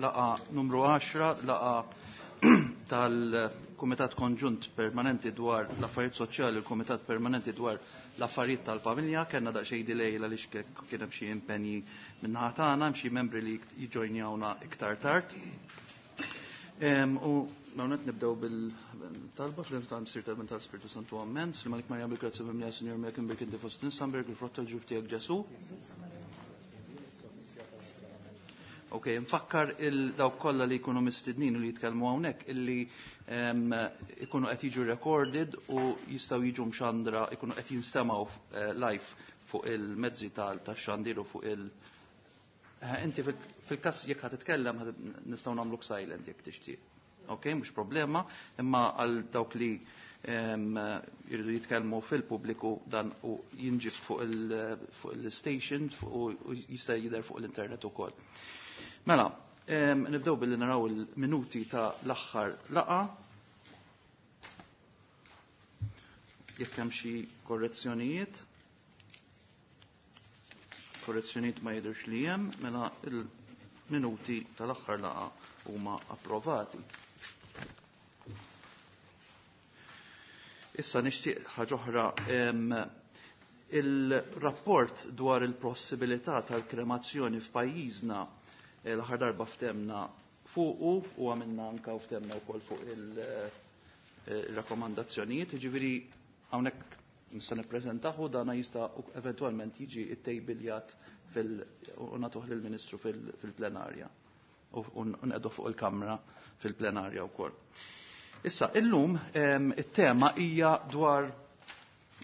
Laqgħa numru 10, laqgħa tal-Kumitat Konġunt Permanenti dwar l-Affarijiet Soċjali u l-Kumitat Permanenti dwar l-Affarijiet tal-Familja. Kellna daqsxejn delay għaliex kien hemm xi impenji min-naħa tagħna, hemm xi membri li jiġġojnjawna iktar tard. U hawnhekk nibdew bil-talba fl-isem tal-Missier tal-Bin tal-Spirtu Santu Ammen. Slima lik Marija bil-grazzja mimlija Sinjur miegħek imbierek inti fost in-nisa, mbierek il-frott tal-ġuf tiegħek Ġesù. Ok, nfakkar il-dawk kollha li jkunu mistednin u li jitkellmu hawnhekk illi ikunu qed jiġu recorded u jistgħu jiġu mxandra, ikunu qed jinstemgħu live fuq il-mezzi tax-xandir u fuq il- Inti fil-każ jekk ħa titkellem nistgħu nagħmluk silent jekk tixtieq. Ok, mhux problema, imma għal dawk li jridu jitkellmu fil-pubbliku dan u jinġib fuq il-station u jista' jidher fuq l-internet ukoll. Mela, nibdew billi naraw il-minuti ta' l-aħħar laqgħa. Jekk hemm xi korrezzjonijiet. Korrezzjonijiet ma jidhirx li hemm, mela il-minuti tal-aħħar laqgħa huma approvati. Issa nixtieq ħaġa oħra, il-rapport dwar il-possibilità tal-kremazzjoni f'pajjiżna l-aħħar darba ftemna fuqu u għamilna anka u ftemna wkoll fuq il-rakkomandazzjonijiet, jiġifieri hawnhekk nista' nippreżentahu dana jista' eventwalment jiġi ttejbiljat fil u nagħtuh lill-Ministru fil-plenarja u nqegħdu fuq il-Kamra fil-plenarja wkoll. Issa, illum it-tema hija dwar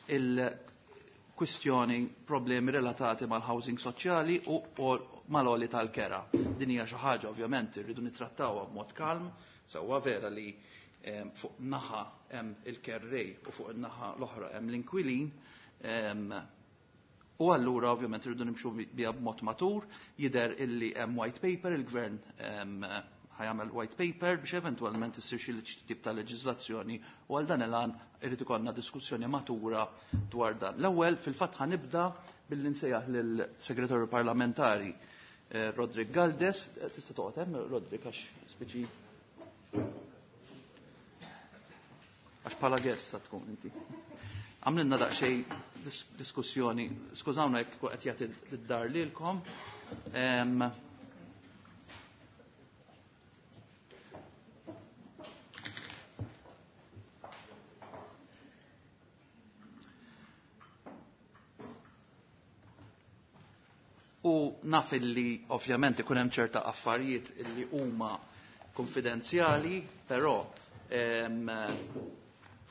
il-kwistjoni problemi relatati mal-housing soċjali u mal-għoli tal-kera. Din hija xi ħaġa ovvjament irridu nittrattawha b'mod kalm, sewwa vera li fuq naħa hemm il-kerrej u fuq in-naħa l-oħra hemm l-inkwilin. U allura ovvjament irridu nimxu biha b'mod matur, jidher illi hemm white paper, il-gvern ħajamel white paper biex eventwalment issir xi tip ta' leġiżlazzjoni u għal dan il-għan irid ikollna diskussjoni matura dwar dan. L-ewwel fil-fatt ħanibda billi nsejjaħ lill-Segretarju Parlamentari Roderick Galdes. Tista' toqgħod hemm Roderick għax speċi għax bħala guest sa tkun inti. Għamlilna daqsxejn diskussjoni, skużawna jekk qed jagħti d-dar lilkom. U naf illi ovvjament ikun hemm ċerta affarijiet illi huma konfidenzjali, però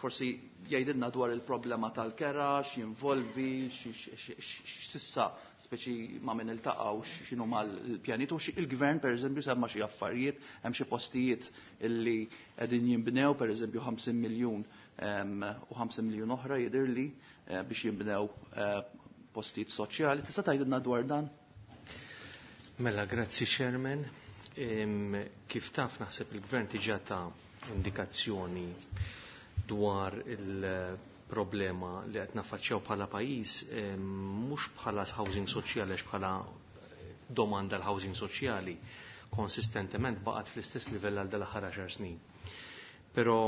forsi jgħidilna dwar il-problema tal-kera, x'jinvolvi, x'sissa speċi ma' min iltaqgħu, x'inhu mal-pjanijiet, u il-gvern pereżempju semma xi affarijiet, hemm xi postijiet illi qegħdin jinbnew, pereżempju 50 miljun u 50 miljun oħra jidhirli biex jinbnew postijiet soċjali. Tista' tgħidilna dwar dan? Mela, grazzi Chairman. Kif taf naħseb il-gvern diġà ta' indikazzjoni dwar il-problema li qed naffaċċjaw bħala pajjiż, mhux bħala housing soċjali għax bħala domanda l-housing soċjali konsistentement baqgħet fl-istess livell għal dal-aħħar 10 snin. Però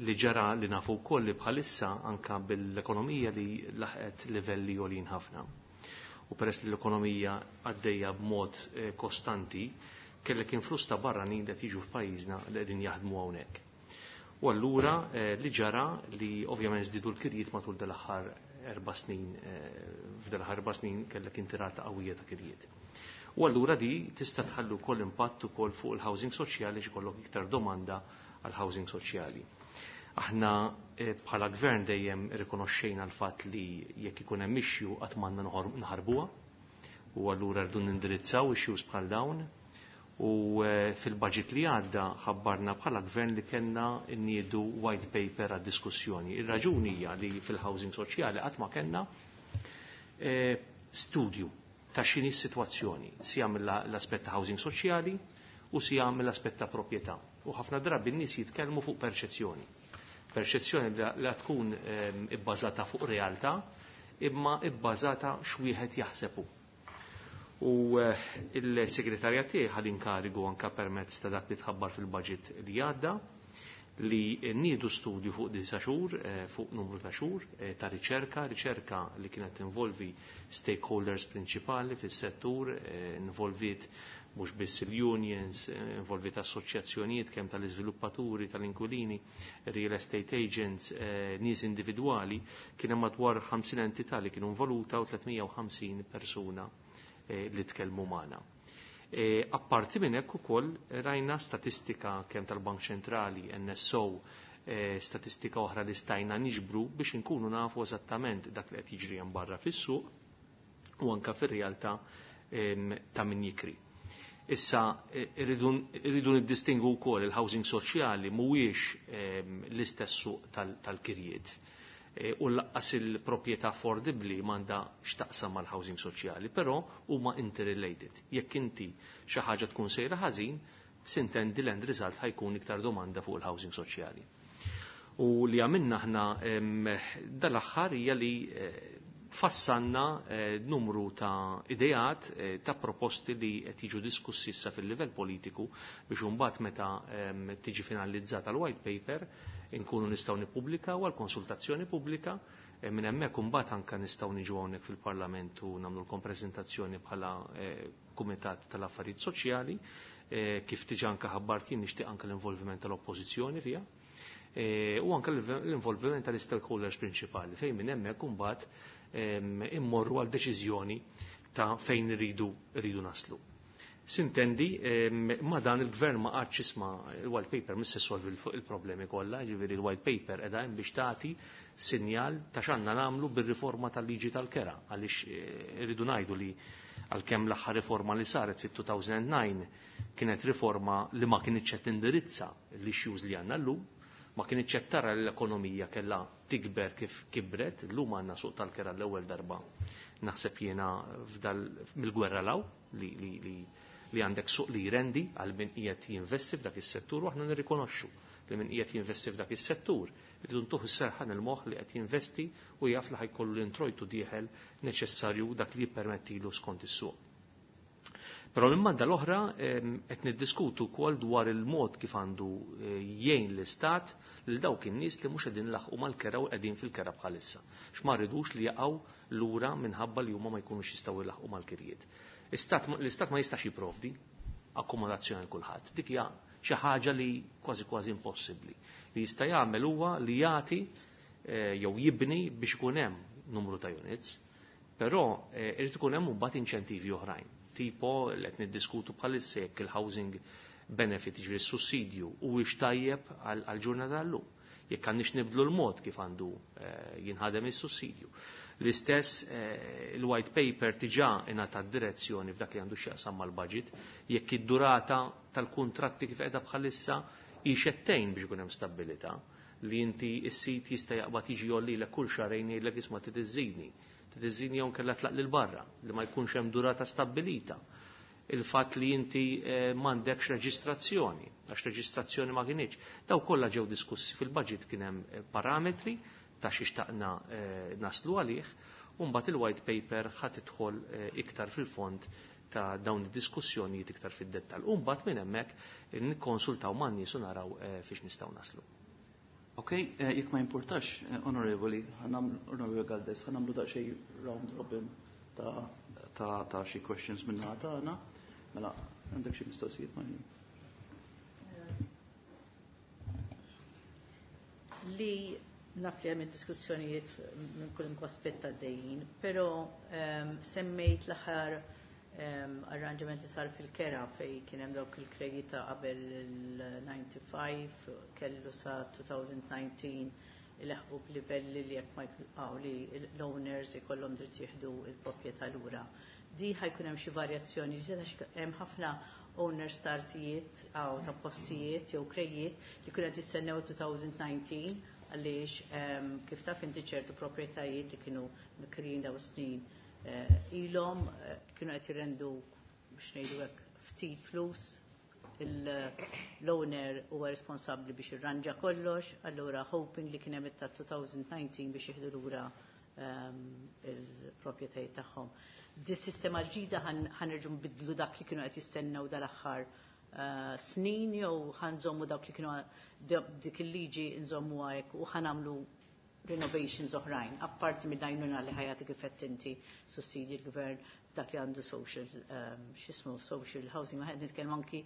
li ġara li nafu wkoll li bħalissa anka bil-ekonomija li laħqet livelli għolin ħafna. U peress li l-ekonomija għaddejja b'mod kostanti, kellek influss ta' barranin li qed jiġu f'pajjiżna li qegħdin jaħdmu hawnhekk. U allura li ġara li ovvjament żdiedu l-kirjiet matul dal-aħħar 4 snin, f'dal-aħħar 4 snin kellek intirata qawwija ta' kirjiet. U allura di tista' tħallu wkoll impatt ukoll fuq il-housing soċjali xi jkollok iktar domanda għal housing soċjali. Aħna bħala gvern dejjem irrikonoxxejna l-fatt li jekk ikun hemm issue qatt m'għandna nħarbuha, u allura rridu nindirizzaw issues bħal dawn. U fil-budget li għadda ħabbarna bħala gvern li kellna nniedu white paper għad diskussjoni. Ir-raġuni hija li fil-housing soċjali qatt ma kellna studju ta' x'inhi s-sitwazzjoni, sija mill-aspett ta' housing soċjali u sija mill-aspett ta' proprjetà. U ħafna drabi n-nies jitkellmu fuq perċezzjoni. Perċezzjoni li tkun ibbażata fuq realtà, imma ibbażata x'wieħed jaħsebu. U il-segretarja tiegħi ħa l-inkarigu anke permezz ta' dak li tħabbar fil-budget li għadda li niedu studju fuq disa xhur, fuq numru ta' xhur ta' riċerka, riċerka li kienet involvi stakeholders prinċipali fis-settur, involviet mhux biss il-unions, involviet assoċjazzjonijiet kemm tal-iżviluppaturi, tal-inkwilini, real estate agents, nies individwali, kien hemm madwar 50 entità li kienu involuta u 350 persuna li tkellmu magħna. Apparti minn hekk ukoll rajna statistika kemm tal-Bank Ċentrali, NSO, statistika oħra li stajna niġbru biex inkunu nafu eżattament dak li qed jiġri hemm barra fis-suq u anke fir-realtà ta' min jikri. Issa irridu niddistingu wkoll il-housing soċjali mhuwiex l-istess suq tal-kirjiet. U lanqas il-proprjetà affordibbli m'għandha x'taqsam mal-housing soċjali, però huma interrelated. Jekk inti xi ħaġa tkun sejra ħażin, sintendi l-end result ħa jkun iktar domanda fuq il-housing soċjali. U li għamilna aħna dal-aħħar hija li fassanna numru ta' ideat, ta' proposti li qed jiġu diskussi issa fil-livell politiku biex imbagħad meta tiġi finalizzata l-white paper inkunu nistgħu nippubblikaw għal konsultazzjoni pubblika, minn hemmhekk imbagħad anke nistgħu niġu hawnhekk fil-Parlament u nagħmlulkom preżentazzjoni bħala Kumitat tal-Affarijiet Soċjali, kif diġà anke ħabbart jien nixtieq anke l-involviment tal-Oppożizzjoni fiha. U anke l-involviment tal-stakeholders prinċipali fejn minn hemmhekk imbagħad immorru għal deċiżjoni ta' fejn irridu naslu. Sintendi, ma dan il-gvern ma qagħadx isma' il-white paper mhux se solvi il-problemi kollha, ġifieri il-white paper qiegħda hemm biex tagħti sinjal ta' x'għandna nagħmlu bir-riforma tal-liġi tal-kera, għaliex irridu ngħidu li għalkemm l-aħħar riforma li saret fit-2009 kienet riforma li ma kinitx qed tindirizza l-issues li għandna llum, ma kinitx qed tara li l-ekonomija kellha tikber kif kibret, llum għandna suq tal-kera l-ewwel darba naħseb jiena mill-gwerra law li għandek suq li jrendi għal min qiegħed jinvesti f'dak is-settur u aħna nirrikonoxxu li min qiegħed jinvesti f'dak is-settur irridu ntuh is-serħan il-moħħ li qed jinvesti u jaf li ħajkollu l-introjtu dieħel neċessarju dak li jippermettilu skont is-suq. Però minn banda l-oħra qed niddiskutu wkoll dwar il-mod kif għandu jgħin l-istat lil dawk in-nies li mhux qegħdin laħqu mal-kera u qegħdin fil-kera bħalissa. X'ma rridux li jaqgħu lura minħabba li huma ma jkunux jistgħu jlaħqu mal-kirjiet. L-istat ma jistax jipprovdi akkomodazzjoni għal kulħadd. Dik hija xi ħaġa li kważi kważi impossibbli. Li jista' jagħmel huwa li jagħti jew jibni biex ikun hemm numru ta' units, però irid ikun hemm imbagħad inċentivi oħrajn. Tipo li qed niddiskutu bħalissa jekk il-housing benefit, jiġifieri s-sussidju, huwiex tajjeb għall-ġurnata tal-lum. Jekk għandniex nibdlu l-mod kif għandu jinħadem is-sussidju. L-istess il-white paper diġà ingħata direzzjoni f'dak li għandu x'jaqsam mal-budget, jekk id-durata tal-kuntratti kif qiegħda bħalissa hi xettejn biex ikun hemm stabilità, li inti s-sit jista' jaqbad jiġi jgħollilek kull xahrejn jgħidlek isma' titiżżidni, titiżżidni jew kellha tlaq lil barra, li ma jkunx hemm durata stabbilita. Il-fatt li inti m'għandekx reġistrazzjoni, għax reġistrazzjoni ma kienx. Daw kollha ġew diskussi fil-budget, kien hemm parametri ta' xi xtaqna naslu għalih, u mbagħad il-white paper ħa tidħol iktar fil-fond ta' dawn id-diskussjonijiet iktar fid-dettall. U mbagħad minn hemmhekk nikkonsultaw man-nies u naraw fiex nistgħu naslu. Ok, jekk ma importax, onorevoli, onorevoli Galdes, ħa nagħmlu daqsxejn round robin ta' xi questions minn naħa tagħna. Mela, għandek xi mistoqsijiet ma' Li naf li hemm diskussjonijiet minn kull aspett għaddejjin, però semmejt l-aħħar arranġament li sar fil-kera fej kien hemm dawk il-kredita ta' qabel il-95 kellu sa 2019 ilaħqu b'livelli li jekk ma jkun li l-owners ikollhom dritt jieħdu l-proprjetà lura. Di ħa jkun hemm xi varjazzjoni, għax hemm ħafna owners ta' artijiet aw ta' postijiet jew krejiet li kienu qed jistennew 2019 għaliex kif taf inti ċertu proprjetajiet li kienu mikrin daw snin ilhom kienu qed jirrendu biex ngħidu hekk ftit flus, l-owner huwa responsabbli biex irranġa kollox, allura hoping li kien hemm ta' 2019 biex jieħdu lura il-proprjetajiet tagħhom. Dis-sistema ġdida ħa nerġgħu nbiddlu dak li kienu qed jistennew dal-aħħar snin jew ħa nżommu dak li kienu dik il-liġi nżommu hekk u ħa nagħmlu renovations oħrajn, apparti mid-għajnuna li ħa jagħti kif inti sussidji l-gvern dak li għandu social, x'jismu, social housing, ma nitkellem anki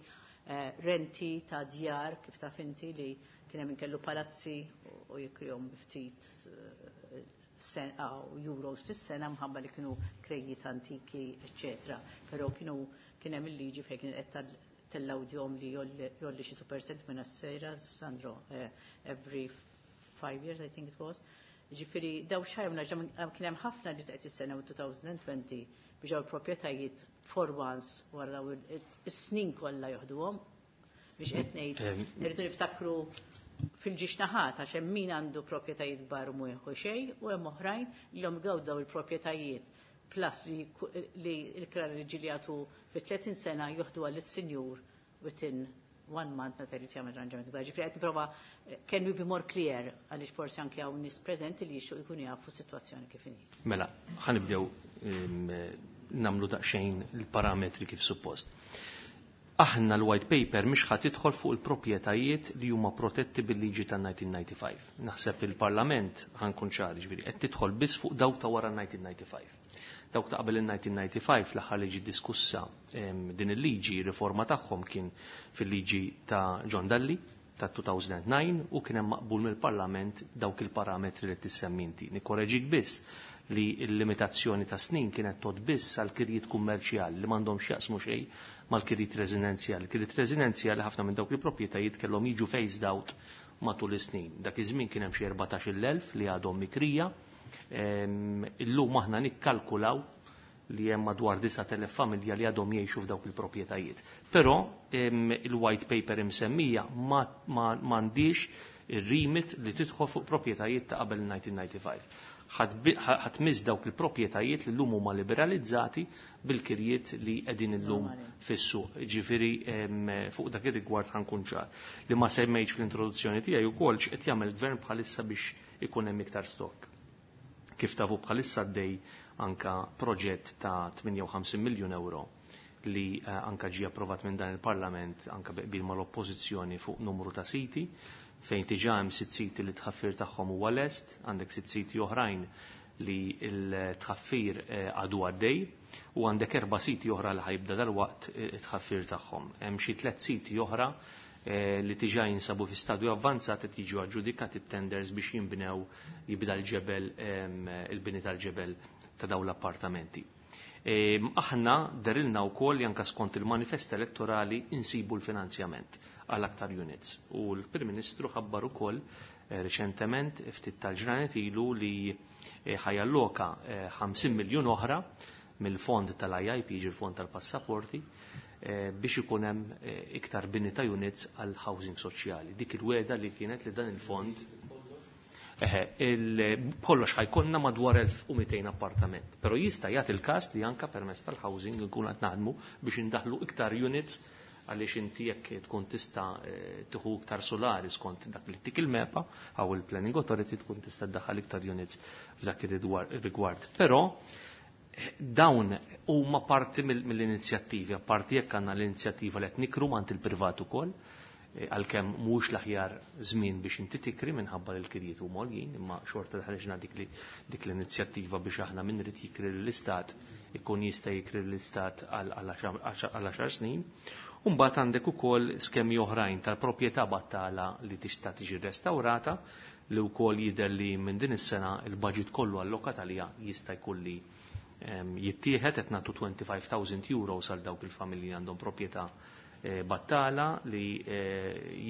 renti ta' djar, kif taf inti li kien hemm kellu palazzi u jikrihom bi ftit euros fis-sena mħabba li kienu krejjiet antiki, eccetera. Però kienu kien hemm il-liġi fejn kien qed tellawdjom li jgħolli xi 2% minn sejra, Sandro, every 5 years, I think it was. Ġifieri, daw xajmna kien hemm ħafna li qed jistennew 2020 biex daw il-proprjetajiet for once wara daw is-snin kollha joħduhom, biex qed ngħid irridu niftakru fil-żewġ naħat, għax hemm min għandu proprjetajiet kbar u mhu jieħu xejn u hemm oħrajn li hom gawdaw il-proprjetajiet plus li l-kra li ġieli jagħtu fi 30 sena joħdu għal sinjur within one month meta jrid jagħmel arranġament kbar. Ġifieri qed nipprova, can we be more clear, għaliex forsi anke hawn nies preżenti li jixtiequ jkunu jafu s-sitwazzjoni kif inhi. Mela, ħa nibdew nagħmlu daqsxejn il-parametri kif suppost. Aħna l-white paper mhix ħa tidħol fuq il-proprjetajiet li huma protetti bil-liġi tan-1995. Naħseb il-Parlament, ħa nkun ċari, ġifieri qed tidħol biss fuq dawk ta' wara 1995. Dawk ta' qabel il-1995, l-aħħar liġi diskussa din il-liġi, riforma tagħhom kien fil-liġi ta' John Dalli ta' 2009 u kien hemm maqbul mill-Parlament dawk il-parametri li tissemmi inti. Nikkoreġik biss li l-limitazzjoni ta' snin kienet tgħodd biss għal kirjiet kummerċjali li m'għandhom x'jaqsmu xejn mal-kirjiet residenzjali. Kirjiet residenzjali, ħafna minn dawk il-proprjetajiet kellhom jiġu phased out matul is-snin. Dak iż-żmien kien hemm xi 14,000 li għadhom mikrija. Illum aħna nikkalkulaw li hemm madwar 9,000 familja li għadhom jgħixu f'dawk il-proprjetajiet. Però il-white paper imsemmija m'għandix ir-remit li tidħol fuq proprjetajiet ta' qabel 1995. Ħa tmiss dawk il-proprjetajiet li llum huma liberalizzati bil-kirjiet li qegħdin illum fis-suq. Ġifieri fuq dak ir-rigward ħa nkun ċar. Li ma semmejtx fl-introduzzjoni tiegħi wkoll x'qed jagħmel gvern bħalissa biex ikun hemm iktar stock. Kif tafu, bħalissa għaddej anka proġett ta' 58 miljun euro li anka ġie approvat minn dan il-Parlament anka bi qbil mal-oppożizzjoni fuq numru ta' siti, fejn diġà hemm sitt siti li tħaffir tagħhom huwa lest, għandek sitt siti oħrajn li l-tħaffir għadu għaddej u għandek erba' siti oħra li ħa jibda dal-waqt it-tħaffir tagħhom. Hemm xi tliet siti oħra li diġà jinsabu fi stadju avvanzat, qed jiġu aġġudikati tenders biex jinbnew, jibda l-ġebel, il-bini tal-ġebel ta' dawn l-appartamenti. Aħna dehrilna wkoll anka skont il-manifest elettorali insibu l-finanzjament għal aktar units. U l-Prim Ministru ħabbar ukoll reċentement, ftit tal-ġranet ilu, li ħa jalloka 50 miljun oħra mill-fond tal-IIP, ġi fond tal-passaporti, biex ikun hemm iktar bini ta' units għal housing soċjali. Dik il-wegħda li kienet li dan il-fond. Eħe, kollox ħa jkollna madwar 1200 appartament. Pero jista' jagħti il-każ li anka permezz tal-housing nkun qed naħdmu biex indaħlu iktar units, għaliex inti jekk tkun tista' tieħu iktar solari skont dak li tik il-MEPA għaw il-Planning Authority, tkun tista' ddaħħal iktar units f'dak ir-rigward. Però dawn huma parti mill-inizjattivi, apparti jekk għandna l-inizjattiva li qed nikru mant il-privat ukoll, għalkemm mhux l-aħjar żmien biex inti tikri minħabba li l-kirjiet huma għoljin, imma xorta ħriġna dik l-inizjattiva biex aħna min irid jikri l-istat ikun jista' jikri l-istat għal 10 snin. Umbagħad għandek ukoll skemi oħrajn tal-proprjetà battala li tista' tiġi restaurata, li wkoll jidher li minn din is-sena il-budget kollu allokat għalija jista' jkun li jittieħed. Qed nagħtu 25,000 euro għal dawk il-familji li għandhom proprjetà battala li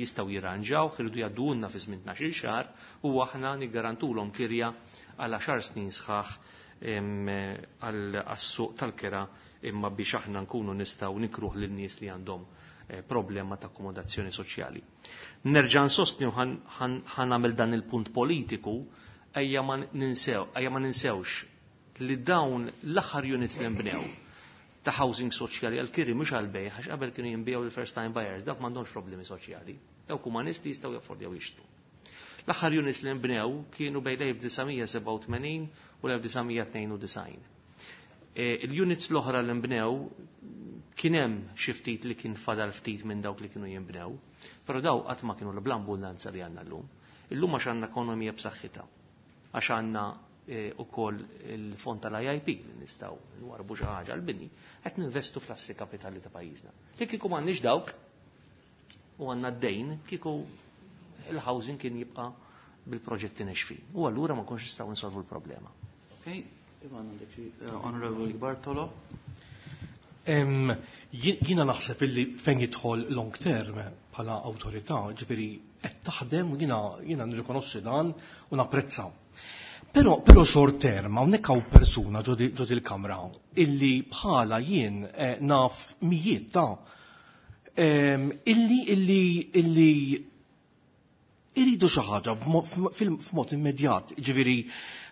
jistgħu jirranġaw, iridu jgħaddulna fi żmien 12 xahar u aħna niggarantulhom kirja għal 10 snin sħaħ għas-suq tal-kera, imma biex aħna nkunu nistgħu nikruh lin-nies li għandhom problema ta' akkomodazzjoni soċjali. Nerġa' nsostni u ħa nagħmel dan il-punt politiku, ejja ma ninsewx li dawn l-aħħar units li nbnew ta' housing soċjali għal-kiri, mhux għal-bejgħ, għax qabel kienu jinbiegħu l-first time buyers, dawk m'għandhomx problemi soċjali. Dawk huma nies li jistgħu jaffordjaw jixtru. L-aħħar units li nbnew kienu bejn l-1987 u l-1992. Il-units l-oħra li nbnew kien hemm xi ftit li kien fadal ftit minn dawk li kienu jinbnew, però daw qatt ma kienu bl-abbundanza li għandna llum. Illum għax għandna ekonomija b'saħħitha, għax għandna ukoll il-fond tal-IIP li nistgħu nwarbu xi ħaġa l-bini, qed ninvestu fl-assi kapitali ta' pajjiżna. Li kieku m'għandniex dawk u għandna d-dejn, kieku il-housing kien jibqa' bil-proġetti nexfin. U allura ma nkunx nistgħu nsolvu l-problema. Okay, Ivan, għandek xi, Honorable Bartolo. Jiena naħseb illi fejn jidħol long term bħala awtorità, ġifieri qed taħdem u jiena nirrikonoxxi dan u napprezza. Però short term, hawnhekk hawn persuna ġo il-kamra illi bħala jien naf mijiet ta' illi iridu xi ħaġa f'mod immedjat, ġifieri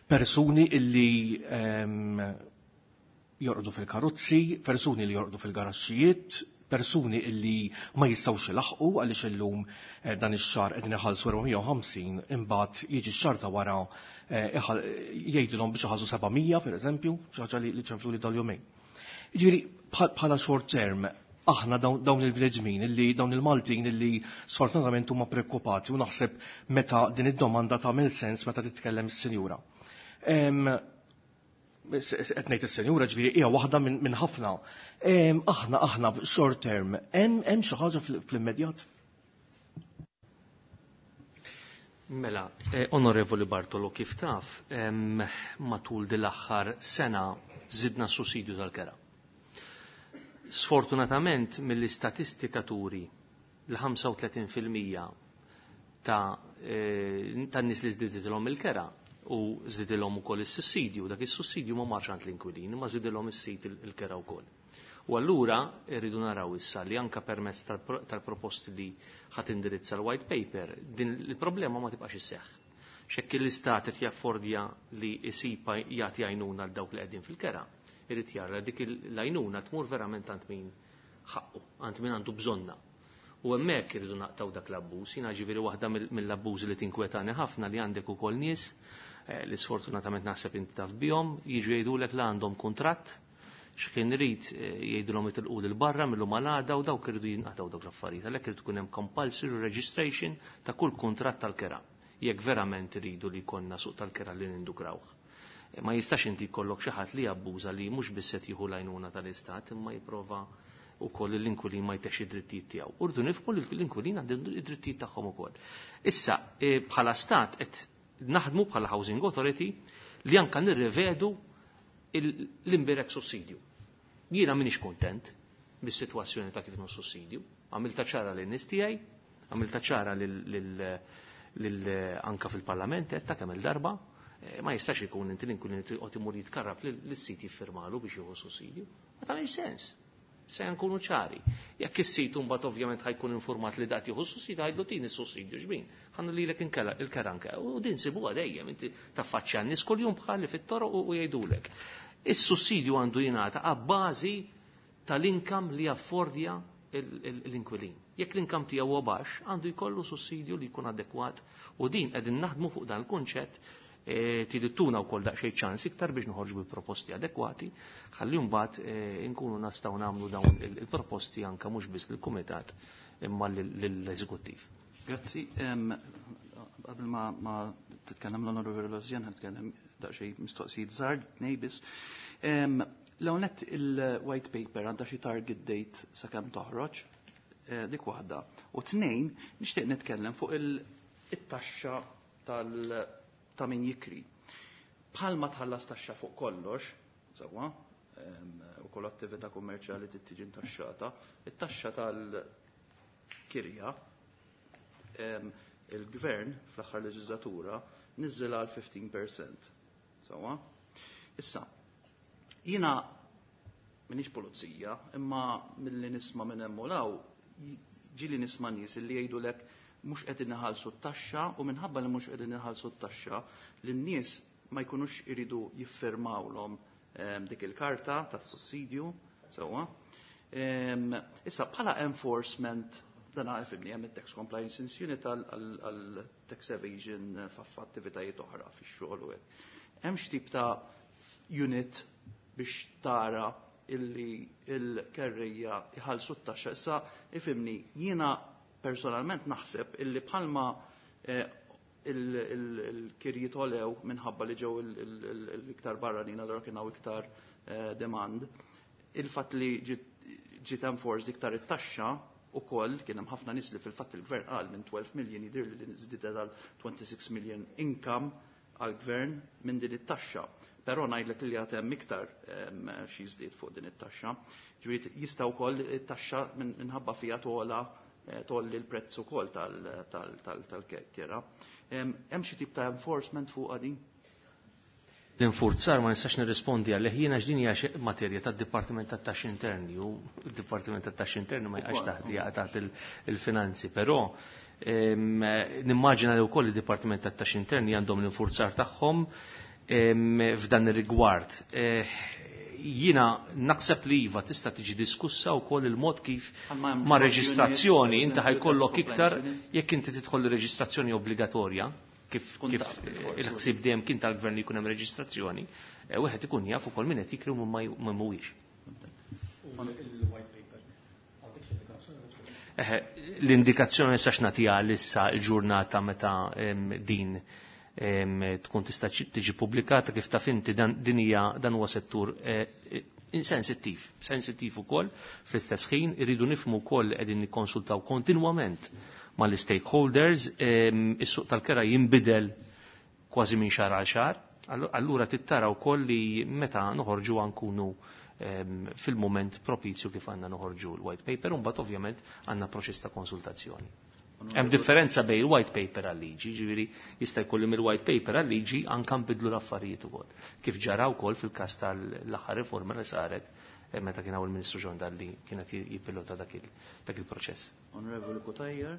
persuni illi jorqdu fil-karozzi, persuni li jorqdu fil-garaxxijiet, persuni illi ma jistgħux ilaħqu għaliex illum dan ix-xahar qegħdin iħallsu 450, imbagħad jiġi x-xahar ta' wara jgħidilhom biex iħallsu 700 pereżempju, xi ħaġa li ċemplu li dal-jumejn. Jiġifieri bħala short term aħna dawn il-bnedmin illi dawn il-Maltin illi sfortunatament huma preokkupati u naħseb meta din id-domanda tagħmel sens meta titkellem is-sinjura. Qed ngħid is-senjura, ġifieri hija waħda minn ħafna. Aħna short term hemm xi ħaġa fl-immedjat? Mela, Onorevoli Bartolo, kif taf, matul din l-aħħar sena żidna s-sussidju tal-kera. Sfortunatament mill-istatistika turi l-35% ta' nies li żdiditilhom il-kera u żdidilhom ukoll is-sussidju, dak is-sussidju ma marx għand l-inkwilin, ma żidilhom is-sit il-kera wkoll. U allura rridu naraw issa li anka permezz tal-proposti li ħadd indirizza l-white paper, din il-problema ma tibqax isseħħ. Xekk l-istat qed jaffordja li jsiba jagħti għajnuna għal dawk li qegħdin fil-kera, irid jara dik l-għajnuna tmur verament għand min ħaqqu, għand min għandu bżonna. U hemmhekk irridu naqtaw dak l-abbuż. Jiena ġifieri waħda mill-abbużi li tinkwetani ħafna li għandek ukoll nies li sfortunatament naħseb inti taf bihom, jiġu jgħidulek li għandhom kuntratt, x'kien irid jgħidulhom itilqu lil barra mill-lum għal għada u dawk iridu jinqatgħu dawk l-affarijiet. Għalhekk irid ikun hemm compulsory registration ta' kull kuntratt tal-kera, jekk verament iridu li jkollna suq tal-kera li nindukrawh. Ma jistax inti jkollok xi ħadd li jabbuża li mhux biss qed jieħu l-għajnuna tal-istat imma jipprova wkoll l-inkwilin ma jtex id-drittijiet tiegħu. Urdu nifhmu li l-inkwilin għandhom id-drittijiet tagħhom ukoll. Issa, bħala stat qed naħdmu bħala Housing Authority li anka nirrivedu l-imbirek sussidju. Jiena m'iniex kontent bis-sitwazzjoni ta' kif sussidju. Għamilta ċara lin nies tiegħi, għamilta ċara lil anka fil-Parlament qed ta' kemm il-darba. Ma jistax ikun inti l-inkwilin li toqgħod imur jitkarrab lis-sit jiffirmalu biex jieħu sussidju. Ma tagħmilx sens. Se nkunu ċari. Jekk is-sit imbagħad ovvjament ħajkun informat li dat jieħu sussidju, ħajdlu tini sussidju xbin. Ħannu lilek inkella il-kera anke. U din sibuha dejjem inti taffaċċja n-nies kuljum bħalli fit-toroq u jgħidulek. Is-sussidju għandu jingħata għabbażi tal-inkam li jaffordja l-inkwilin. Jekk l-inkam tiegħu huwa baxx, għandu jkollu sussidju li jkun adekwat u din qegħdin naħdmu fuq dan il-kunċett. Tidittuna wkoll daqsxejn ċans iktar biex noħorġu bi proposti adekwati, ħalli mbagħad inkunu nistgħu nagħmlu dawn il-proposti anke mhux biss lill-kumitat imma lill-eżekuttiv. Grazzi. Qabel ma titkellem l-Onorevoli Rosian, ħa nitkellem daqsxejn mistoqsijiet żgħar, tnej biss. L-ewwel nett il-white paper għandha xi target date sakemm toħroġ, dik waħda. U tnejn, nixtieq nitkellem fuq it-taxxa ta' min jikri. Bħalma tħallas taxxa fuq kollox, sewwa, u kull attività kummerċjali trid tiġi ntaxxata, it-taxxa tal-kirja, il-gvern fl-aħħar leġislatura niżżilha għal 15%. Sewwa? Issa, jiena m'iniex pulizija, imma milli nisma' minn hemm u law, ġieli nisma' nies li jgħidulek mhux qegħdin iħallsu t-taxxa u minħabba li mhux qegħdin iħallsu t-taxxa lin-nies ma jkunux iridu jiffirmawlhom dik il-karta tas-sussidju, sewwa. Issa bħala enforcement Dan ifhimni, hemm it-Tax Compliance Unit għal tax evasion f'attivitajiet oħra fix-xogħol u hekk. Hemm x'tip ta' unit biex tara illi il-kerrejja jħallsu t-taxxa? Issa ifhimni, jiena personalment naħseb illi bħalma il-kirjiet għolew minħabba li ġew l-iktar barranin, allura kien hawn iktar demand. Il-fatt li ġiet enforced iktar it-taxxa ukoll kien hemm ħafna nies li fil-fatt il-gvern qal minn 12 million jidhir li żdiedet għal 26 million income għall-gvern minn din it-taxxa. Però ngħidlek li għad hemm iktar xi żdied fuq din it-taxxa. Ġifieri jista' wkoll it-taxxa minħabba fiha togħla, tgħolli l-prezz ukoll tal-kera. Hemm xi tip ta' enforcement fuq din? L-infurzar ma nistax nirrispondi għalih jiena, x'din hija materja tad-Dipartiment tat-Taxxi Interni u d-Dipartiment tat-Taxxi Interni ma jaqax taħt, jaqa' taħt il-finanzi, però nimmaġina li wkoll id-Dipartiment tat-Taxxi Interni għandhom l-infurzar tagħhom f'dan ir-rigward. Jiena naħseb li iva, tista' tiġi diskussa wkoll il-mod kif ma' reġistrazzjoni inti ħa jkollok iktar jekk inti tidħol reġistrazzjoni obbligatorja, kif il-ħsieb dejjem kien tal-gvern li jkun hemm reġistrazzjoni, wieħed ikun jaf ukoll min qed jikri u min mhuwiex. Il-white paper. L-indikazzjoni nistax nagħtiha issa il-ġurnata meta din tkun tista' tiġi pubblikata. Kif taf inti, dan din hija dan huwa settur sensittiv, sensittiv ukoll. Fl-istess ħin irridu nifhmu wkoll qegħdin nikkonsultaw kontinwament mal-stakeholders, is-suq tal-kera jinbidel kważi minn xahar għal xahar, allura tittara wkoll li meta noħorġu nkunu fil-moment propizju kif għandna noħorġu l-white paper, u mbagħad ovvjament għandna proċess ta' konsultazzjoni. Hemm differenza bejn il-white paper għal-liġi, ġifieri jista' jkun li mill-white paper għal-liġi anke nbidlu l-affarijiet ukoll. Kif ġara wkoll fil-każ tal-aħħar riforma li saret meta kien hawn il-Ministru John Dalli kienet jippilota dak il-proċess. Onorevoli Cutajar.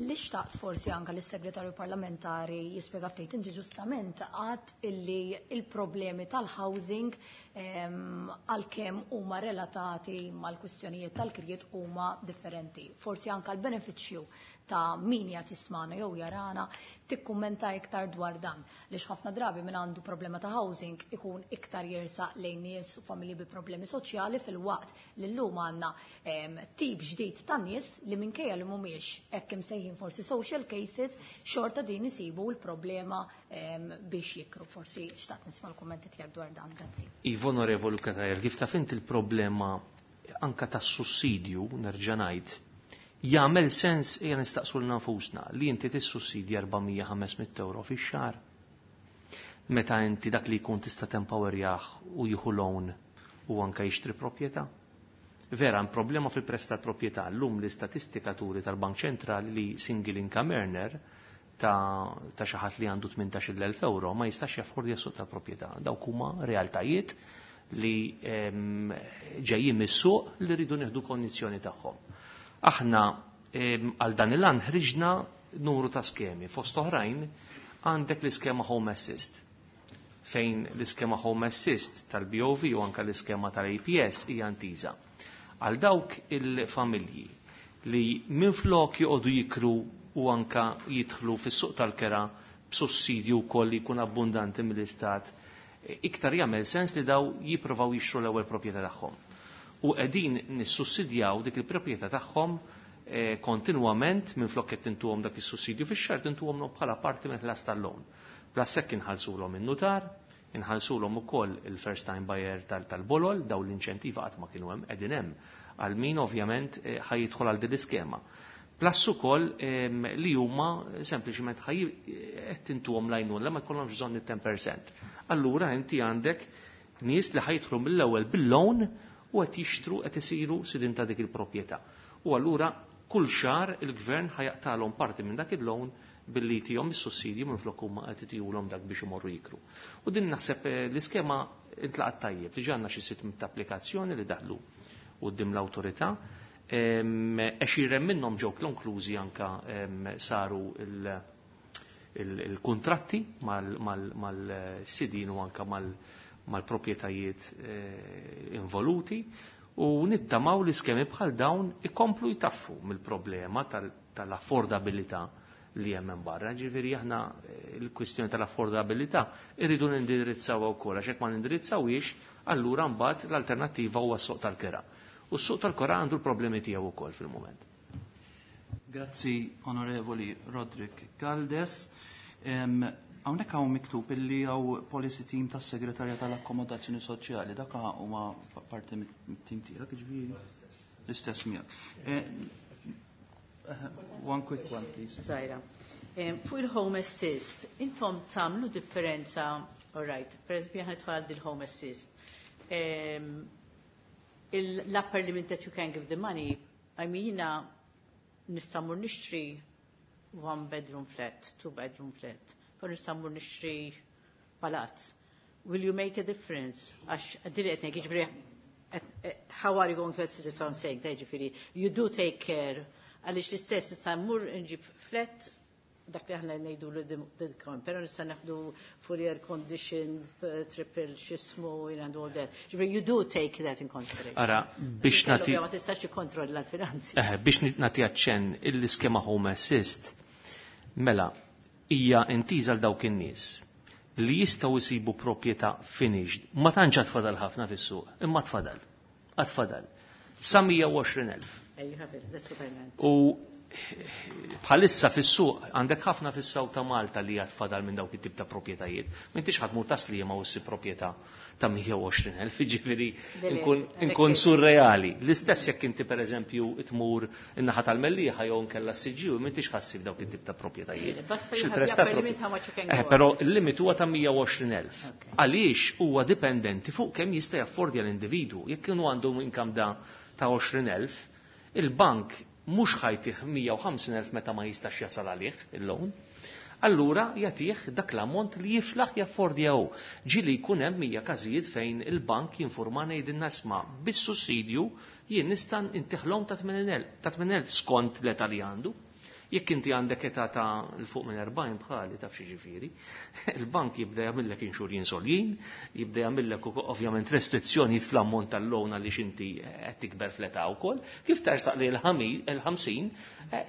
Li xtaqt forsi anka l-segretarju parlamentari jispjega ftit, inti ġustament għad illi il-problemi tal-housing, għalkemm huma relatati mal-kwistjonijiet tal-kirjiet, huma differenti. Forsi anka l-benefiċċju ta' min jgħat jismana jew jarana tikkummenta iktar dwar dan. Lix ħafna drabi min għandu problema ta' housing ikun iktar jersaq lejn nies u familji bi problemi soċjali, filwaqt li llum għandna tip ġdid ta' nies li minkejja li mhumiex hekk imsejħin forsi social cases, xorta din isibu l-problema biex jikru. Forsi xtaqt nisma' l-kummenti tiegħek dwar dan. Grazzi. Iva, Onorevoli Cutajar, kif taf inti il-problema anka tas-sussidju, nerġa' ngħid, jagħmel sens, ejja nistaqsu lil nfusna, li inti tissussidja 400-500 euro fix-xahar meta inti dak li jkun tista' tempowerjah u jieħu loan u anka jixtri proprjetà? Vera, hemm problema fil-prezz tal-proprjetà. Llum l-istatistika turi tal-Bank Ċentrali li single income earner ta' xi ħadd li għandu 18,000 euro ma jistax jaffordja suq tal-proprjetà. Dawk huma realtajiet li ġejjin mis-suq li rridu nieħdu kondizzjoni tagħhom. Aħna għal dan il-għan ħriġna numru ta' skemi. Fost oħrajn għandek l-iskema Home Assist, fejn l-iskema Home Assist tal-BOV u anka l-iskema tal-APS hija intiża għal dawk il-familji li minflok joqogħdu jikru u anka jidħlu fis-suq tal-kera b'sussidju wkoll li jkun abbundanti mill-istat, iktar jagħmel sens li daw jipprovaw jixtru l-ewwel proprjetà tagħhom. U qegħdin nissussidjaw dik il-proprjetà tagħhom kontinwament. Minflok qed tintuhom dak is-sussidju fix-xahar, tintuhom bħala parti minn ħlas tal-loan. Plus hekk inħallsulhom in-nutar, inħallsulhom ukoll il-first time buyer tal-bolol, daw l-inċentiva qatt ma kienu hemm, qegħdin hemm għal min ovvjament ħa jidħol għal din l-iskema. Plus ukoll li huma sempliċement ħaj qed tintuhom l-għajnuna ma jkollhomx bżonn it-10%. Allura inti għandek nies li ħa jidħlu mill-ewwel bil-loan u qed jixtru, qed isiru sidin ta' dik il-proprjetà. U allura kull xahar il-gvern ħa jaqtalhom parti minn dak il-loan billi tihom is-sussidju minflok huma qed itihulhom dak biex imorru jikru. U din naħseb l-iskema intlaqat tajjeb, diġà għandna xi 600 applikazzjoni li daħlu quddiem l-awtorità. 20 minnhom ġew konklużi, anka saru il-kontratti mal-sidin u anka mal-proprjetajiet involuti. U nittamaw li skemi bħal dawn ikomplu jtaffu mill-problema tal-affordabilità li hemm hemm barra. Ġifieri aħna l-kwistjoni tal-affordabilità irridu nindirizzawha wkoll, għax jekk ma nindirizzawhiex, allura mbagħad l-alternattiva huwa s-suq tal-kera. U s-suq tal-kera għandu l-problemi tiegħu wkoll fil-mument. Grazzi, Onorevoli Roderick Galdes. Hawnhekk hawn miktub illi hawn policy team tas-Segretarja tal-Akkomodazzjoni Soċjali, dak huma parti mit-team tiegħek, ġifieri? L-istess miegħek. One quick one, please. Zaira. Fuq il-Home Assist, intom tagħmlu differenza, all right, per eżempju aħna nidħol għal il-Home Assist. L-upper limit that you can give the money, I mean, jiena nista' mmur nixtri one bedroom flat, two bedroom flat, pero nista' mmur nixtri palazz. Will you make a difference? Għax għaddili qed ngħid, jiġifieri, how are you going to assist it, what I'm saying, ġifieri, you do take care, għaliex l-istess nista' mmur nġib flat, dak li aħna ngħidu li dikon, pero nista' naħdu fully air conditioned, triple x'ismu, and all that. Ġifieri, you do take that in consideration. Ara, biex nagħti Ma tistax tikkontrolla l-finanzi. Biex nagħti aċċenn l-iskema Home Assist, mela, hija intiża għal dawk in-nies li jistgħu jsibu proprjetà finished. Ma tantx għad fadal ħafna fis-suq, imma tfadal. Għad fadal. Sa 120,000. You have it. That's what I meant. U bħalissa fis-suq għandek ħafna fis-South ta' Malta li għad fadal minn dawk it-tip ta' proprjetajiet. M'intix ħadd mur Tas-Sliema u ssib proprjetà ta' 120,000, jiġifieri nkun surreali. L-istess jekk inti pereżempju tmur in-naħa tal-Mellieħa jew nkella s-Siġġiewi, m'intix ħassib dawk it-tip ta' proprjetajiet. Basta Xi you have prezz the ta' upper limit how much you can go Però up. il-limit huwa ta' 120,000. Għaliex huwa dipendenti fuq kemm jista' jaffordja l-individwu. Jekk kienu għandu income da ta' 20,000, il-bank mhux ħajtih 150,000 meta ma jistax jasal għalih il-loan. Allura jagħtih dak l-ammont li jiflaħ jaffordja hu. Ġieli jkun hemm 100 każijiet fejn il-bank jinformana jgħidilna isma' bis-sussidju jien nista' intiħlhom ta' ta' 80,000 skont l-età li għandu. Jekk inti għandek età ta' l fuq minn 40 bħali taf xi ġifieri, il-bank jibda jagħmillek inxurjin soljin, jibda jagħmillek ovvjament restrizzjonijiet fl-ammont tal-loan għaliex inti qed tikber fl-età wkoll, kif tersaq li il-50,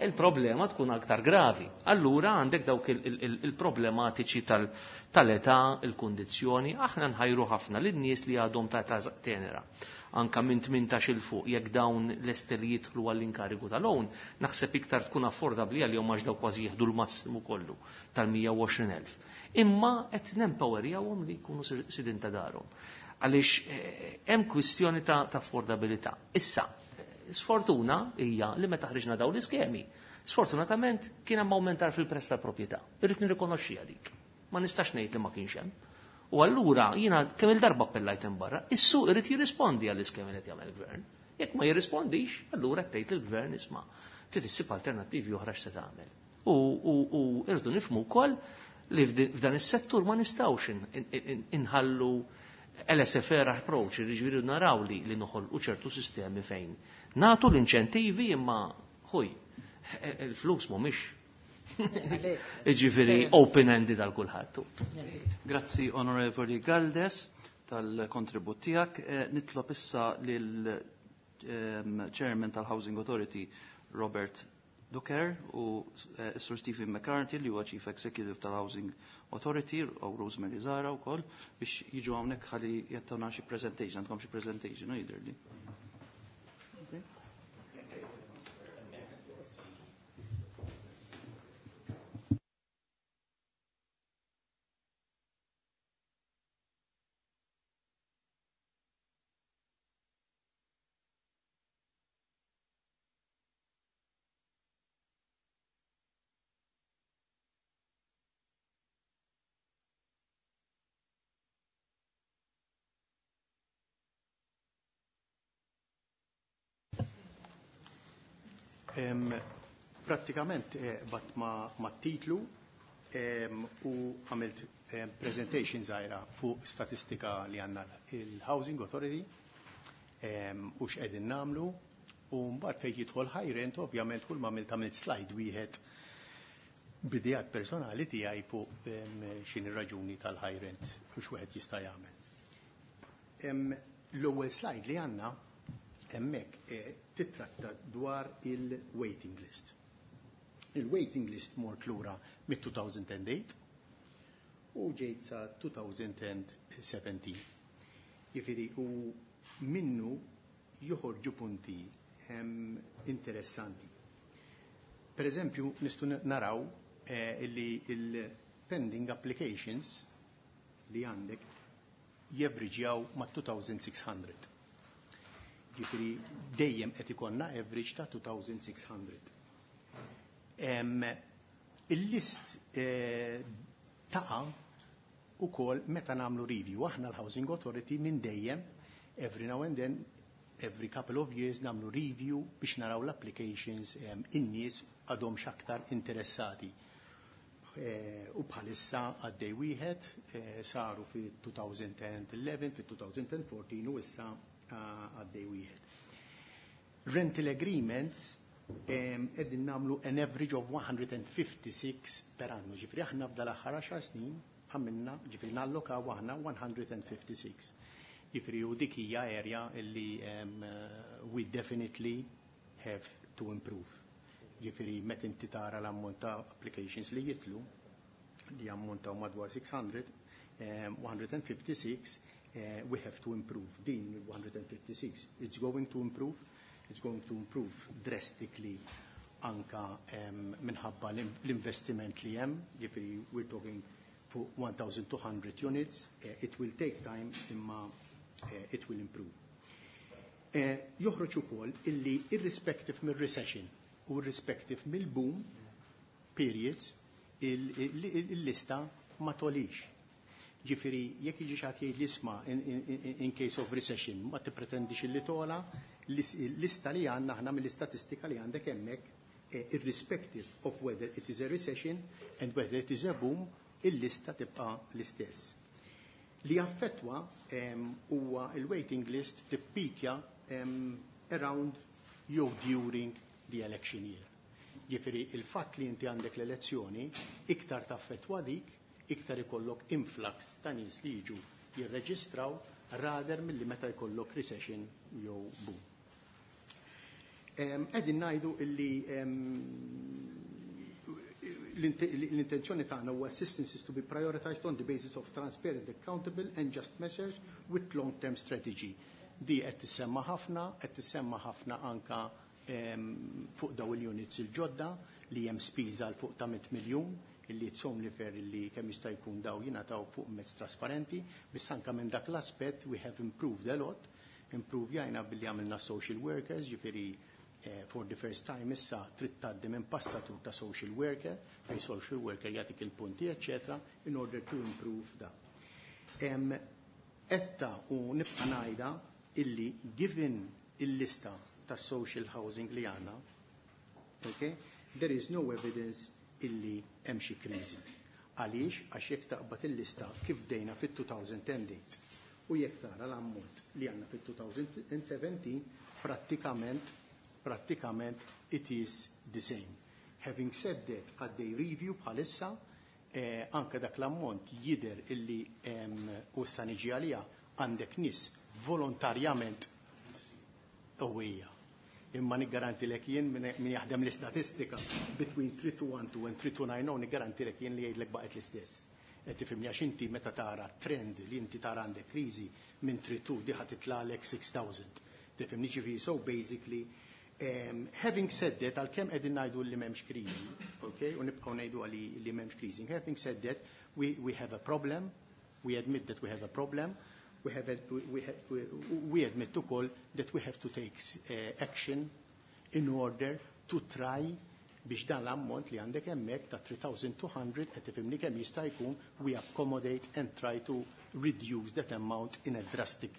il-problema tkun aktar gravi. Allura għandek dawk il-problematiċi tal-età, il-kundizzjoni, aħna nħajru ħafna lin-nies li għadhom ta' età tenera. Anka minn 18 il fuq, jekk dawn lesti li jidħlu għall-inkarigu tal-own, naħseb iktar tkun affordabbli għalihom għax daw kważi jieħdu l-massimu kollu tal-120,000. Imma qed nempowerjawhom li jkunu sidin ta' darhom. Għaliex hemm kwistjoni ta' affordabilità. Issa, sfortuna hija li meta ħriġna dawn l-iskemi, sfortunatament kien hemm aumentar fil-prezz tal-proprjetà. Irrid nirrikonoxxiha dik. Ma nistax ngħid li ma kienx hemm. U allura jiena kemm il-darba appellajt hemm barra, is-suq irid jirrispondi għall-iskemi li qed jagħmel il-gvern. Jekk ma jirrispondix, allura qed tgħid lill-gvern isma' trid issib alternattivi oħra x'se tagħmel. U irdu nifhmu wkoll li f'dan is-settur ma nistgħux inħallu laissez-faire approach, jiġifieri naraw li noħolqu ċertu sistemi fejn nagħtu l-inċentivi imma ħuj, il-flus mhumiex Jiġifieri open-ended għal kulħadd. Grazzi Onorevoli Galdes tal-kontribut tiegħek. Nitlob issa lil Chairman tal-Housing Authority Robert Ducker u Sir Stephen McCarthy li huwa Chief Executive tal-Housing Authority u Rosemary Zara wkoll biex jiġu hawnhekk ħalli jattawna xi presentation, għandkom xi presentation, no jidhirli. Okay. Prattikament bat ma titlu u għamilt presentation żgħira fuq statistika li għandna il-Housing Authority u x'qegħdin nagħmlu, u mbagħad fejn jidħol high rent ovvjament kull ma għamilt għamilt slide wieħed b'idejat personali tiegħi fuq x'inhi raġuni tal-high rent u x'wieħed jista' jagħmel. L-ewwel slide li għandna hemmhekk titratta dwar il-waiting list. Il-waiting list mort lura mit-2008 u ġejt sa 2017. Jiġifieri u minnu joħorġu punti interessanti. Per eżempju, nistgħu naraw illi il-pending applications li għandek javriġjaw ma' 2600. Jiġifieri dejjem qed ikollna average ta' 2600. Il-list taqa' ukoll meta nagħmlu review. Aħna l-Housing Authority minn dejjem, every now and then, every couple of years nagħmlu review biex naraw l-applications, in-nies għadhom x'aktar interessati. U bħalissa għaddej wieħed, saru fi 2011, fi 2014 u issa għaddej wieħed. Rental agreements qegħdin nagħmlu an average of 156 per annu. Jiġifieri aħna f'dal aħħar 10 snin għamilna, jiġifieri nallokaw aħna 156. Jiġifieri u dik hija area illi we definitely have to improve. Jiġifieri meta inti tara l-ammont ta' applications li jitlu, li ammontaw madwar 600, 156, we have to improve. Din 156, it's going to improve, it's going to improve drastically anka minħabba l-investiment li hemm, jiġifieri we're talking fuq 1200 units, it will take time, imma it will improve. Joħroġ ukoll illi irrespective mir-recession u irrespective mill-boom periods, il-lista ma togħlix. Jiġifieri, jekk jiġi xi ħadd jgħid li isma' in case of recession, ma tippretendix illi togħla, l-lista li għandna aħna mill-istatistika li għandek hemmhekk, irrespective of whether it is a recession and whether it is a boom, il-lista tibqa l-istess. Li affettwa huwa il-waiting list tippikja around jew during the election year. Jiġifieri il-fatt li inti għandek l-elezzjoni iktar taffettwa dik, iktar ikollok influx ta' nies li jiġu jirreġistraw rather milli meta jkollok recession jew boom. Qegħdin ngħidu illi l-intenzjoni tagħna huwa assistance is to be prioritized on the basis of transparent, accountable and just measures with long-term strategy. Di qed tissemma ħafna, qed tissemma ħafna anka fuq daw il-units il-ġodda li hemm spiża l fuq ta' 100 miljun, illi it's only fair illi kemm jista' jkun daw jingħataw fuq mezz trasparenti, biss anka minn dak l-aspett we have improved a lot. Improvjajna billi għamilna social workers, jiġifieri for the first time issa trid tgħaddi minn passatur ta' social worker, fej social worker jagħtik il-punti, eccetera, in order to improve da. Etta u nibqa' ngħidha illi given il-lista ta' social housing li għandna, okay, there is no evidence illi hemm xi kriżi. Għaliex? Għax jekk taqbad il-lista kif bdejna fit-2010 u jekk tara l-ammont li għandna fit-2017, prattikament it is the same. Having said that, għaddej review bħalissa, anka dak l-ammont jider illi u sa niġi għalija, għandek nies volontarjament qawwija. Imma niggarantilek jien min jaħdem l-istatistika between 3212 and 3290, niggarantilek jien li jgħidlek baqgħet l-istess. Qed tifhimni? Għax inti meta tara trend li inti tara għandek kriżi minn 32 diħa titlagħlek 6000. Tifhimni? Jiġifieri so basically, having said that, għalkemm qegħdin ngħidu li m'hemmx kriżi, okay, u nibqgħu ngħidu għali li m'hemmx kriżi. Having said that, we have a problem, we admit that we have a problem, we, have a, we, ha, we admit ukoll that we have to take action in order to try biex dan l-ammont li għandek hemmhekk ta' 3200, qed tifhimni, kemm jista' jkun we accommodate and try to reduce that amount in a drastic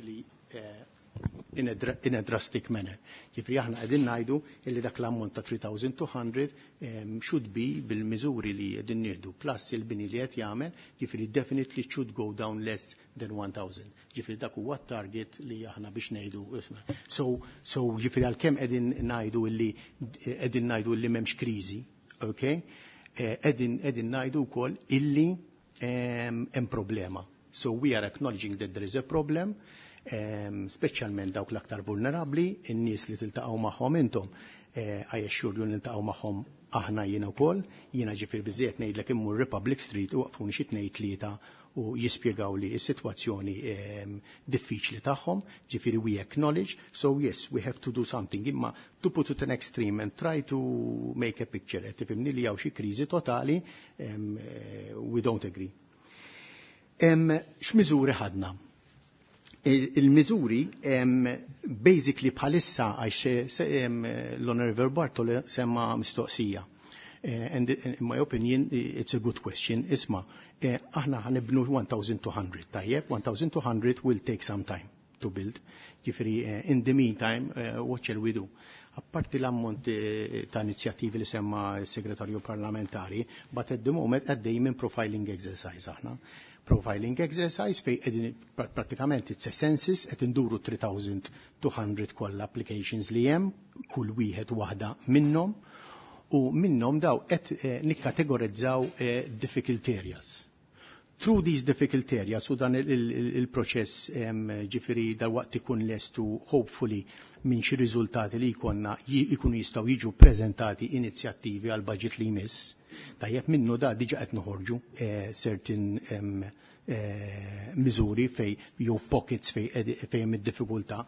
manner. Jiġifieri aħna qegħdin ngħidu illi dak l-ammont ta' 3200 should be bil-miżuri li qegħdin nieħdu plus il-bini li qed jagħmel, jiġifieri definitely should go down less than 1000. Jiġifieri dak huwa target li aħna biex ngħidu isma'. So jiġifieri għalkemm qegħdin ngħidu illi m'hemmx kriżi, okay? Qegħdin ngħidu wkoll illi hemm problema. So we are acknowledging that there is a problem. Speċjalment dawk l-aktar vulnerabbli, in-nies li tiltaqgħu magħhom intom, I assure you niltaqgħu magħhom aħna jiena wkoll, jiena ġifier biżejjed ngħidlek immur Republic Street u waqfuni xi tnejn tlieta u jispjegaw li s-sitwazzjoni diffiċli tagħhom, ġifieri we acknowledge, so yes, we have to do something, imma to put it an extreme and try to make a picture, qed tifhimni li hawn xi kriżi totali, we don't agree. X'miżuri ħadna? Il-miżuri basically bħalissa għax l-Honorable Bartolo semma mistoqsija. And in my opinion, it's a good question. Isma, aħna ħa nibnu 1200, tajjeb, 1200 will take some time to build. Ġifieri, in the meantime, what shall we do? Apparti l-ammont ta' inizjattivi li semma s-segretarju parlamentari, but at the moment għaddej minn profiling exercise aħna. Profiling exercise fej qegħdin pratikament it's a census qed induru 3200 kollha applications li hemm, kull wieħed waħda minnhom, u minnhom daw qed nikkategorizzaw difficult areas. Through these difficult areas u dan il-proċess ġifieri dal-waqt ikun lestu hopefully minn xi riżultati li jkollna jkunu jistgħu jiġu preżentati inizjattivi għal budget li jmiss. Tajjeb minnu da diġa qed noħorġu certain miżuri fej jew pockets fej hemm id-diffikultà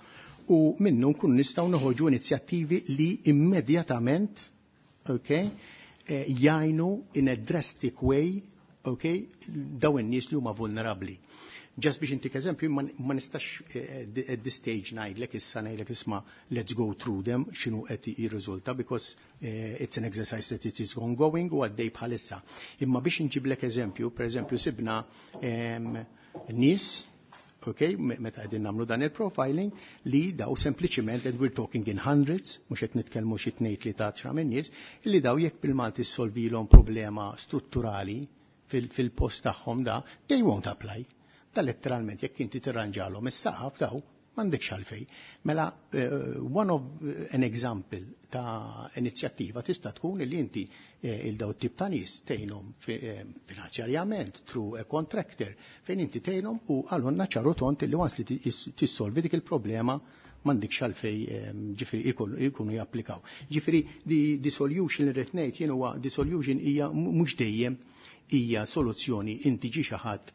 u minnu nkunu nistgħu noħorġu inizjattivi li immedjatament, okay, jgħinu in a drastic way, okay, daw in-nies li huma vulnerabbli. Just biex intik eżempju, ma nistax at this stage ngħidlek issa ngħidlek isma' let's go through them x'inhu qed jirriżulta because it's an exercise that it is ongoing u għaddej bħalissa. Imma biex inġiblek eżempju, per eżempju sibna nies, okay, meta qegħdin nagħmlu dan il-profiling li daw sempliċiment, and we're talking in hundreds, mhux qed nitkellmu xi tnejn tlieta għaxra minn nies, li daw jekk bil-Malti solvilhom problema strutturali fil-post tagħhom da, they won't apply. Da letteralment jekk inti tirranġalhom is-saqaf daw m'għandekx għalfej. Mela one of an example ta' inizjattiva tista' tkun li inti il daw tip ta' nies tgħinhom finanzjarjament through a contractor fejn inti tgħinhom u għalhonna ċaru tont li once li tissolvi dik il-problema m'għandekx għalfej ġifieri ikunu japplikaw. Ġifieri the solution li rrid ngħid jien huwa the solution hija mhux dejjem hija soluzzjoni inti ġi xi ħadd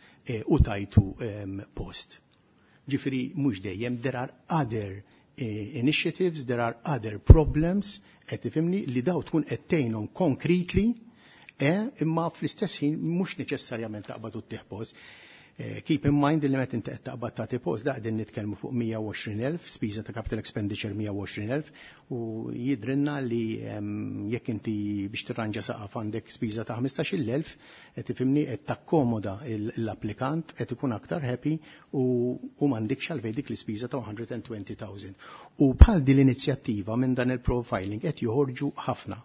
u tajtu post. Ġifieri mhux dejjem there are other initiatives, there are other problems, qed tifhimni li daw tkun qed tgħinhom concretely, imma fl-istess ħin mhux neċessarjament taqbad u ttih post. Keep in mind li meta inti qed taqbad tagħti post da qegħdin nitkellmu fuq 120,000, spiża ta' capital expenditure 120,000 u jidrinna li jekk inti biex tirranġa saqaf għandek spiża ta' 15,000, qed tifhimni qed takkomoda l-applikant qed ikun aktar happy u m'għandekx għalfejn dik l-ispiża ta' 120,000. U bħal din l-inizjattiva minn dan il-profiling qed joħorġu ħafna,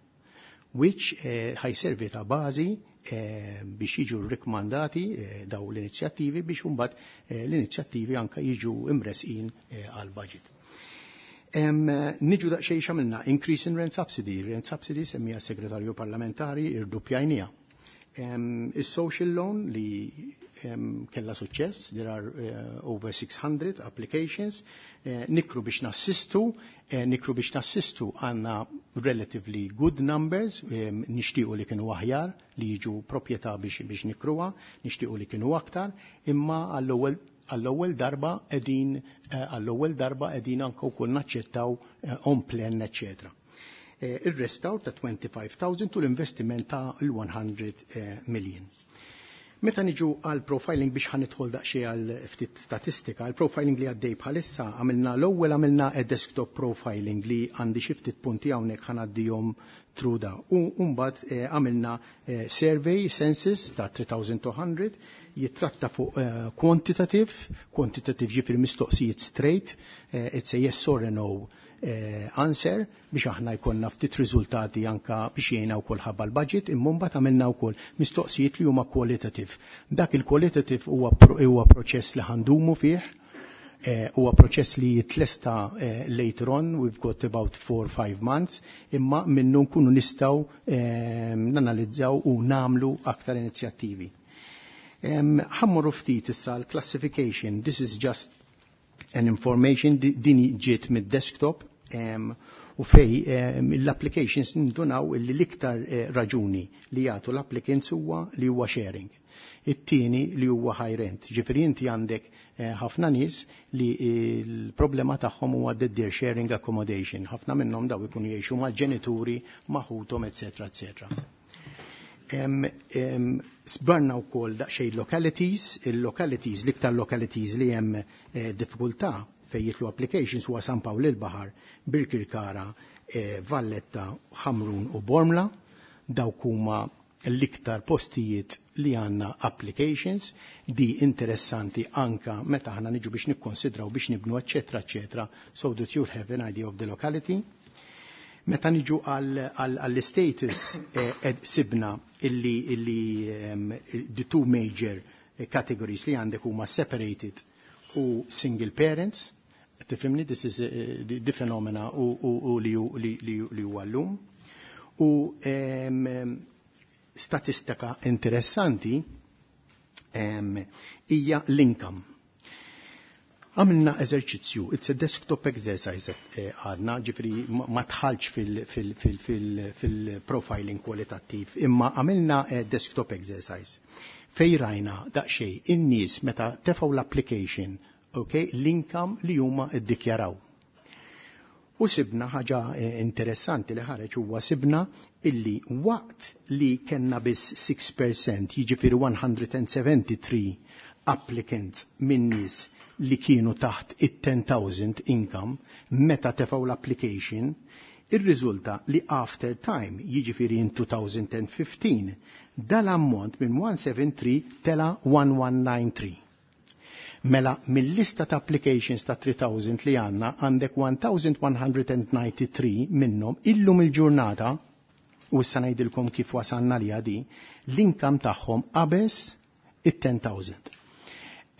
which ħajservi ta' bażi biex jiġu rikmandati daw l-inizjattivi biex imbagħad l-inizjattivi anka jiġu imresqin għal budget. Niġu daqsxejn x'għamilna increase in rent subsidy. Rent subsidy semmija segretarju parlamentari irduppjajnija. Is-social loan li kella suċċess, there are over 600 applications, nikru biex nassistu, nikru biex nassistu għanna relatively good numbers, nixtiequ li kienu aħjar li jiġu proprjetà biex nikruha, nixtiequ li kienu aktar, imma għall-ewwel darba qegħdin anke wkoll naċċettaw on plan, eccetera. Il-restawr ta' 25,000 u l-investiment ta' l-100 million. Meta niġu għal profiling biex ħa nidħol daqsxejn għal ftit statistika, għal profiling li għaddej bħalissa għamilna l-ewwel għamilna a desktop profiling li għandi xi ftit punti hawnhekk ħa ngħaddihom through da. U mbagħad għamilna survey census ta' 3200 jitratta fuq quantitative, quantitative ġifieri mistoqsijiet straight, it's a yes or a no answer biex aħna jkollna ftit riżultati anka biex jgħinna wkoll ħabba l-budget, imma mbagħad għamilna wkoll mistoqsijiet li huma qualitative. Dak il-qualitative huwa proċess li ħa ndumu fih, huwa proċess li jitlesta later on, we've got about 4-5 months, imma minnu nkunu nistgħu nanalizzaw u namlu aktar inizjattivi. Ħa mmorru ftit issa l-classification, this is just An information din ġiet mid-desktop u fej l-applications ndunaw li l-iktar raġuni li jagħtu l-applicants huwa li huwa sharing. It-tieni li huwa high rent. Ġifieri inti għandek ħafna nies li l-problema tagħhom huwa that they're sharing accommodation. Ħafna minnhom daw ikunu jgħixu mal-ġenituri, ma' ħuthom, eċetera, eċetera. Sbarna wkoll daqsxejn localities, il-localities, l-iktar localities li hemm diffikultà fejn jidħlu applications huwa San Pawl il-Baħar, Birkirkara, Valletta, Ħamrun u Bormla. Dawk huma l-iktar postijiet li għanna applications di interessanti anka meta ħana niġu biex nikkonsidraw biex nibnu, eccetera, eccetera, so that you'll have an idea of the locality. Meta niġu għall-status sibna illi the two major categories li għandek huma separated u single parents. Tifhimni, this is the phenomena u li huwa llum. U statistika interessanti hija l-income. Għamilna eżerċizzju, it's a desktop exercise għadna, ġifieri ma dħaltx fil-profiling kwalitattiv, imma għamilna desktop exercise. Fej rajna daqxej in-nies meta tefgħu l-application, okay, l-income li huma iddikjaraw. U sibna ħaġa interessanti li ħareġ huwa sibna illi waqt li kellna biss 6%, jiġifieri 173 applicants minn nies li kienu taħt it-10,000 income meta tefgħu l-application, irriżulta li after time, jiġifieri in 2015, dal-ammont minn 173 tela 1193. Mela, mill-lista ta' applications ta' 3000 li għanna, għandek 1193 minnhom illum il-ġurnata, u issa ngħidilkom kif wasalna li għadi, l-income tagħhom qabeż it-10,000.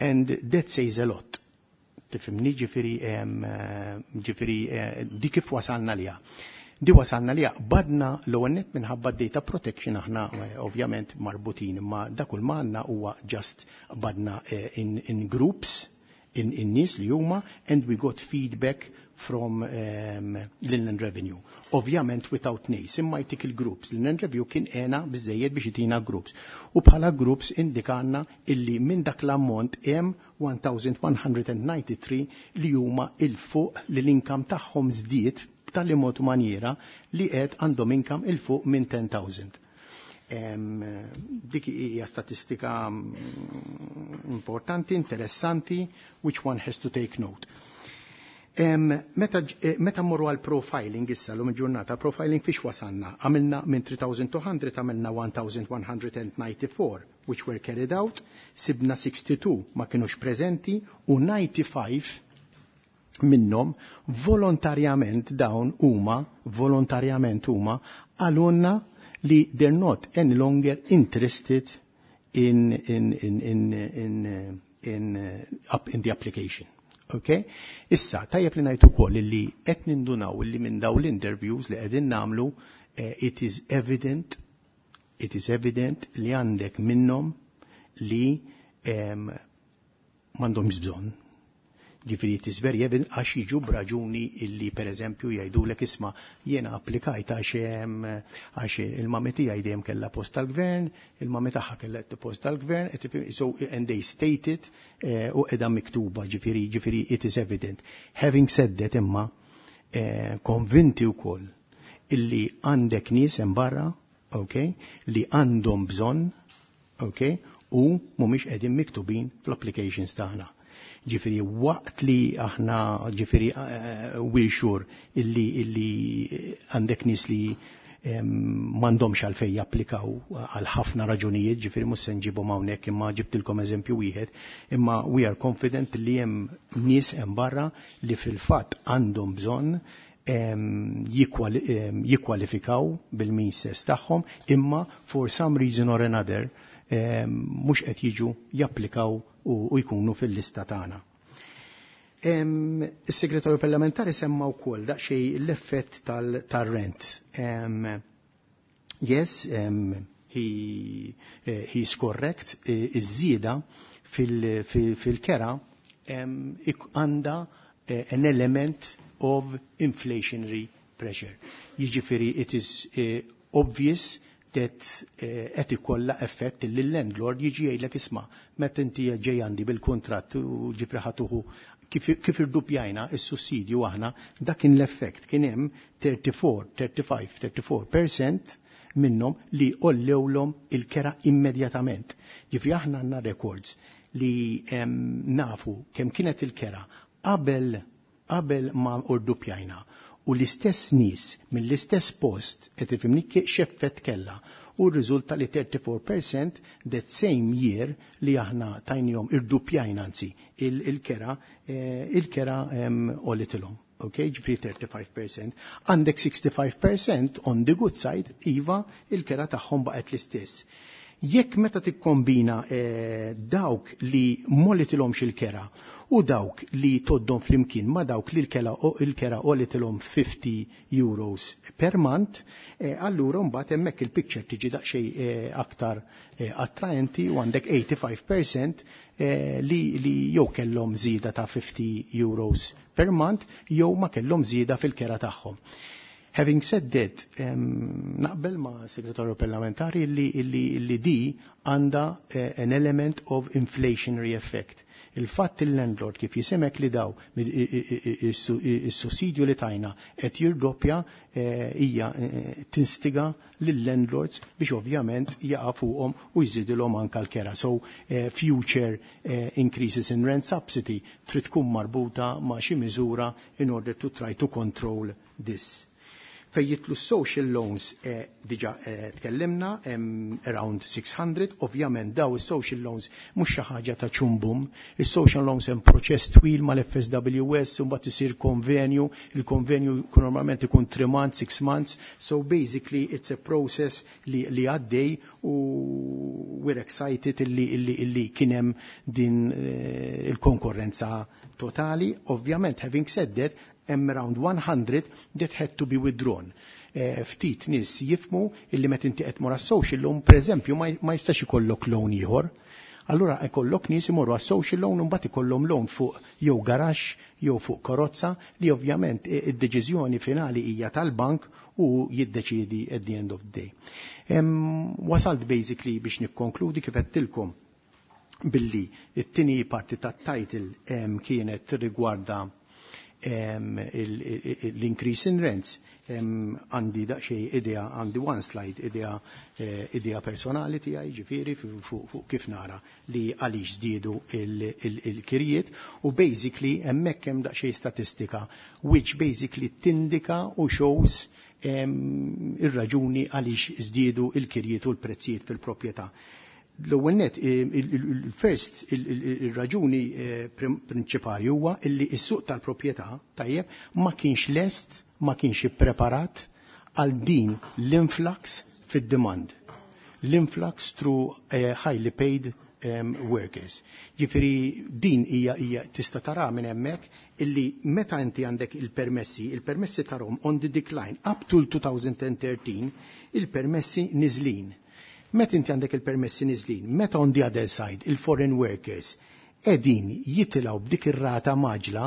And that says a lot. Tifhimni, ġifieri di kif wasalna liha. Di wasalna liha badna l-ewwel minħabba data protection aħna ovvjament marbutin, imma dak kull ma għandna huwa just badna in groups in nies li huma and we got feedback from Inland Revenue. Ovvjament without names, imma jtik il-groups. L-Inland Revenue kien ena biżejjed biex jitina groups. U bħala groups indikanna illi minn dak l-ammont hemm 1193 li huma il-fuq li l-income tagħhom żdied b'tali mod maniera li qed għandhom income il-fuq minn 10,000. Dik hija statistika importanti, interessanti, which one has to take note. Meta mmorru għal profiling issa l ġurnata, profiling fiex wasanna? Għamilna minn 3200 għamilna 1194 which were carried out, sibna 62 ma kienux prezenti u 95 minnhom volontarjament dawn huma volontarjament huma qalulna li they're not any longer interested in the application. Okay? Issa, tajjeb li ngħid ukoll li qed nindunaw li minn daw l-interviews li qegħdin nagħmlu it is evident li għandek minnhom li m'għandhomx bżonn. Ġifieri it is very evident għax jiġu b'raġuni illi per eżempju jgħidulek, "Isma', jiena applikajt għax il-mami tiegħi dejjem kellha post tal-gvern, il-mami tagħha kellha post tal-gvern," so and they state it u qiegħda miktuba, ġifieri it is evident. Having said that imma konvinti wkoll illi għandek nies hemm barra, okay, li għandhom bżonn, okay, u mhumiex qegħdin miktubin fl-applications tagħna. Ġifieri waqt li aħna ġifieri we're sure illi għandek nies li m'għandhomx għalfejn japplikaw għal ħafna raġunijiet, ġifieri mhux se nġibhom hawnhekk imma ġibtilkom eżempju wieħed, imma we are confident li hemm nies hemm barra li fil-fatt għandhom bżonn jikkwalifikaw bil-means tagħhom, imma for some reason or another mhux qed jiġu japplikaw u jkunu fil-lista tagħna. Is-segretarju parlamentari semma wkoll daqsxejn l-effett tal-rent. Yes, he is correct, iż-żieda fil-kera. għandha an element of inflationary pressure. Jiġifieri it is obvious that qed ikollha effett li l-landlord jiġi jgħidlek, "Isma', meta inti ġej għandi bil-kuntratt u ġifri ħa tuħu kif irdupjajna is-sussidju aħna, dak kien l-effett, kien hemm 34, 35, 34% minnhom li għollewlhom il-kera immedjatament." Ġifri aħna għandna records li nafu kemm kienet il-kera qabel ma rdupjajna u l-istess nies mill-istess post, qed tifhimni, x'effett kella, u rriżulta li 34% that same year li aħna tajnihom, irdupjajna anzi il-kera għolitilhom. Ok, ġifri 35%. Għandek 65% on the good side, iva, il-kera tagħhom baqgħet l-istess. Jekk meta tikkombina dawk li m'għolitilhomx il-kera u dawk li toddhom flimkien ma dawk li l-kera għolitilhom €50 per month, allura mbagħad hemmhekk il-picture tiġi daqsxejn aktar attraenti u għandek 85% li jew kellhom żieda ta' €50 per month jew ma kellhom żieda fil-kera tagħhom. Having said that, naqbel ma' segretarju parlamentari li di għandha an element of inflationary effect. Il-fatt il-landlord kif jisimek li daw is-sussidju li tajna qed jirdoppja hija tinstiga lill-landlords biex ovvjament jaqa' fuqhom u jżidilhom anka l-kera. So future increases in rent subsidy trid tkun marbuta ma' xi miżura in order to try to control this. Fejn jidħlu social loans, diġa tkellimna, around 600, ovvjament daw is-social loans mhux xi ħaġa ta' ċumbum, is-social loans hemm proċess twil mal-FSWS, u mbagħad isir konvenju, il-konvenju normalment ikun 3 months, 6 months, so basically it's a process li għaddej u we're excited illi kien hemm din il-konkurrenza totali. Ovvjament, having said that, hemm around 100 that had to be withdrawn. Ftit nies jifhmu illi meta inti qed tmur għas-social loan, pereżempju, ma jistax ikollok loan ieħor. Allura ikollok nies imorru għas-social loan u mbagħad ikollhom loan fuq jew garaxx jew fuq karozza li ovvjament id-deċiżjoni finali hija tal-bank u jiddeċiedi at the end of the day. Wasalt basically biex nikkonkludi kif għedtilkom billi it-tieni parti tat-title kienet rigwarda l-increase in rents. Għandi daqsxejn idea, għandi one slide idea personali tiegħi, ġifieri fuq kif nara li għaliex żdiedu il-kirjiet u basically hemmhekk hemm daqsxejn statistika which basically tindika u shows ir-raġuni għaliex żdiedu il-kirjiet u l-prezzijiet fil-proprjetà. L-ewwel net, il-first, il-raġuni prinċipali huwa illi s-suq tal-proprjetà, tajjeb, ma kienx lest, ma kienx ippreparat għal din l-influx fid-demand. L-influx through highly paid workers. Ġifieri din hija tista' tara minn hemmhekk illi meta inti għandek il-permessi, il-permessi tarahom on the decline up to 2013, il-permessi niżlin. Meta inti għandek il-permessi niżlin, meta on the other side il-foreign workers qegħdin jitilgħu b'dik ir-rata mgħaġġla,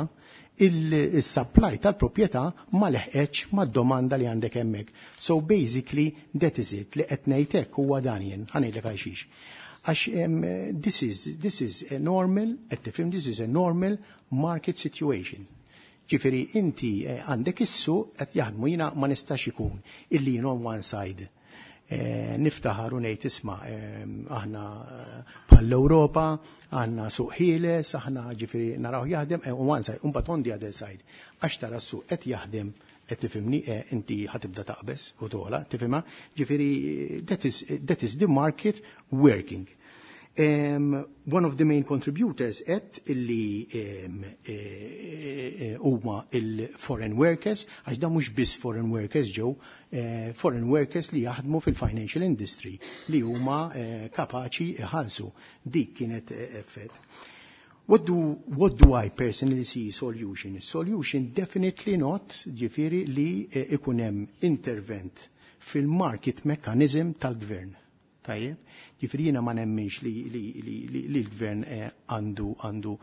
il-supply tal-proprjetà ma leħqetx mad-domanda li għandek hemmhekk. So basically that is it li qed ngħid huwa dan jien, ħa ngħidlek għalxiex. Għax this is a normal, qed tifhem, this is a normal market situation. Ġifieri inti għandek is-suq qed jaħdmu, jiena ma nistax ikun illi jien on one side niftaħar u ngħid, "Isma', aħna bħall-Ewropa, għandna suq ħieles, aħna ġifieri naraw jaħdem," u one side, u mbagħad on the other side. Għax tara s-suq qed jaħdem, qed tifhimni, inti ħa tibda taqbeż u tola, tifhimha, ġifieri that is the market working. One of the main contributors et illi huma il-foreign workers, għax da mhux biss foreign workers ġew, foreign workers li jaħdmu fil-financial industry li huma kapaċi iħallsu. Dik kienet effett. What do I personally see solution? Solution definitely not, ġifieri li ikun hemm intervent fil-market mechanism tal-gvern. Tajjeb, Ġifieri jiena ma nemminx li l-gvern għandu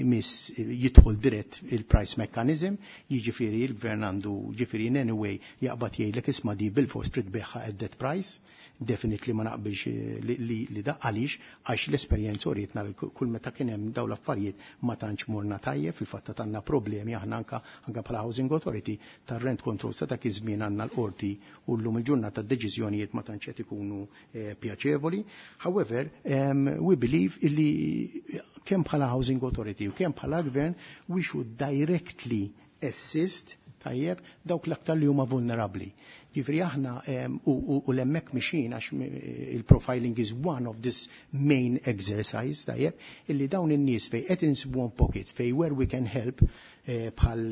imiss jidħol dirett il-price mechanism, jiġifieri l-gvern għandu, ġifieri, in any way jaqbad jgħidlek, "Isma', di bil-fors trid tbigħha at that price." Definitely ma naqbilx li da. Għaliex? Għax l-esperjenza urietna li kull meta kien hemm dawn l-affarijiet ma tantx morna tajjeb. Fil-fatt għandna problemi aħna anka bħala Housing Authority tar-rent control sa dak iż-żmien, għandna l-qorti u llum il-ġurnata d-deċiżjonijiet ma tantx qed ikunu pjaċevoli. However, we believe illi kemm bħala Housing Authority u kemm bħala gvern we should directly assist, tajjeb, dawk l-aktar li huma vulnerabbli. Ġifieri aħna u hemmhekk mexjin, għax il-profiling is one of this main exercise, tajjeb, illi dawn in-nies fej qed insibuhom pockets fej where we can help, bħal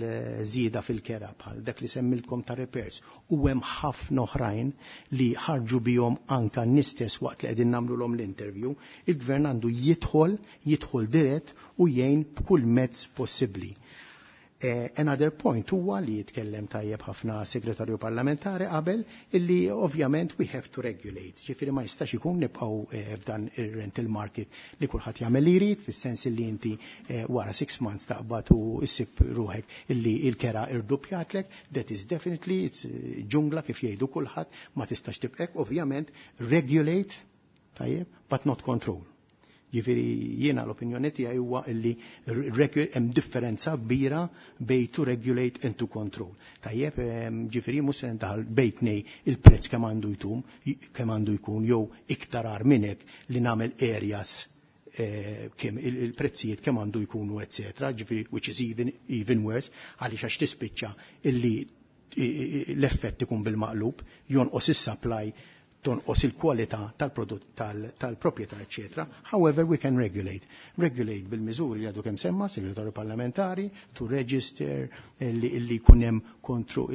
żieda fil-kera, bħal dak li semmiltkom ta' repairs, u hemm ħafna oħrajn li ħarġu bihom anka n-nies waqt li qegħdin nagħmluhom l-interview, il-gvern għandu jidħol dirett u jgħin b'kull mezz possibbli. Another point huwa li jitkellem tajjeb ħafna segretarju parlamentari qabel, illi ovvjament we have to regulate. Ġifieri ma jistax ikun nibqgħu f'dan ir-rental market li kulħadd jagħmel li jrid, fis-sens li inti wara 6 months taqbad u issib ruħek illi il-kera irdupjatlek. That is definitely, it's ġungla, kif jgħidu kulħadd, ma tistax tibqek. Ovvjament regulate, tajjeb, but not control. Ġifieri jiena l-opinjoni tiegħi huwa illi hemm differenza kbira bej to regulate and to control. Tajjeb, ġifieri mhux se ndaħal bejn tnejn il-prezz kemm għandu jtum, kemm għandu jkun, jew iktar agħar minn hekk li nagħmel areas kemm il-prezzijiet kemm għandu jkunu, eccetera, ġifieri which is even worse, għaliex għax tispiċċa illi l-effett ikun bil-maqlub, jonqos is-supply, tonqos il-kwalità tal-prodott, tal-proprjetà, eccetera. However, we can regulate. Regulate bil-miżuri li għadu kemm semma segretarju parlamentari, to register, li jkun hemm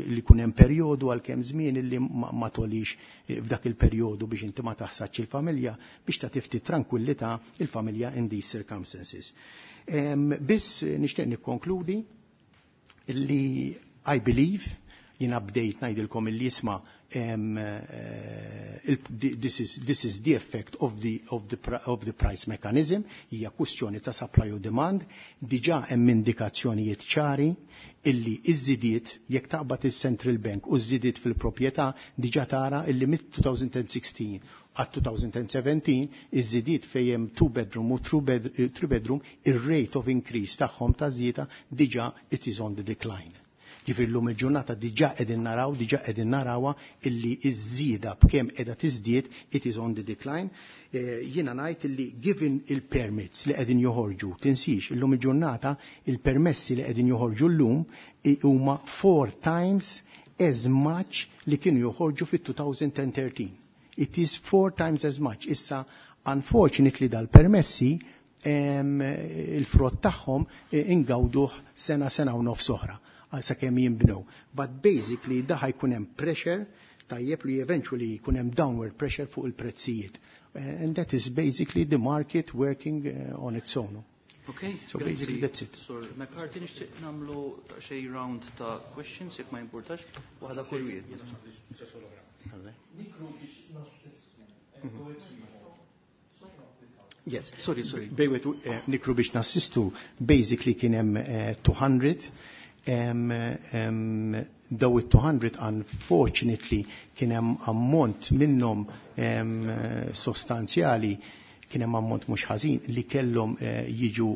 li jkun hemm perjodu għal kemm żmien illi ma tolix f'dak il-perjodu biex inti ma taħsadx il-familja, biex ta' tifti tranquillità il-familja in these circumstances. Biss nixtieq nikkonkludi illi I believe, jina bdejt ngħidilkom illi, isma', this is the effect of the price mechanism, hija kwistjoni ta' supply u demand. Diġà hemm indikazzjonijiet ċari illi iż-żidiet, jekk taqbad il-Central Bank u żidiet fil-proprjetà, diġà tara illi mid-2016 għat 2017 iż-żidiet fejn hemm two bedroom u three bedroom, ir-rate of increase tagħhom ta' żieda diġà it is on the decline. Ġifieri llum il-ġurnata diġà qegħdin narawha illi iż-żieda b'kemm qiegħda tiżdied, it is on the decline. Jiena ngħid illi given il-permits li qegħdin joħorġu, tinsix illum il-ġurnata il-permessi li qegħdin joħorġu llum huma four times as much li kienu joħorġu fit-2013. It is four times as much. Issa, unfortunately, dal-permessi il-frott tagħhom ingawduh sena, sena u nofs oħra għal sakemm jinbnew. But basically da ħa jkun hemm pressure, tajjeb, li eventually jkun hemm downward pressure fuq il-prezzijiet. And that is basically the market working on its own. Okay, So basically that's it. Sur McCarthy, nixtieq nagħmlu xi round ta' questions, jekk ma jimpurtax, waħda kull wieħed. Nikru biex nassistu. Yes. Sorry, sorry. Bejwet nikru biex nassistu, basically kien hemm 200, daw it-200 unfortunately kien hemm ammont minnhom sostanzjali, kien hemm ammont mhux ħażin li kellhom jiġu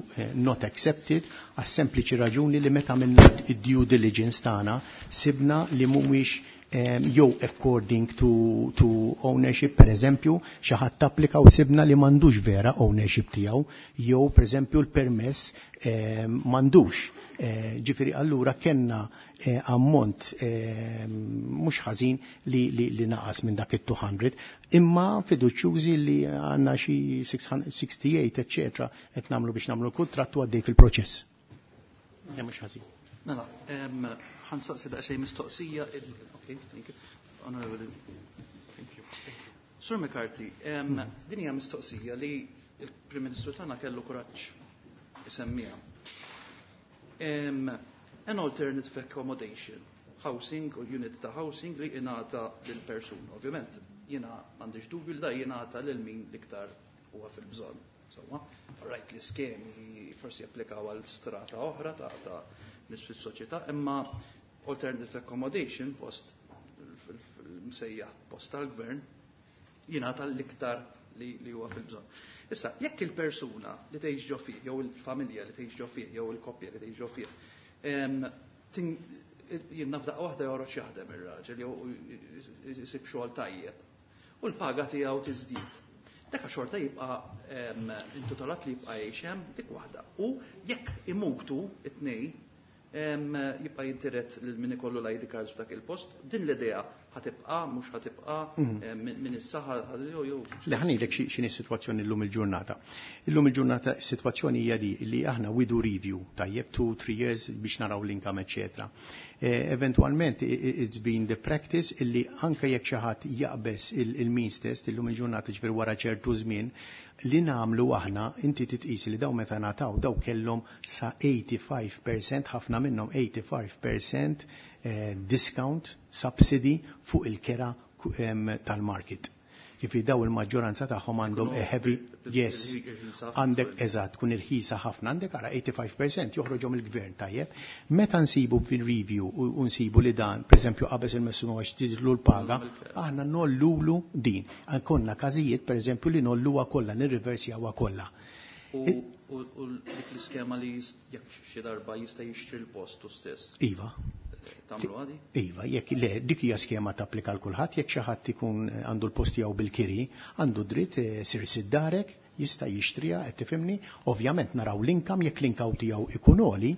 not accepted għas sempliċi raġuni li meta minna id-due diligence tagħna sibna li mhumiex jew according to ownership. Per eżempju, xi ħadd applika u sibna li m'għandux vera ownership tiegħu, jew per eżempju l-permess m'għandux. Ġifieri allura kellna ammont mhux ħażin li naqas minn dak it-200, imma fiduċjużi li għandna xi 68, eccetera, qed nagħmlu biex nagħmlu kuntratt u għaddej fil-proċess. Ja, mhux ħażin. Mela, ħa nsaqsi daqsxejn mistoqsija. Okay, thank you. Honorable, thank you. Sur McCarthy, din hija mistoqsija li il-Prim Ministru tagħna kellu kuraġġ isemmiha. An alternative accommodation. housing u unit ta' housing li jingħata lil persuna. Ovvjament, jiena m'għandix dubju li da jingħata lil min l-iktar huwa fil-bżonn. Insomma, rajt li skemi forsi japplikaw għal strata oħra ta' nies fis-soċjetà, imma alternative accommodation post fil-msejjaħ post tal-gvern jingħata l-iktar li huwa fil-bżonn. Issa, jekk il-persuna li tgħix ġo fih, jew il-familja li tgħix ġo fih, jew il-koppja li tgħix ġo fih, jien naf daqqa waħda joħroġ jaħdem ir-raġel jew isib xogħol tajjeb u l-paga tiegħu tiżdied. Dak xorta jibqa' intitolat li jibqa' jgħix hemm dik waħda. U jekk imutu it-tnejn jibqa' jintiret lil min ikollu l-ID cards f'dak il-post, din l-idea ħa tibqa', mhux ħa tibqa' minn issa jew jew. Le, ħa ngħidlek x'inhi s-sitwazzjoni llum il-ġurnata. Illum il-ġurnata s-sitwazzjoni hija di li aħna we do review, tajjeb, 2, 3 years biex naraw l-income, eccetera. Eventualment it's been the practice illi anke jekk xi ħadd jaqbeż il-means test illum il-ġurnata, ġifieri wara ċertu żmien, li nagħmlu aħna, inti titqis li daw meta nataw daw kellhom sa 85%, ħafna minnhom 85% discount, subsidy fuq il-kera tal-market. Ġifieri daw il-maġġoranza tagħhom għandhom a heavy, yes, għandek eżatt, tkun irħisa ħafna, għandek ara 85% joħroġhom il-gvern, tajjeb. Meta nsibu fil-review u nsibu li dan, per eżempju, qabeż il-massimu għax tidlu l-paga, aħna ngħollulu din. Konna każijiet, per eżempju, li ngħolluha kollha, nirriversjawha kollha. U dik l-iskema li jekk xi darba jista' jixtri l-postu stess. Iva. Tagħmlu għadi? Iva, jekk le, dik hija skema tapplika l kulħadd, jekk xi ħadd ikun għandu l-post tiegħu bil-kiri, għandu dritt sir sid darek, jista' jixtriha, qed tifhimni? Ovvjament naraw l-income, jekk l-income tiegħu ikun għoli,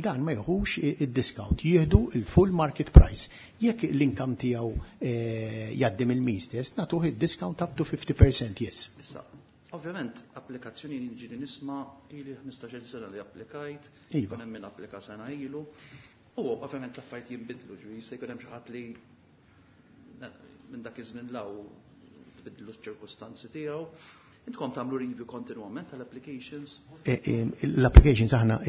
dan ma jieħux id-discount, jieħdu il-full market price. Jekk l-income tiegħu jgħaddi mill-means test, nagħtuh id-discount up to 50%, yes. Issa, ovvjament, applikazzjoni ġieli nisma' ili 15-il sena li applikajt, kun hemm min applika sena ilu. U ovvjament l-affarijiet jinbidlu, ġifieri se jkun hemm xi ħadd li minn dak iż-żmien law tbidlu ċ-ċirkustanzi tiegħu. Intkom tagħmlu review kontinwament tal-applications? L-applications aħna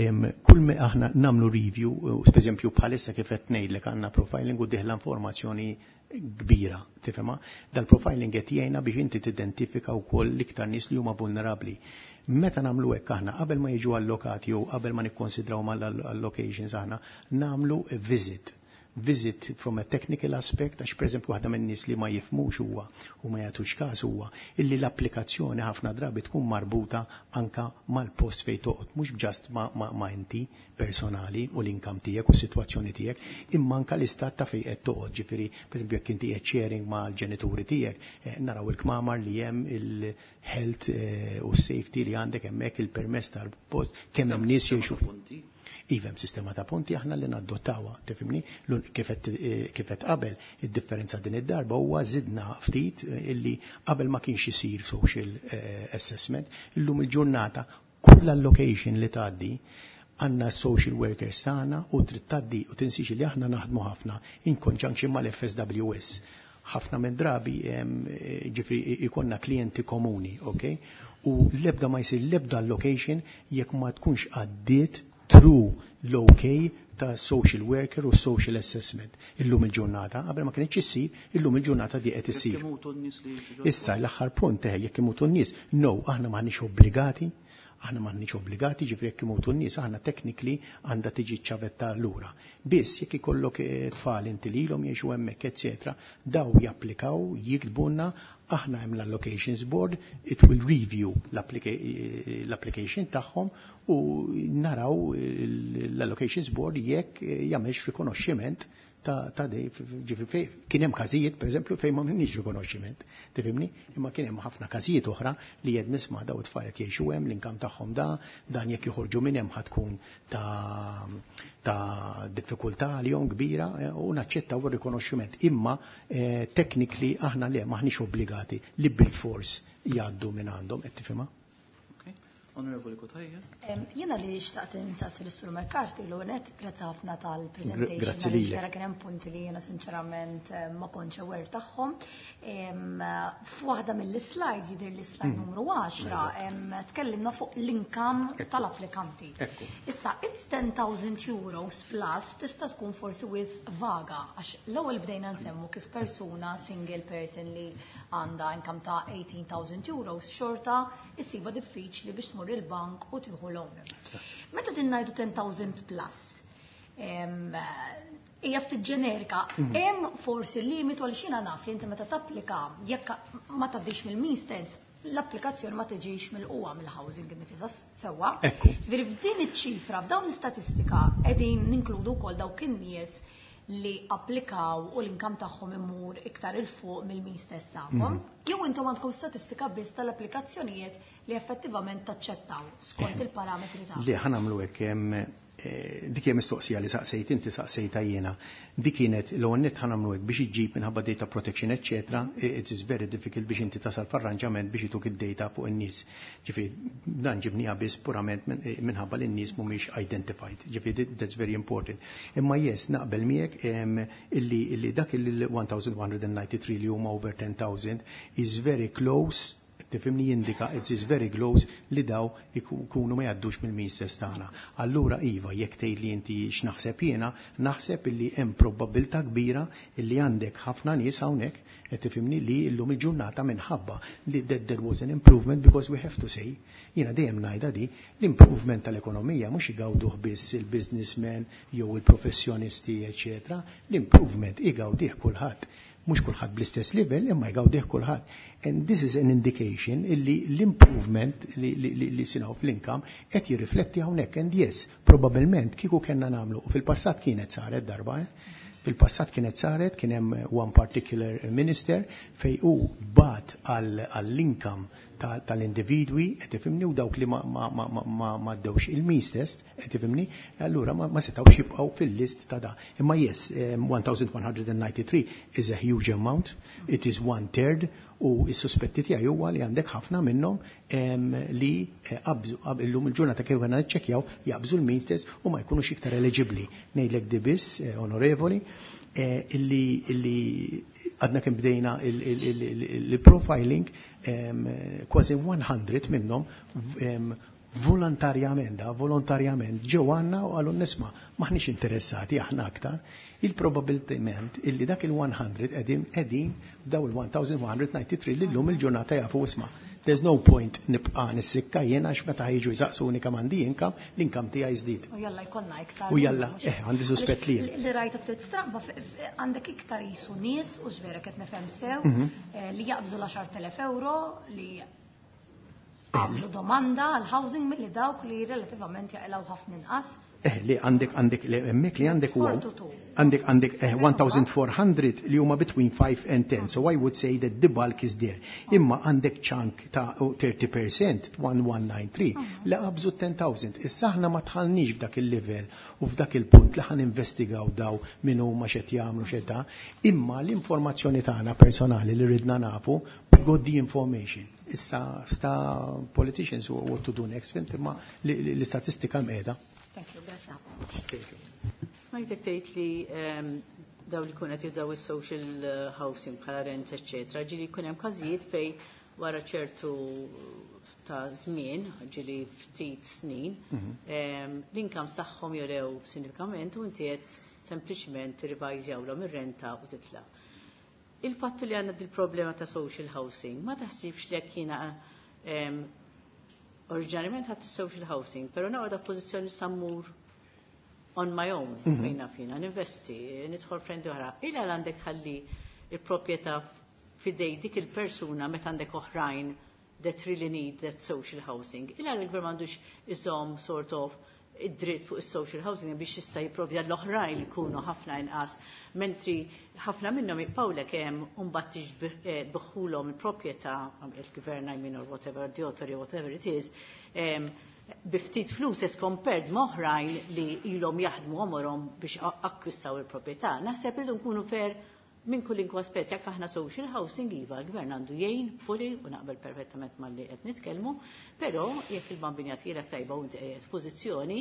kull me aħna nagħmlu review, per eżempju bħalissa kif qed ngħidlek għandna profiling u dieħla informazzjoni kbira, tifhimha? Dal-profiling qed jgħinna biex inti tidentifika wkoll l-iktar nies li huma vulnerabbli. Meta nagħmlu hekk aħna qabel ma jiġu allokati jew qabel ma nikkonsidraw mal-allocations aħna nagħmlu visit. Visit from a technical aspect, għax per eżempju waħda minn nies li ma jifhmux huwa u ma jagħtux każ huwa illi l-applikazzjoni ħafna drabi tkun marbuta anka mal-post fejn toqgħod, mhux just ma inti personali u l-income tiegħek u s-sitwazzjoni tiegħek, imma anka l-istat ta' fejn qed toqgħod. Ġifieri, per eżempju, jekk inti qed sharing mal-ġenituri tiegħek, naraw il-kmamar li hemm, il-health u s-safety li għandek hemmhekk, il-permess tal-post, kemm hemm nies jgħixu. Punti. Iva, hemm sistema ta' punti aħna li nadottawha, tifhimni? Kif qed qabel, id-differenza din id-darba huwa żidna ftit illi qabel ma kienx isir social assessment, illum il-ġurnata kull allocation li tgħaddi għandna social workers tagħna u trid tgħaddi u tinsix li aħna naħdmu ħafna in conjunction mal-FSWS. Ħafna minn drabi ġifieri ikonna klijenti komuni, ok? U l-ebda ma jsir l-ebda allocation jekk ma tkunx għaddiet through l-OK ta' social worker u social assessment. Illum il-ġurnata, qabel ma kienx issir, illum il-ġurnata di qed issir. Jekk imutu n-nies li jiġu Issa l-aħħar punt jekk imutu n-nies, no, aħna m'aħniex obbligati, aħna m'aħniex obbligati, ġifieri jekk imutu n-nies, aħna technically għandha tiġi ċavetta lura. Biss jekk ikollok tfal inti lilhom jgħixu hemmhekk, eċetera, daw japplikaw, jiktbulna, aħna hemm l-allocations board, it will review l-application tagħhom u naraw l-allocations board jekk jagħmelx rikonoxximent ta' dej, ġifieri fej, kien hemm każijiet, per eżempju, fejn ma minniex rikonoxximent, tifhimni? Imma kien hemm ħafna każijiet oħra li qed nisma' daw it-tfal qed jgħixu hemm, l-income tagħhom da, dan jekk joħorġu minn hemm ħa tkun ta' diffikultà għalihom kbira u naċċettaw ir-rikonoxximent. Imma technically aħna le maħniex obbligati li bil-fors jgħaddu minn għandhom, qed tifhimha? Okay. Onorevoli Cutajar. Jiena li xtaqt insaqsi lis-Sur McCarthy l-ewwel, grazzi ħafna tal-presentation. Grazzi lilek. Vera kien hemm punti li jiena sinċerament ma kontx aware tagħhom. F'waħda mill-slides, jidher li slide numru 10, tkellimna fuq l-income tal-applikanti. Issa, it's €10,000 plus tista' tkun forsi wisq vaga, għax l-ewwel bdejna nsemmu kif persuna, single person li għandha income ta' €18,000 xorta issiba diffiċli biex tmur il-bank u tieħu loan. Meta din ngħidu 10,000 plus, hija ftit ġenerika, hemm forsi limitu, għal xina naf li inti meta tapplika, jekk ma tgħaddix mill-means test, l-applikazzjoni ma tiġix mill-qwa mill-housing innifisha, sewwa? Ekku. Ġifieri f'din iċ-ċifra, f'dawn l-istatistika qegħdin ninkludu wkoll dawk in-nies li applikaw u l-income tagħhom imur iktar 'il fuq mill-means test tagħkom? Jew intom għandkom statistika biss tal-applikazzjonijiet li effettivament taċċettaw skont il-parametri tagħkom? Li ħa nagħmlu hekk, dik hija mistoqsija li saqsejt inti, saqsejta jiena. Dik kienet l nett ħa nagħmlu hekk biex iġġib minħabba data protection eccetera, it is very difficult biex inti tasal f'arranġament biex ituk id-data fuq in-nies. Ġifieri dan ġibniha biss purament minħabba li n-nies mhumiex identified. Ġifieri that's very important. Imma yes, naqbel miegħek illi dak il-1193 li huma over 10,000 is very close, tifhimni, jindika it is very close li daw ikunu ma jgħaddux mill-means test tagħna. Allura iva, jekk tgħid li inti x'naħseb jiena, naħseb illi hemm probabilità kbira illi għandek ħafna nies hawnhekk, qed tifhimni, li llum il-ġurnata minħabba li that there was an improvement, because we have to say, jiena dejjem ngħidha di, l-improvement tal-ekonomija mhux igawduh biss il-businessmen jew il-professjonisti, eċetera, l-improvement igawdih kulħadd. Mhux kulħadd bl-istess level, imma jgawdih kulħadd. And this is an indication illi l-improvement li sinaw fl-income qed jirrifletti hawnhekk. And yes, probabbilment kieku kellna nagħmlu, u fil-passat kienet saret darba, eh? Fil-passat kienet saret, kien hemm one particular minister fej u bat għall-income tal-individwi, qed tifhimni, u dawk li ma ddewx il-means test, qed tifhimni, allura ma setgħux jibqgħu fil-list ta' da. Imma yes, 1193 is a huge amount, it is one third, u s-suspetti tiegħi huwa li għandek ħafna minnhom li qabżu illum il-ġurnata kif għandna niċċekkjaw jaqbżu l-means test u ma jkunux iktar eligibbli. Ngħidlek di biss, onorevoli, illi għadna kemm bdejna il-profiling, kważi 100 minnhom volontarjament, da, volontarjament ġew għandna u qalu, "Nisma', maħniex interessati aħna aktar." Il-probabilment illi dak il-100 qegħdin daw il-1193 li llum il-ġurnata jafu, "Isma', there's no point nibqa' nissikka jiena għax meta ħiġu jsaqsuni kemm għandi income, l-income tiegħi żdied." U jalla jkollna iktar. U jalla, għandi suspett li. Li rajta ftit stramba, għandek iktar jisu nies, u x'vera qed nifhem sew, li jaqbżu l-10,000 euro li għamlu domanda għal housing milli dawk li relativament jaqilgħu ħafna inqas. Li għandek li hemmhekk li għandek huwa 42. għandek 1400 li huma between 5 and 10. So I would say that the bulk is there. Imma għandek chunk ta' 30%, 1193, li qabżu 10,000. Issa aħna ma dħalniex f'dak il-level u f'dak il-punt li ħan investigaw daw min huma, x'qed jagħmlu, x'qed ta', imma l-informazzjoni tagħna personali li ridna nafu, we got the information. Issa sta politicians what to do next, fhimt, imma l-istatistika mqiegħda. Thank you, grazie. Thank you. Smajtek tgħid li daw li kun qed jużaw is-social housing bħala rent, eċċetera, ġieli jkun hemm każijiet fej wara ċertu ta' żmien, ġieli ftit snin, l-income tagħhom jorew sinifikament u inti qed sempliċement tirrevajżjawlhom ir-renta u titla'. Il-fattu li għandna dil-problema ta' social housing, ma taħsibx li jekk jiena oriġinarjament ħadd social housing, però noqgħod pożizzjoni sammur on my own, fejna fina, ninvesti, nidħol frendi oħra. Illa għandek tħalli il-proprjetà fidej dik il-persuna meta għandek oħrajn that really need that social housing. Illa l-gvern m'għandux iżomm sort of id-dritt fuq is-social housing biex jista' jipprovdi l-oħrajn li jkunu ħafna inqas, mentri ħafna minnhom jibqgħulek hemm u mbagħad tbigħhulhom il-proprjetà il-gvern, I mean, or whatever, the authority, whatever it is, bi ftit flus as compared ma' oħrajn li ilhom jaħdmu għomorhom biex akkwistaw il-proprjetà. Naħseb irridu nkunu fair. Minn kull aspett, jekk aħna social housing iva, l-gvern għandu jgħin fully u naqbel perfettament mal-li qed nitkellmu, però jekk il-bambin jagħtilek tajba u inti qiegħed f'pożizzjoni,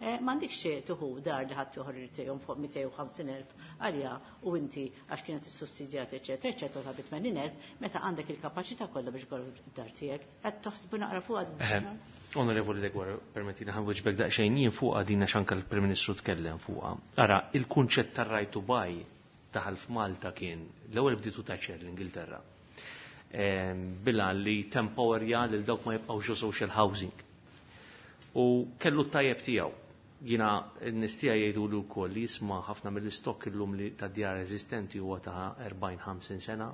m'għandikx tuħu dar li ħadd joħor irid fuq 250,000 għalija u inti għax kienet issussidjat eċetera eċetera ta' 80,000 meta għandek il-kapaċità kollha biex ikollok id-dar tiegħek. Qed toħsbu naqra fuq. Onorevoli Degwar, permettina ħa nwieġbek daqsxejn jien fuqha din għax anke l-Prim Ministru tkellem fuqha. Ara, il-kunċett tar-right to buy daħal f'Malta kien l-ewwel bditu Thatcher l-Ingilterra. Bila li tempowerja lil dawk ma jibqgħux social housing. U kellu t-tajjeb tiegħu. Jiena n-nistija jgħidu li wkoll li jisma' ħafna mill-istokk illum li ta' djar eżistenti huwa ta' 40-50 sena.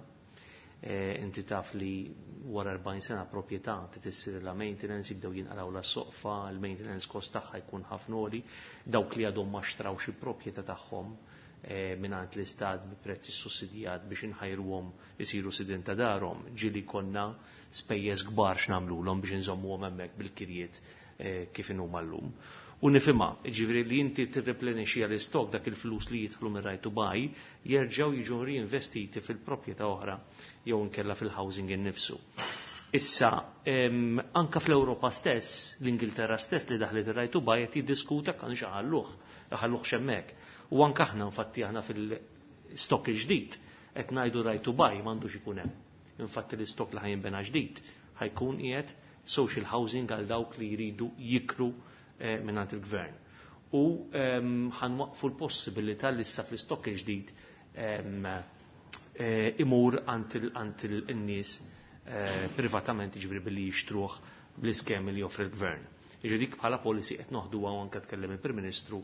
Inti taf li wara 40 sena proprjetà trid la maintenance, jibdew jinqaraw la soqfa, il-maintenance cost tagħha jkun ħafna għoli, dawk li għadhom ma xtrawx il-proprjetà tagħhom mingħand l-istat bi prezzi sussidjat biex inħajruhom isiru sidin ta' darhom, ġieli konna spejjeż kbar x'nagħmluhom biex inżommuhom hemmhekk bil-kirjiet kif inhuma llum. U nifhimha, ġifieri li inti tirreplenixxi l-istok dak il-flus li jidħlu minn right to buy jerġgħu jiġu reinvestiti fil-proprjetà oħra jew inkella fil-housing innifsu. Issa, anka fl-Ewropa stess, l-Ingilterra stess li daħlet ir-right to buy qed jiddiskuta kan xaħalluh, ħalluh xemmek. U anka aħna infatti aħna fil-stock il-ġdid qed ngħidu right to buy m'għandux ikun hemm. Infatti l-istok li ħa jinbena ġdid ħa jkun qiegħed social housing għal dawk li jridu jikru mingħand il-gvern. U ħa nwaqqfu l-possibilità li issa fl-istok il-ġdid imur għand il-nies privatament, ġifieri billi jixtruh bl-iskemi li joffri l-gvern. Ġifieri dik bħala policy qed noħduha u anke tkellem il-Prim Ministru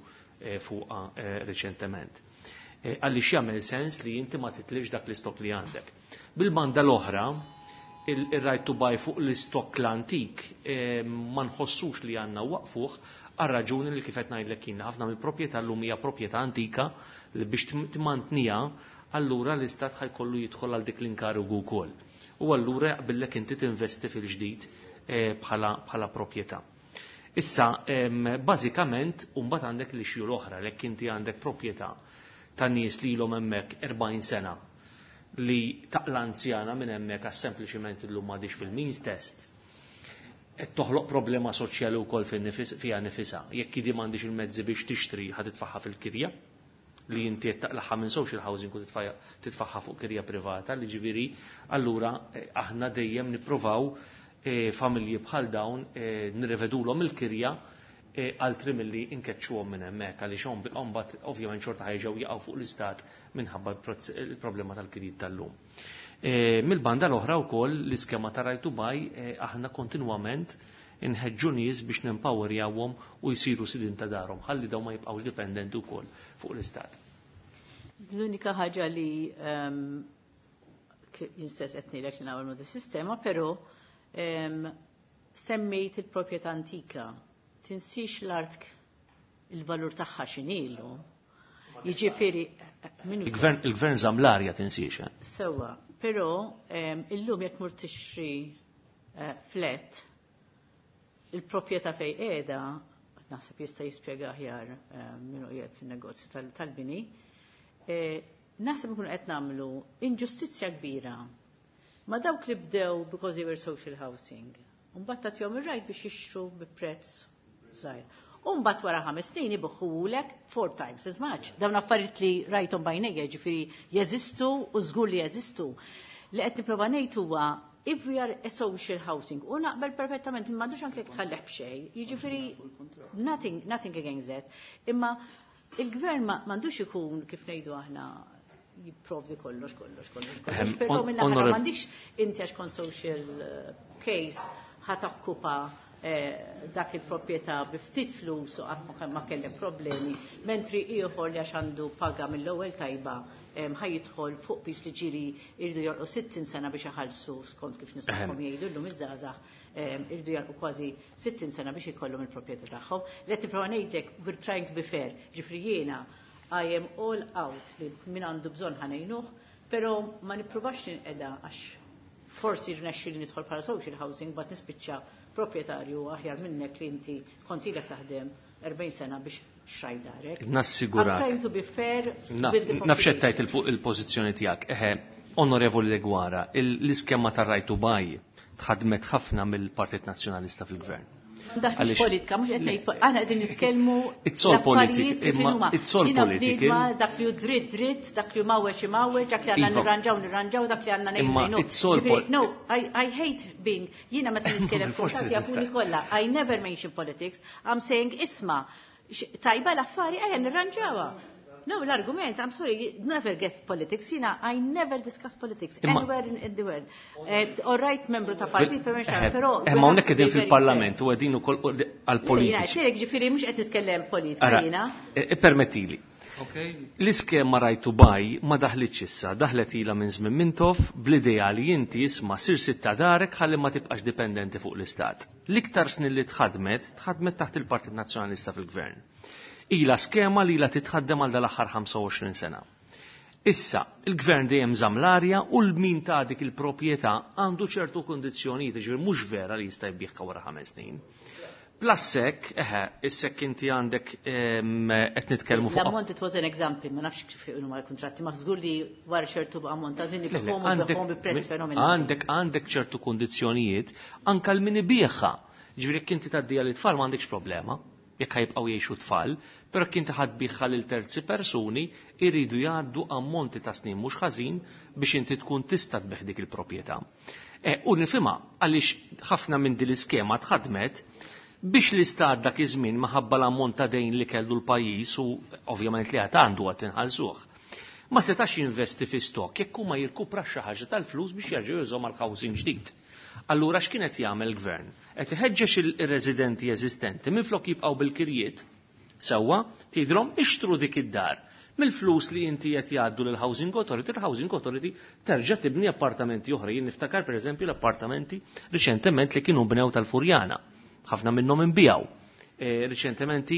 fuqha reċentement. Għaliex jagħmel sens li inti ma titlifx dak l-istok li għandek. Bil-banda l-oħra, il-right to buy fuq l-istok l-antik ma nħossux li għandna waqfuh għal raġuni li kif qed ngħidlek jien ħafna mill-proprjetà llum hija proprjetà antika li biex timantniha allura l-istat ħa jkollu jidħol għal dik l-inkarigu wkoll. U allura jaqbillek inti tinvesti fil-ġdid bħala proprjetà. Issa, bażikament, mbagħad għandek l-issue l-oħra, lek inti għandek proprjetà ta' nies li ilhom hemmhekk 40 sena li taqla anzjana minn hemmhekk għax sempliċiment illum m'għadix fil-means test. Qed toħloq problema soċjali wkoll fiha nifisha. Jekk idi m'għandix il-mezzi biex tixtri ħa titfaħħa fil-kirja li inti qed taqlaħħa minn social housing u titfaħħa fuq kirja privata, li ġifieri allura aħna dejjem nippruvaw familji bħal dawn nirrevedulhom il-kirja altri milli inkeċċuhom minn hemmhekk għaliex mbagħad ovvjament xorta ħa jerġgħu jaqgħu fuq l-istat minħabba il-problema tal-kirjiet tal-lum. Mill-banda l-oħra wkoll l-iskema ta' right to buy aħna kontinwament inħeġġu nies biex nempowerjawhom u jsiru sidin ta' darhom ħalli dawn ma jibqgħux dipendenti wkoll fuq l-istat. L-unika ħaġa li jien stess qed ngħidlek li nagħmel mod sistema, però semmejt il-proprjetà antika. Tinsix l-art il-valur tagħha x'inhilu. Jiġifieri minnu Il-gvern żamm l-arja tinsiex. Sewwa, però illum jekk mur tixtri flat, il-proprjetà fejn qiegħda, naħseb jista' jispjega aħjar minnu qiegħed fin-negozju tal-bini, naħseb ikunu qed nagħmlu inġustizzja kbira ma' dawk li bdew because they were social housing. Mbagħad tagħtihom ir-right biex jixtru bi prezz żgħir. U mbagħad wara 5 snin ibigħuhulek four times as much. Dawn affarijiet li rajthom b'għajnejja, ġifieri jeżistu u żgur li jeżistu. Li qed nipprova ngħid huwa if we are a social housing, u naqbel perfettament, m'għandux anke tħalleh b'xejn, jiġifieri nothing against that. Imma il-gvern m'għandux ikun kif ngħidu aħna jipprovdi kollox, kollox, kollox, kollox. Però minn naħa m'għandix inti għax kont social case ħa tokkupa dak il-proprjetà bi ftit flus u qatt ma kellek problemi, mentri ieħor li għax għandu paga mill-ewwel tajba ħa jidħol fuq pis li ġiri irdu jorqu 60 sena biex iħallsu skont kif nismagħhom jgħidu llum iż-żgħażagħ irdu jorqu kważi 60 sena biex ikollhom il-proprjetà tagħhom. Li qed nipprova ngħidlek we're trying to be fair. Ġifieri jiena I am all out li min għandu bżonn ħa ngħinuh, però ma nippruvax ninqeda għax forsi rnexxi li nidħol bħala social housing bat nispiċċa proprjetarju aħjar minnek li inti kont ilek taħdem 40 sena biex Xrajt darek. Nassigurak. I'm trying to be fair with the Naf xettajt population. il-pożizzjoni tiegħek. Eħe, Onorevoli Deguara, l-iskema tar-right to buy tħadmet ħafna mill-Partit Nazzjonalista fil-Gvern. Daħx Għaliex- politika, mhux qed ngħid aħna qegħdin nitkellmu It's all l-affarijiet politic, kif imma inhuma. it's all Jiena political. bniedma, dak li hu dritt dritt, dak li hu mawweġ imawweġ, dak li għandna Iva. nirranġaw nirranġaw, dak li għandna ngħidu Imma ngħidu. it's all Ġifieri, No, I hate being, jiena meta nitkellem Forsi kulħadd jafuni tista' kollha, I never mention politics, I'm saying isma' tajba l-affari ejja nirranġawha. No, l-argument, I'm sorry, you never get politics. Jiena, I never discuss politics anywhere in the world. All right, membru ta' partit, per me, però Ma hawnhekk qegħdin fil-Parlament u qegħdin ukoll għall-politiċi. Jiena, ġifieri mhux qed nitkellem politika Ara, jiena. Ippermettili. L-iskema right to buy ma daħlitx issa, daħlet ilha minn żmien Mintoff bl-idea li inti isma' sir sitta darek ħalli ma tibqax dipendenti fuq l-istat. L-iktar snin li tħadmet, tħadmet taħt il-Partit Nazzjonalista fil-Gvern. Ila skema li ila titħaddem għal dal-aħħar 25 sena. Issa, il-gvern dejjem żamm l-arja u l-min ta' dik il-proprjetà għandu ċertu kondizzjonijiet, ġifieri mhux vera li jista' jbieħha wara 5 snin. Plus hekk, eħe, issek inti għandek qed nitkellmu fuq L-ammont it was an example, ma nafx kif huma l-kuntratti, ma żgur li wara ċertu ammont ta' żmien Le, le, ibigħhom u ibigħhom bi prezz fenomenali. Għandek ċertu kundizzjonijiet anke l-min ibigħha. Ġifieri jekk inti tgħaddiha lit-tfal m'għandekx problema, jekk ħajbqgħu jgħixu tfal, però jekk inti ħadd biegħha lil terzi persuni jridu jgħaddu ammonti ta' snin mhux ħażin biex inti tkun tista' tbigħ dik il-proprjetà. U nifhimha għaliex ħafna minn din l-iskema tħadmet biex l-istat dak iż-żmien minħabba l-ammont ta' dejn li kellu l-pajjiż u ovvjament li għad għandu għad inħallsuh. Ma setax jinvesti fi stok jekk huma jirkupra xi ħaġa tal-flus biex jerġgħu jużhom għal housing ġdid. Allura x'kien qed jagħmel il-gvern? Qed iħeġġeġ ir-residenti eżistenti minflok jibqgħu bil-kirjiet sewwa tgħidilhom ixtru dik id-dar. Mill-flus li inti qed jgħaddu lil Housing Authority, il-Housing Authority terġa' tibni appartamenti oħra. Jien niftakar pereżempju l-appartamenti riċentement li kienu bnew tal-Furjana. Ħafna minnhom inbijaw. Riċentement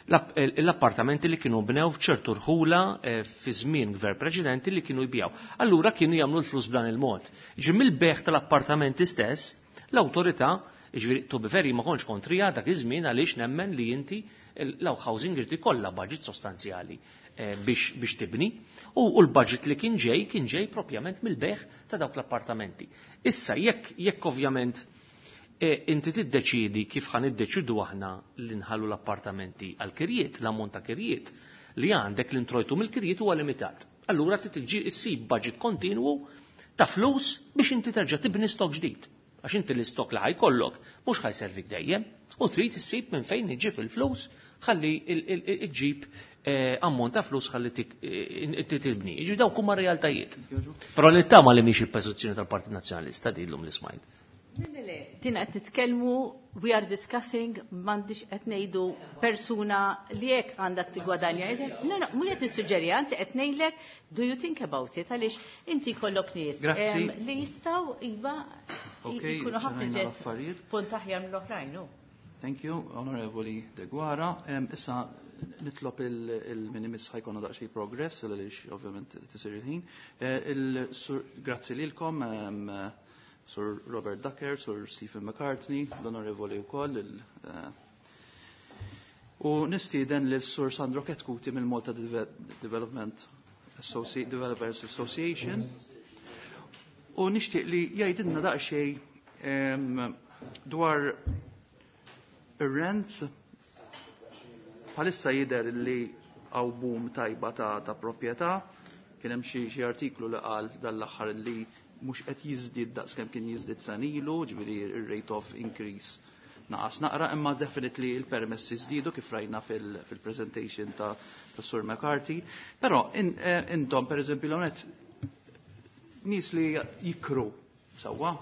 l-appartamenti li kienu bnew f'ċertu rħula fi żmien gvern preċedenti li kienu jbijaw. Allura kienu jagħmlu l-flus b'dan il-mod. Ġi mill-beħ tal-appartamenti stess, l-awtorità, ġifieri to be fair, ma kontx kontrija dak iż-żmien għaliex nemmen li inti l-housing irid ikollha budget sostanzjali biex tibni u l-budget li kien ġej, kien ġej propjament mill-beħ ta' dawk l-appartamenti. Issa jekk ovvjament inti tiddeċidi kif ħan iddeċidu aħna li nħallu l-appartamenti għal kirjiet, l-ammont ta' kirjiet li għandek l-introjtu mill-kirjiet huwa limitat. Allura trid tiġi issib budget kontinwu ta' flus biex inti terġa' tibni stok ġdid. Għax inti l-istok li ħajkollok mhux ħajservik dejjem u trid issib minn fejn iġib il-flus ħalli iġib ammont ta' flus ħalli inti tibni. Jiġifieri dawk huma realtajiet. Però nittama li mhix il-pożizzjoni tal-Partit Nazzjonalista din llum li smajt. Le, le, le, din qed nitkellmu, we are discussing, m'għandix qed ngħidu persuna li hekk għandha tigwadanja. No, no, mhux qed nissuġġeri, anzi qed ngħidlek, do you think about it, għaliex inti jkollok nies, li jistgħu iva Okay, jkunu ħafna ċarajna iżjed l-affarijiet. punt aħjar mill-oħrajn, no. Thank you, Onorevoli Deguara. Issa nitlob il-minimis ħajkonu daqsxejn progress, għaliex ovvjament tisir il-ħin. Grazzi lilkom, Sur Robert Ducker, Sur Stephen McCartney, l-Onorevoli wkoll, u nistieden lil Sur Sandro Chetcuti mill-Malta Development Developers Association. U nixtieq li jgħidilna daqsxejn dwar ir-rents. Bħalissa jidher li hawn boom tajba ta' proprjetà. Kien hemm xi artiklu li qal dal-aħħar li mhux qed jiżdied daqs kemm kien jiżdied sen ilu, ġifieri ir-rate of increase naqas naqra, imma definitely il-permessi żdiedu kif rajna fil-presentation ta' Sur McCarthy. Però intom pereżempju l-għonet nies li jikru sewwa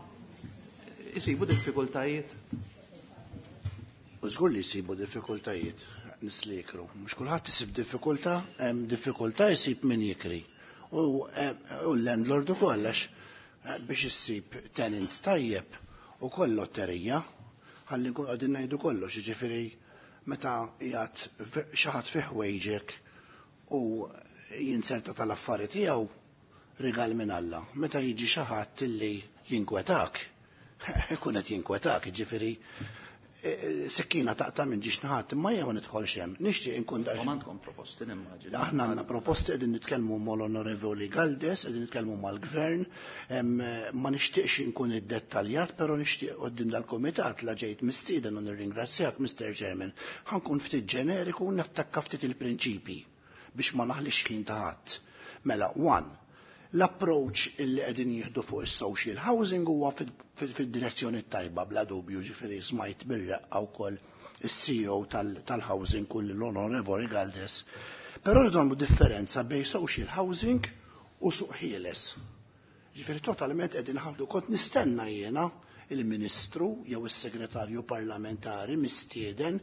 isibu diffikultajiet. U żgur li jsibu diffikultajiet nies li jikru. Mhux kulħadd isib diffikultà, hemm diffikultà jsib min jikri. U l-landlord ukoll għax biex issib tenant tajjeb ukoll lotterija, ħalli nkun qegħdin ngħidu kollox, jiġifieri meta qiegħed xi ħadd fih ħwejġek u jinserta tal-affari tiegħu rigal minn Alla. Meta jiġi xi ħadd illi jinkwetak, ikun qed jinkwetak, jiġifieri Sikkina taqta' minn ġiex naħat, imma jien ma nidħolx hemm. Nixtieq inkun daqs. Għandkom proposti nimmaġina. Aħna għandna proposti qegħdin nitkellmu mal-Onorevoli Galdes, qegħdin nitkellmu mal-Gvern, ma nixtieqx inkun iddettaljat, però nixtieq quddiem dal-kumitat la ġejt mistieden u nirringrazzjak, Mr. Chairman. Ħa nkun ftit ġeneriku u nattakka ftit il-prinċipi biex ma naħlix ħin ta' ħadd. Mela, one, l-approach illi qegħdin jieħdu fuq is-social housing huwa fid-direzzjoni tajba bla dubju, ġifieri smajt bir-reqqa wkoll is-CEO tal-housing kull l-Onorevoli Galdes. Però rridu nagħmlu differenza bejn social housing u suq ħieles. Ġifieri totalment qegħdin ħabdu kont nistenna jiena il-Ministru jew is-Segretarju Parlamentari mistieden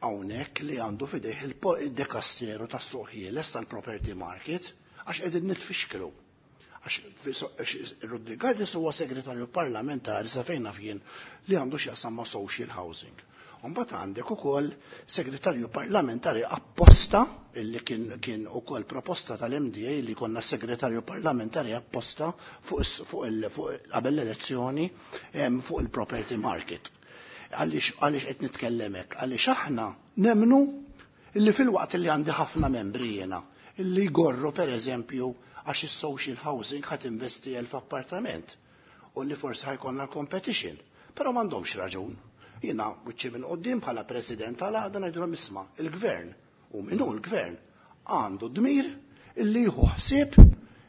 hawnhekk li għandu fidejh il-dekasteru tas-suq ħieles tal-property market għax qegħdin nitfixklu. Għax Rodriguez huwa segretarju parlamentari sa fejn naf jien li għandu x'jaqsam ma' social housing. Mbagħad għandek ukoll segretarju parlamentari apposta illi kien ukoll proposta tal-MDA li konna segretarju parlamentari apposta fuq qabel l-elezzjoni fuq il-property market. Għaliex qed nitkellem hekk? Għaliex aħna nemnu illi fil-waqt li għandi ħafna membri jiena illi jgorru per eżempju għax is-social housing ħadd investi 1000 appartament u li forsi ħa jkollna competition, però m'għandhomx raġun. Jiena wiċċi minn quddiem bħala president tal-għaqda ngħidulhom isma' il-gvern u min hu l-gvern għandu dmir illi jieħu ħsieb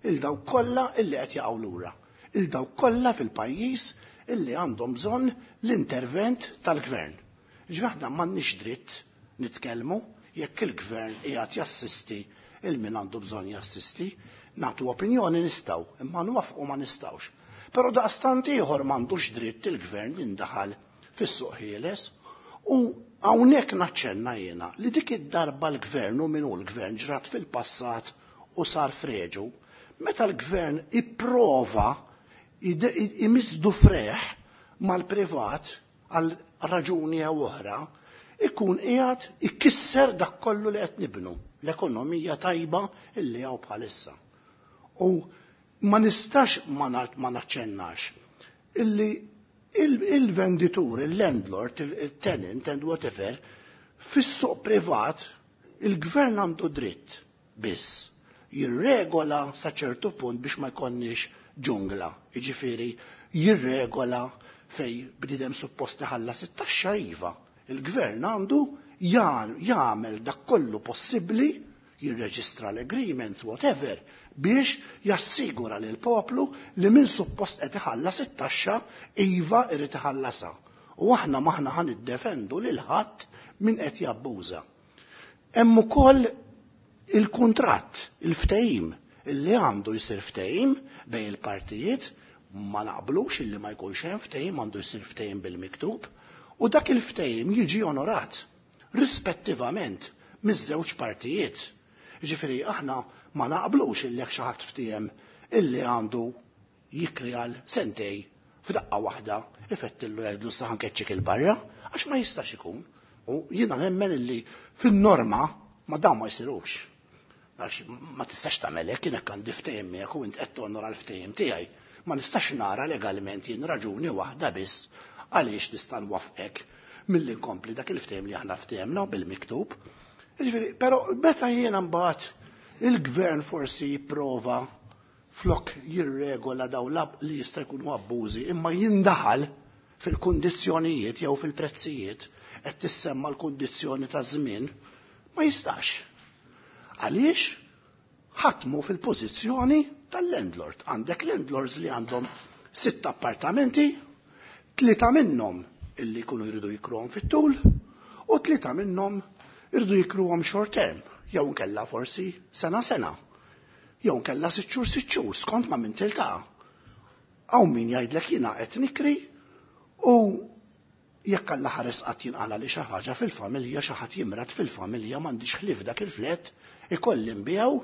il dawk kollha illi qed jaqgħu lura. Il dawk kollha fil-pajjiż illi għandhom bżonn l-intervent tal-gvern. Ġifieri aħna m'għandniex dritt nitkellmu jekk il-gvern qiegħed jassisti il min għandu bżonn jassisti, nagħtu opinjoni nistgħu, imma nwafqu ma nistgħux. Però daqstant ieħor m'għandux dritt il-gvern jindaħal fis-suq ħieles u hawnhekk naċċenna jiena li dik id-darba l-gvern u min hu l-gvern ġrat fil-passat u sar freġu, meta l-gvern ipprova imisdu freħ mal-privat għal raġuni jew oħra, ikun qiegħed ikisser dak kollu li qed nibnu, l-ekonomija tajba illi hawn bħalissa. U ma nistax ma naċċennax illi il-venditur, il-landlord, il-tenant and whatever, fis-suq privat il-gvern għandu dritt biss jirregola sa ċertu punt biex ma jkollniex ġungla. Jiġifieri jirregola fej bniedem suppost iħallas it-taxxa iva. Il-gvern għandu jagħmel dak kollu possibbli, jirreġistra l-agreements, whatever, biex jassigura lil poplu li min suppost qed iħallas it-taxxa iva irid iħallasha. U aħna maħna ħan iddefendu lil ħadd min qed jabbuża. Hemm ukoll il-kuntratt, il-ftehim, illi għandu jsir ftehim bejn il-partijiet, ma naqblux illi ma jkunx hemm ftehim, għandu jsir ftehim bil-miktub, u dak il-ftehim jiġi onorat rispettivament miż-żewġ partijiet. Ġifieri aħna ma naqblux illi jekk xi ħadd ftiehem illi għandu jikri għal sentej f'daqqa waħda ifettillu jgħidlu sa ħankeċċik il-barra, għax ma jistax ikun. U jiena nemmen illi fin-norma ma dawn ma jsirux. Għax ma tistax tagħmel hekk, jien hekk għandi ftehim miegħek u int qed tonora l-ftehim tiegħi. Ma nistax nara legalment jien raġuni waħda biss għaliex nista' nwaffqek milli nkompli dak il-ftehim li aħna ftehemna bil-miktub. Ġifieri, però meta jiena mbagħad il-gvern forsi jipprova flok jirregola daw li jista' jkunu abbużi, imma jindaħal fil-kundizzjonijiet jew fil-prezzijiet, qed tissemma l-kundizzjoni ta' żmien, ma jistax. Għaliex ħatmu fil-pożizzjoni tal-landlord. Għandek landlords li għandhom 6 appartamenti, 3 minnhom illi jkunu jridu jikruhom fit-tul u 3 minnhom jridu jikruhom short term, jew nkella forsi sena sena, jew nkella 6 xhur 6 xhur skont ma' min tiltaqa'. Hawn min jgħidlek jiena qed nikri u jekk Alla ħares qatt jinqala li xi ħaġa fil-familja, xi ħadd jimrad fil-familja, m'għandix ħlief dak il-flet, ikolli nbiegħu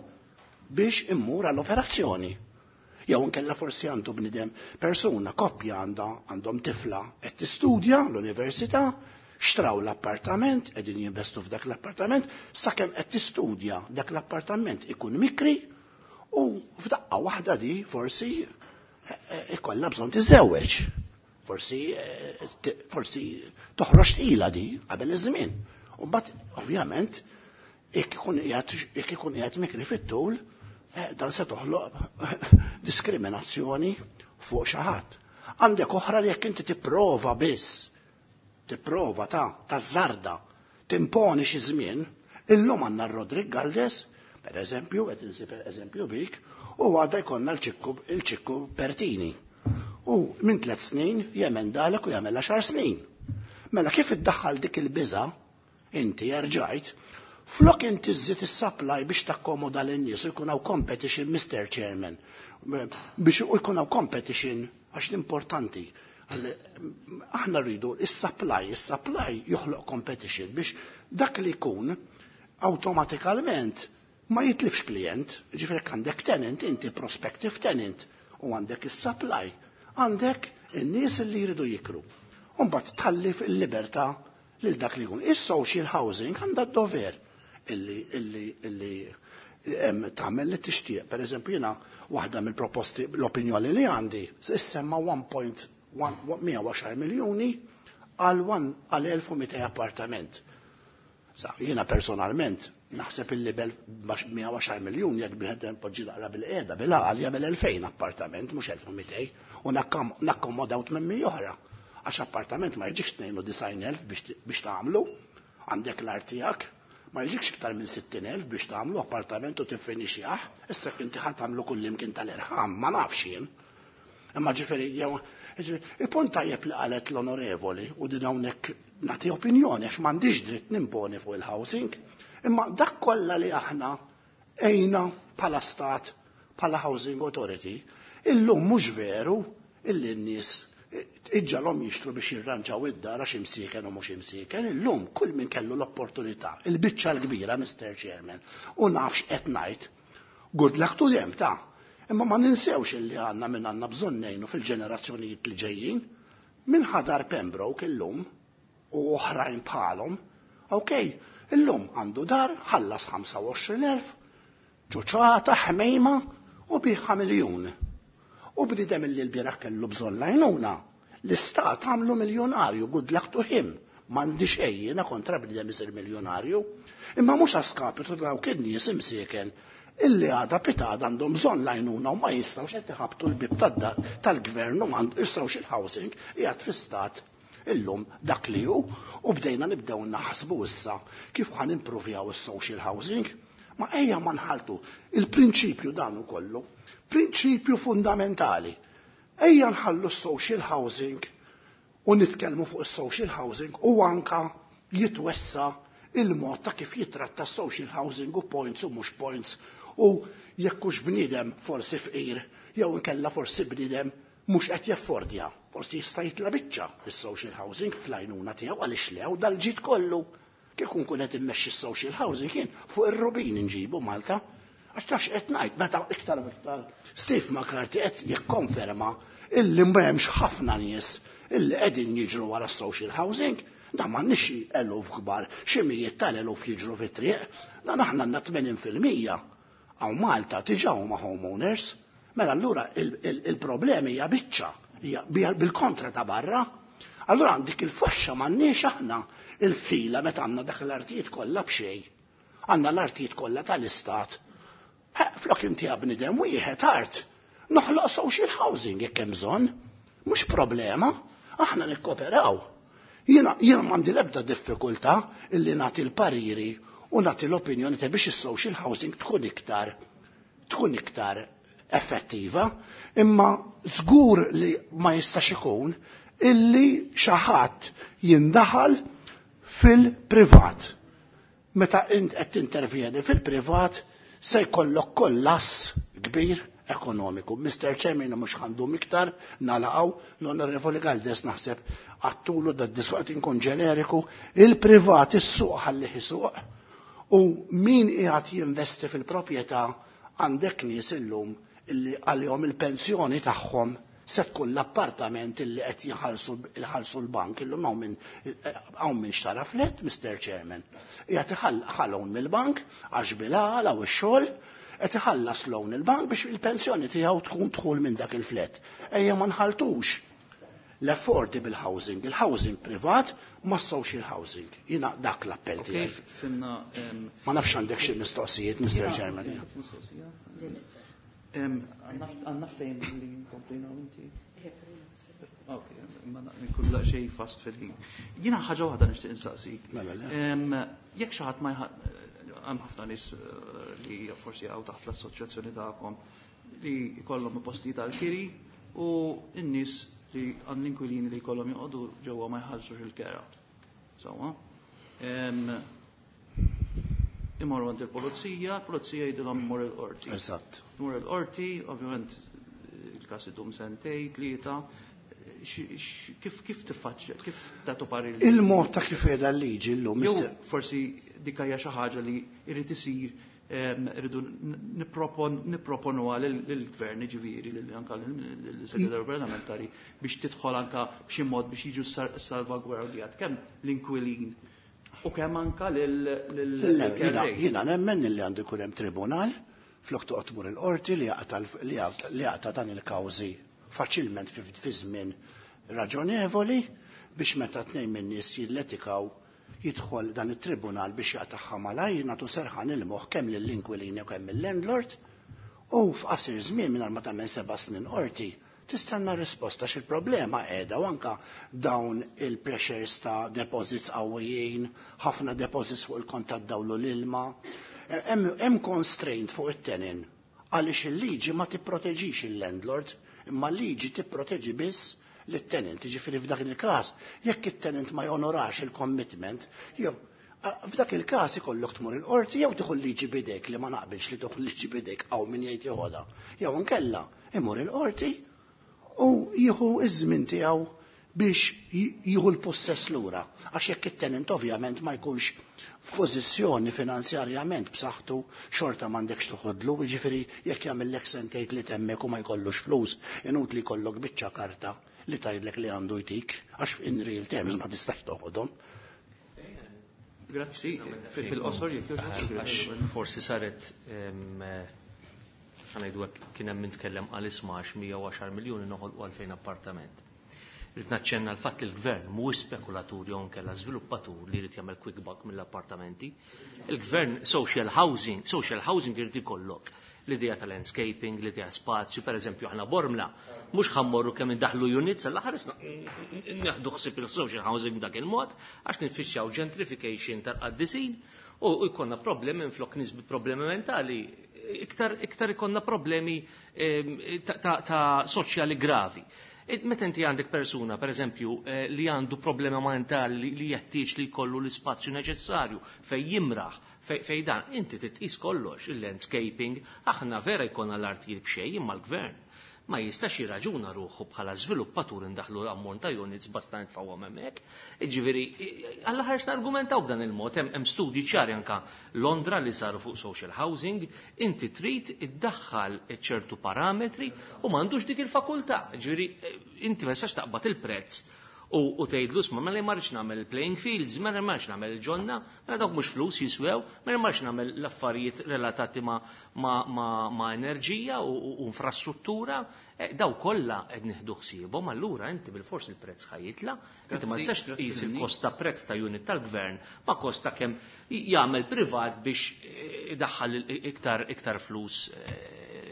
biex immur għall-operazzjoni. Jew inkella forsi għandu bniedem persuna, koppja għandhom tifla qed tistudja l-università, xtraw l-appartament, qegħdin jinvestu f'dak l-appartament, sakemm qed tistudja dak l-appartament ikun mikri u f'daqqa waħda di forsi ikollha bżonn tiżewweġ. Forsi forsi toħroġ tqila di qabel iż-żmien. U mbagħad ovvjament jekk ikun qiegħed mikri fit-tul, dan se toħloq diskriminazzjoni fuq xi ħadd. Għandek oħra li jekk inti tipprova biss, tipprova ta' tażżarda, timponi xi żmien, illum għandna Rodrik Galdes, per eżempju, qed insib eżempju bik, u għadha jkollna l-ċikku Pertini. U minn 3 snin jemendalek u jagħmel 10 snin. Mela kif iddaħħal dik il-biża' inti erġajt, flok inti żżid is-supply biex takkomoda lin-nies u jkun hawn competition, Mr. Chairman, biex jkun hawn competition għax l-importanti. Aħna rridu is-supply, is-supply joħloq competition biex dak li jkun awtomatikalment ma jitlifx klient, ġifieri għandek tenant, inti prospective tenant, u għandek is-supply, għandek in-nies li jridu jikru. U mbagħad tħalli il-libertà lil dak li jkun. Is-social housing għandha d-dover illi tagħmel li tixtieq. Per eżempju, jiena waħda mill-proposti, l-opinjoni li għandi, issemma 1.110 miljuni għal 1200 appartament. Sa, jiena personalment naħseb illi bel 110 miljun jekk bniedem poġġi naqra bil-qiegħda bil-għaqal jagħmel 2000 appartament mhux 1200 u nakkomodaw 800 oħra. Għax appartament ma jiġikx 92,000 biex tagħmlu, għandek l-art tiegħek, ma jiġikx iktar minn 60,000 biex tagħmlu appartament u tiffinixjah, issa inti ħadd tagħmlu kull imkien tal-irħam, ma nafx jien. Imma ġifieri jew il-punt tajjeb li qalet l-onorevoli u din hawnhekk nagħti opinjoni għax m'għandix dritt nimponi fuq il-housing, imma dak kollha li aħna ejna bħala stat, bħala housing authority, illum mhux veru illi n-nies iġġalhom jixtru biex jirranġaw id-dar għax imsieken u mhux imsieken, illum kull min kellu l-opportunità, il-biċċa l-kbira, Mr. Chairman, u nafx qed ngħid, good luck to them ta' imma ma ninsewx illi għandna min għandna bżonn ngħinu fil-ġenerazzjonijiet li ġejjin, min ħadar Pembroke illum u oħrajn bħalhom, ok, illum għandu dar, ħallas 25,000, ċuċata, ħmejma u biħa miljun. U bniedem illi l-bieraħ kellu bżonn l-għajnuna, l-istat għamlu miljonarju, good luck to him. M'għandi xejn jiena kontra bniedem isir miljonarju, imma mhux għaskapitu dawk in-nies imsieken illi għada pitada għandhom bżonn l-għajnuna u ma jistgħux qed iħabtu l-bib tal-gvern u ma jistgħux il-housing qiegħed fi stat illum dak li hu u bdejna nibdew naħsbu issa kif ħan improvjaw is-social housing. Ma ejja ma nħaltu il-prinċipju dan ukollu, prinċipju fundamentali. Ejja nħallu s-social housing u nitkellmu fuq is-social housing u anka jitwessa il-mod ta' kif jitratta social housing u points u mhux points u jekk hux bniedem forsi fqir jew inkella forsi bniedem mhux qed jaffordja, forsi jista' jitla' biċċa fis-social housing fl-għajnuna tiegħu għaliex lew dal-ġid kollu. Kieku nkun qed immexxi s-social housing kien fuq ir-rubin inġibu Malta. Għax tafx qed ngħid meta iktar u iktar Steve McCarthy qed jikkonferma illi m'hemmx ħafna nies illi qegħdin jiġru wara s-social housing. Dan m'għandniex xi eluf kbar, xi mijiet tal-eluf jiġru fit-triq, dan aħna għandna 80% hawn Malta diġà huma homeowners. Mela allura il-problemi hija biċċa, hija bil-kontra ta' barra. Allura għandik il-faxxa m'għandniex aħna il-ħila meta għandna dak l-artijiet kollha b'xejn. Għandna l-artijiet kollha tal-istat. Flok inti bniedem wieħed art, noħloq social housing jekk hemm bżonn. Mhux problema, aħna nikkoperaw. Jiena m'għandi l-ebda diffikultà illi nagħti l-pariri u nagħti l-opinjoni ta' biex is-social housing tkun iktar effettiva, imma żgur li ma jistax ikun illi xi ħadd jindaħal fil-privat. Meta int qed tintervjeni fil-privat se jkollok kollass kbir ekonomiku. Mr. Chairman, mhux ħandum iktar nalaqgħu l-Onorevoli Galdes naħseb għattulu da disqot inkun ġeneriku, il-privat is-suq ħallih isuq u min qiegħed jinvesti fil-proprjetà għandek nies illum illi għalihom il-pensjoni tagħhom se tkun l-appartament illi qed jħallsu l-bank illum hawn min xtara flet, Mr. Chairman. Qiegħed iħallhom mill-bank għax bil-għala u x-xogħol qed iħallas loan il-bank biex il-pensjoni tiegħu tkun dħul minn dak il-flet. Ejja ma nħaltux. L-affordable housing, il-housing privat, ma social housing. Jina dak l-appell tiegħi. Fimna. Ma nafx għandek xi mistoqsijiet, Mr. Chairman. Għandna ftehim li nkomplina inti. Ok, ma nkun xejn fast fil-ħin. Jiena ħaġa waħda nixtieq insaqsik. Mela, le. Jekk xi ħadd ma hemm ħafna nies li forsi hawn taħt l-assoċjazzjoni tagħkom li jkollhom postijiet għall-kiri u n-nies li għand l-inkwilini li jkollhom joqogħdu ġewwa ma jħallsux il-kera. Sewwa. Imorru għand il-pulizija, il-pulizija jgħidilhom mur il-qorti. Eżatt. Mur il-qorti, ovvjament il-każ idum sentej, tlieta, kif kif tiffaċċja, kif tagħtu parir? Il-mod ta' kif qiegħda l-liġi llum. Jew forsi dik hija xi ħaġa li jrid isir, rridu nipproponuha lill-gvern, ġifieri lil anka lill-segretarju parlamentari biex tidħol anka b'xi mod biex jiġu salvagwardjat kemm l-inkwilin u kemm anka lil Jiena nemmen li għandu jkun hemm tribunal flok toqgħod tmur il-qorti li jaqta' dan il-kawżi faċilment fi żmien raġonevoli biex meta tnejn min-nies jilletikaw jidħol dan it-tribunal biex jaqtagħha malajr, nagħtu serħan il-moħħ kemm lill-inkwilini u kemm il-landlord, u f'qasir żmien mingħajr ma tagħmel 7 snin qorti tistenna risposta x'il-problema qiegħda u anka dawn il-pressures ta' deposits qawwijin, ħafna deposits fuq il-kont tad-dawl u l-ilma. Hemm constraint fuq it-tenant għaliex il-liġi ma tipproteġix il-landlord, imma l-liġi tipproteġi biss lit-tenant. Jiġifieri f'dak il-każ, jekk it-tenant ma jonorax il-commitment, jew f'dak il-każ ikollok tmur il-qorti jew tieħu l-liġi b'idejk, li ma naqbilx li tieħu l-liġi b'idejk hawn min jgħid jeħodha. Jew inkella imur il-qorti u jieħu iż-żmien tiegħu biex jieħu l-possess lura. Għax jekk it-tenant ovvjament ma jkunx f'pożizzjoni finanzjarjament b'saħħtu, xorta m'għandekx toħodlu, jiġifieri jekk jagħmellek sentejn li temmek u ma jkollux flus, inutli jkollok biċċa karta li tgħidlek li għandu jtik, għax in real terms ma tistax toħodhom. Grazzi, fil-qosor jekk jogħġbok. Forsi saret ħa ngħidu hekk, kien hemm min tkellem għal isma' għax 110 miljuni noħolqu 2000 appartament. Irrid naċċenna l-fatt li l-gvern mhuwiex spekulatur jew inkella żviluppatur li jrid jagħmel quick buck mill-appartamenti. Il-gvern social housing, social housing irid ikollok l-idea ta' landscaping, l-idea spazju, per eżempju aħna Bormla, mhux ħa mmorru kemm indaħlu units, għall ħaresna neħdu ħsieb il-social housing dak il-mod, għax nifittxaw gentrification tal-qaddisin u jkollna problemi minflok nies bi problemi mentali, iktar ikonna problemi ta' soċjali gravi. Meta inti għandek persuna, per eżempju, li għandu problema mentali li jeħtieġ li jkollu l-ispazju neċessarju fej jimraħ, fej dan, inti titqis kollox, il-landscaping, aħna vera jkollna l-artijiet b'xejn imma l-gvern ma jistax jirraġuna ruħu bħala żviluppatur indaħlu ammont ta' units basta nitfgħuhom hemmhekk. Jiġifieri, alla ħares nargumentaw b'dan il-mod, hemm studji ċari anka Londra li saru fuq social housing, inti trid iddaħħal ċertu parametri u m'għandux dik il-fakultà. Jiġifieri, inti ma tistax taqbad il-prezz u tgħidlu isma' mela ma rridx nagħmel playing fields, mela ma rridx nagħmel il-ġonna, mela dawk mhux flus jiswew, mela ma rridx nagħmel l-affarijiet relatati ma' enerġija u infrastruttura, daw kollha qed nieħdu ħsiebhom, allura inti bil-fors il-prezz ħa jitla', inti ma tistax tqis il-kost ta' prezz ta' unit tal-gvern ma' kost ta' kemm jagħmel privat biex idaħħal iktar flus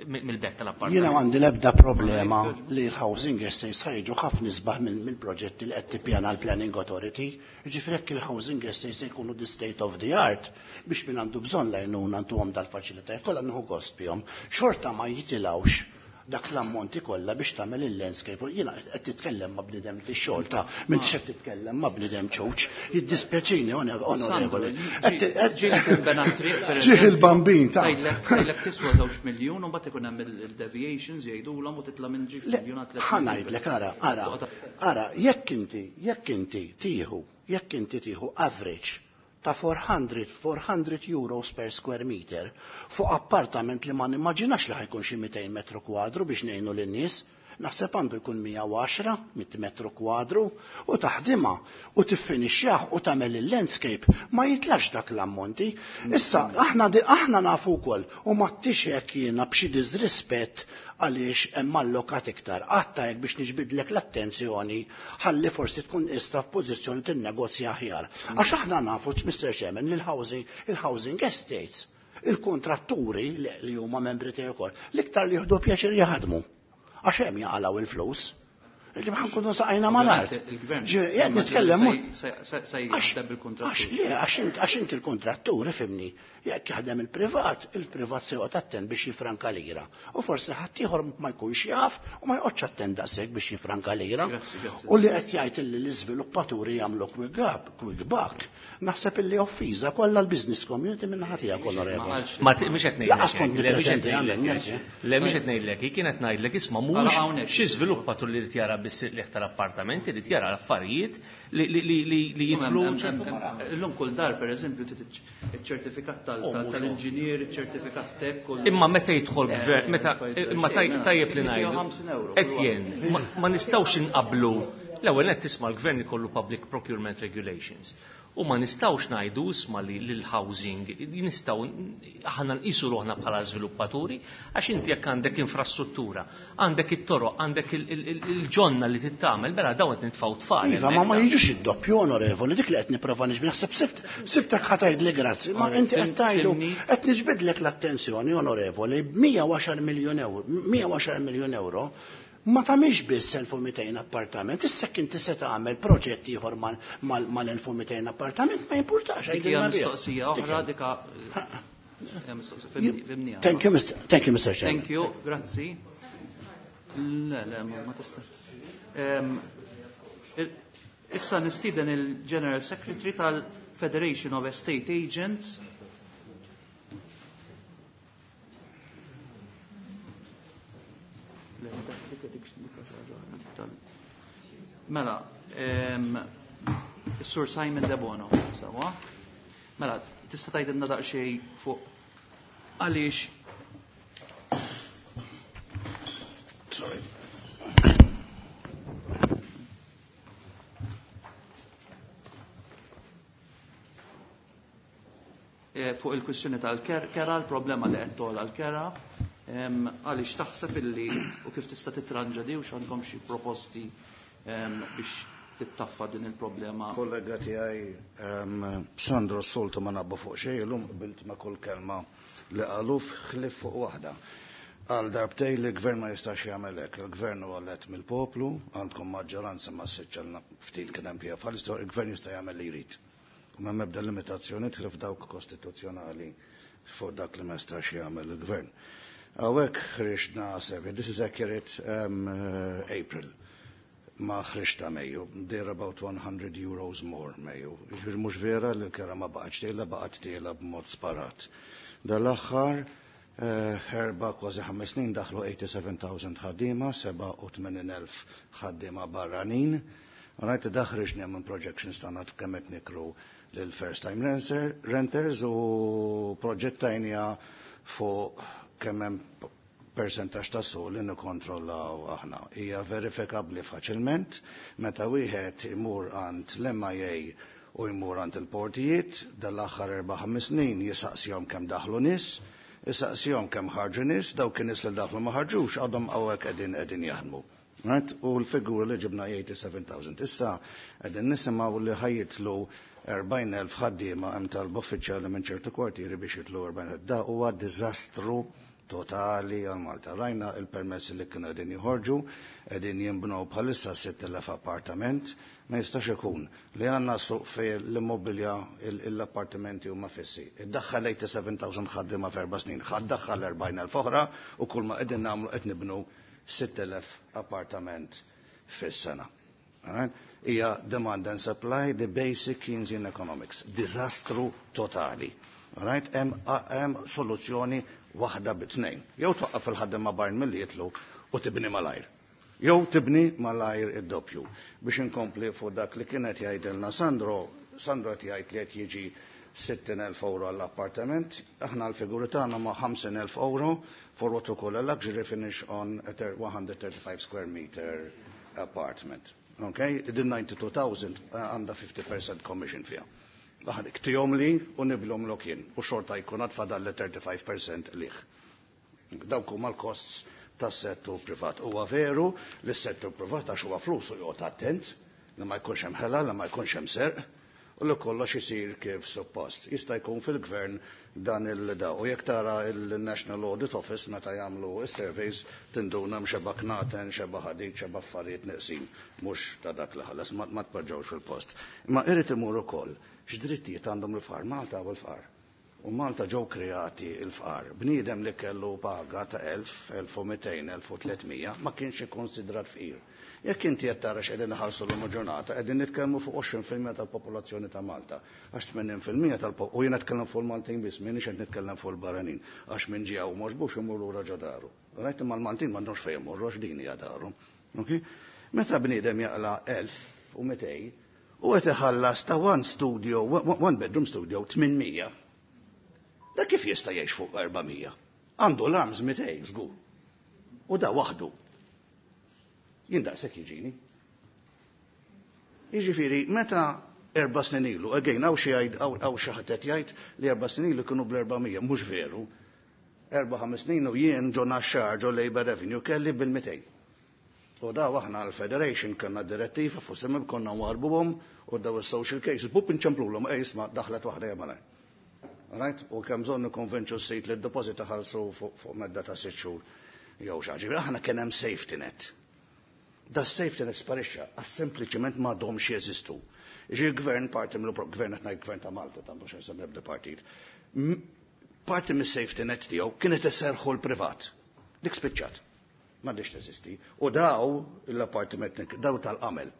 mill-bet tal-appartament. Jiena għandi l-ebda problema li l-housing estates ħa jiġu ħafna isbaħ mill-proġetti li qed tippjana l-Planning Authority. Jiġifieri jekk il-housing estates se jkunu the state of the art biex min għandu bżonn lajnuna għanduhom dal-faċilitajiet kollha nieħu gost bihom. Xorta ma jitilgħux dak l-ammonti kollha biex tagħmel il-landscape. Jiena qed titkellem ma' bniedem fix-xogħol ta' m'intix qed titkellem ma' bniedem ċuċ. Jiddispjaċini, onorevoli. Ġieli tinbena triq, per Ġieħ il-bambin ta' Tgħidlek tiswa 2 miljun u mbagħad ikun hemm il-deviations jgħidulhom u titla' minn ġiex Le, miljun għal tliet ħa miljun. ngħidlek, ara, ara, ara, jekk inti tieħu, jekk inti tieħu average ta' 400 euros per square meter fuq appartament li ma nimmaġinax li ħa jkun xi 200 metru kwadru biex ngħinu lin-nies. Naħseb għandu jkun 110 mit metru kwadru u taħdimha u tiffinixxjah u tagħmel il-landscape ma jitlax dak l-ammonti. Issa aħna nafu wkoll u ma hekk jiena b'xi diżrispett għaliex hemm allokat iktar. Għatta hekk biex niġbidlek l-attenzjoni ħalli forsi tkun ista f'pożizzjoni tinnegozja aħjar. Għax aħna nafu, Mr. Chairman, li l-housing estates, il-kontratturi li huma membri tiegħi wkoll, l-iktar li jieħdu pjaċir jaħdmu. Għax hemm jaqalgħu il-flus. Li ma nkunu saqajna mal-art. Jgħid nitkellem. Għax inti l-kontrattur, ifhimni, jekk jaħdem il-privat, il-privat se joqgħod attent biex jifranka lira. U forsi ħadd ieħor ma jkunx jaf u ma joqgħodx attent daqshekk biex jifranka lira. U li qed jgħid illi l-iżviluppaturi jagħmlu quick up, quick buck, naħseb illi offiża kollha l-business community minn naħa tiegħek, onorevoli. Ma mhux qed ngħidlek. Laqas kont nippretendi għamel. Le mhux qed ngħidlek, hi kienet ngħidlek isma' mhux xi żviluppatur li jrid jara biss il tal-appartamenti, li jara l-affarijiet li jidħlu. Illum kull dar pereżempju iċ-ċertifikat tal-inġinier, iċ-ċertifikat tek. Imma meta jidħol gvern, meta imma tajjeb li ngħidu. Etienne, ma nistgħux inqablu. L-ewwel qed tisma' l-gvern ikollu public procurement regulations. U ma nistgħux ngħidu isma' li l-housing nistgħu aħna nqisu ruħna bħala żviluppaturi għax inti jekk għandek infrastruttura, għandek it-toroq, għandek il-ġonna li tittamel, mela dawn qed nitfgħu tfal. Iva, ma jiġux id-doppju, onorevoli, dik li qed nipprova niġbid naħseb sibtek ħa tgħidli grazzi, ma inti qed tgħidu qed niġbidlek l-attenzjoni, onorevoli, 110 miljun euro, 110 miljun euro ma tagħmilx biss 1200 appartament, issa inti se tagħmel proġett ieħor mal-1200 appartament ma jimpurtax. Dik hija mistoqsija oħra dika. Thank you, Mr. Thank you, Mr. Chairman. Thank you, grazzi. Le, le, ma tista'. Issa nistieden il-General Secretary tal-Federation of Estate Agents. Mela, Sur Simon De Bono, sawa? Mela, tista' tgħidilna daqsxejn fuq għaliex. Sorry. Fuq il-kwistjoni tal-kera, l-problema li qed togħla l-kera, għaliex taħseb illi u kif tista' titranġa di u x'għandkom xi proposti biex tittaffa din il-problema. Kollega tiegħi Sandro s-soltu ma nabbu fuq xejn, illum qbilt ma' kull kelma li qalu ħlief fuq waħda. Għal darbtej li l-gvern ma jistax jagħmel hekk. Il-gvern huwa elett mill-poplu, għandkom maġġoranza ma siċċelna ftit kien hemm pija bħalissa, il-gvern jista' jagħmel li jrid. U m'hemm ebda limitazzjoni tħlif dawk kostituzzjonali fuq dak li ma jistax jagħmel il-gvern. Hawnhekk ħriġna survey, this is accurate April. Ma ħriġta Mejju, they're about 100 euros more Mejju. Ġifieri mhux vera li l-kera ma baqgħetx tiela, baqgħet tiela b'mod sparat. Dal-aħħar 4 kważi 5 snin daħlu 87,000 ħaddiema, 87,000 ħaddiema barranin. Rajt daħriġni minn projections tagħna kemm qed nikru lil first time renters u proġettajnija fuq kemm hemm percentaġġ ta' suq li nikkontrollaw aħna. Hija verifikabbli faċilment meta wieħed imur għand l-MIA u jmur għand il-portijiet dal-aħħar 4-5 snin jisaqsihom kemm daħlu nies, jisaqsihom kemm ħarġu nies, dawk in-nies li daħlu ma ħarġux għadhom hawnhekk qegħdin jaħdmu. Right? U l-figura li ġibna 87,000. Issa qegħdin nisimgħu li ħajjitlu 40,000 ħaddiema hemm talba uffiċjali minn ċertu kwartieri biex jitlu 40,000. Da huwa diżastru totali għal Malta. Rajna il-permessi li kienu qegħdin joħorġu, qegħdin jinbnew bħalissa 6,000 appartament, ma jistax ikun li għandna suq fejn l-immobilja l-appartamenti huma fissi. Iddaħħal 87,000 ħaddiema f'erba' snin, ħaddaħħal 40,000 oħra u kull ma qegħdin nagħmlu qed nibnu 6,000 appartament fis-sena. Hija demand and supply, the basic Keynesian economics. Diżastru totali. Right? Hemm soluzzjoni waħda bit-tnejn. Jew twaqqaf il-ħaddiema barn milli jitlu u tibni malajr. Jew tibni malajr id-doppju. Biex inkompli fuq dak li kienet jgħidilna Sandro, Sandro qed jgħid li qed jiġi 60,000 euro għall-appartament, aħna l-figuri tagħna ma' 50,000 euro for what we call a luxury finish on a 135 square meter apartment. Okay? Din 92,000 għandha 50% commission fiha. Aħna ktihom li u niblhom lok jien u xorta jkun għad fadal 35% liħ. Dawk huma l-costs tas-settur privat. Huwa veru li s-settur privat għax huwa flus u joqgħod attent li ma jkunx hemm ħela, li ma jkunx hemm serq, u li kollox isir kif suppost. Jista' jkun fil-gvern dan il-da. U jekk tara il-National Audit Office meta jagħmlu s-surveys tinduna xeba knaten, xeba ħadid, xeba affarijiet neqsin, mhux ta' dak li ħallas, ma tpoġġewx fil-post. Imma irid imur ukoll x'drittijiet għandhom il-fqar, Malta u l-fqar. U Malta ġew kreati il-fqar. Bniedem li kellu paga ta' 1000, 1200, 1300 ma kienx ikkonsidrat fqir. Jekk inti qed tara x'qegħdin iħallsu l ġurnata, qegħdin nitkellmu fuq 20% tal-popolazzjoni ta' Malta. Għax 80% tal u jiena nitkellem fuq il-Maltin biss, m'iniex qed nitkellem fuq il-barranin, għax min ġie hawn m'għoġbux imur lura ġo daru. Rajt imma l-Maltin m'għandhomx fejn imorru għax din hija daru. Okay? Meta bniedem jaqla 1200 u qed iħallas ta' one studio, one bedroom studio 800. Da kif jista' jgħix fuq 400? Għandu l-arms 200 żgur. U da waħdu. Jien daqshekk jiġini. Jiġifieri meta 4 snin ilu, again, hawn xi jgħid hawn xi ħadd qed jgħid li 4 snin ilu kienu bl-400, mhux veru. 4-5 snin u jien ġo Naxxar ġo Labour Revenue kelli bil-200. U daw aħna l-Federation kellna direttiva fuq semmi konna warbuhom u daw is-social cases, bup inċemplulhom, ej isma' daħlet waħda malaj. Right? U kemm bżonn nikkonvinċu s-sit li d-deposit ħalsu fuq medda ta' 6 xhur jew xi ħaġa. Aħna kien hemm safety net. Da safety net sparixxa, għax sempliċement m'għadhomx jeżistu. Ġi gvern parti mill gvern qed ngħid gvern ta' Malta ta' mhux nsemmi ebda partit. Parti mis-safety net tiegħu kienet iserħu l-privat. Dik spiċċat. M'għadix teżisti. U daw l-appartiment daw tal-qamel.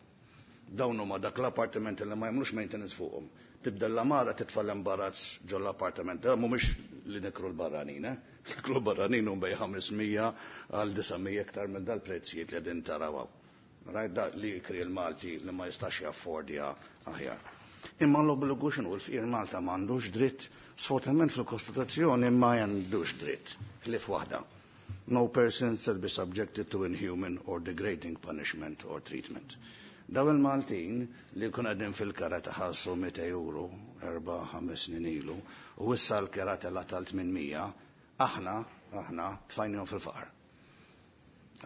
Dawn huma dak l-appartiment li ma jagħmlux maintenance fuqhom. Tibda l-għamara titfa' l-imbarazz ġo l-appartament. Da mhumiex li nikru l-barranin, eh? Nikru l-barranin hum bejn 500 għal 900 iktar minn dal-prezzijiet li qegħdin taraw. Rajt da li jikri l-Malti li ma jistax jaffordja aħjar. Imma l-obbligu x'inhu l-fqir Malta m'għandux dritt, sfortunatament fil-Kostituzzjoni ma għandux dritt, ħlief waħda. No person shall be subjected to inhuman or degrading punishment or treatment. Daw il-Maltin li kun għadin fil-kara taħalsu 200 euro, 4-5 snin ilu, u issa l-kera tela tal-800, aħna, tfajnihom fil-faqar.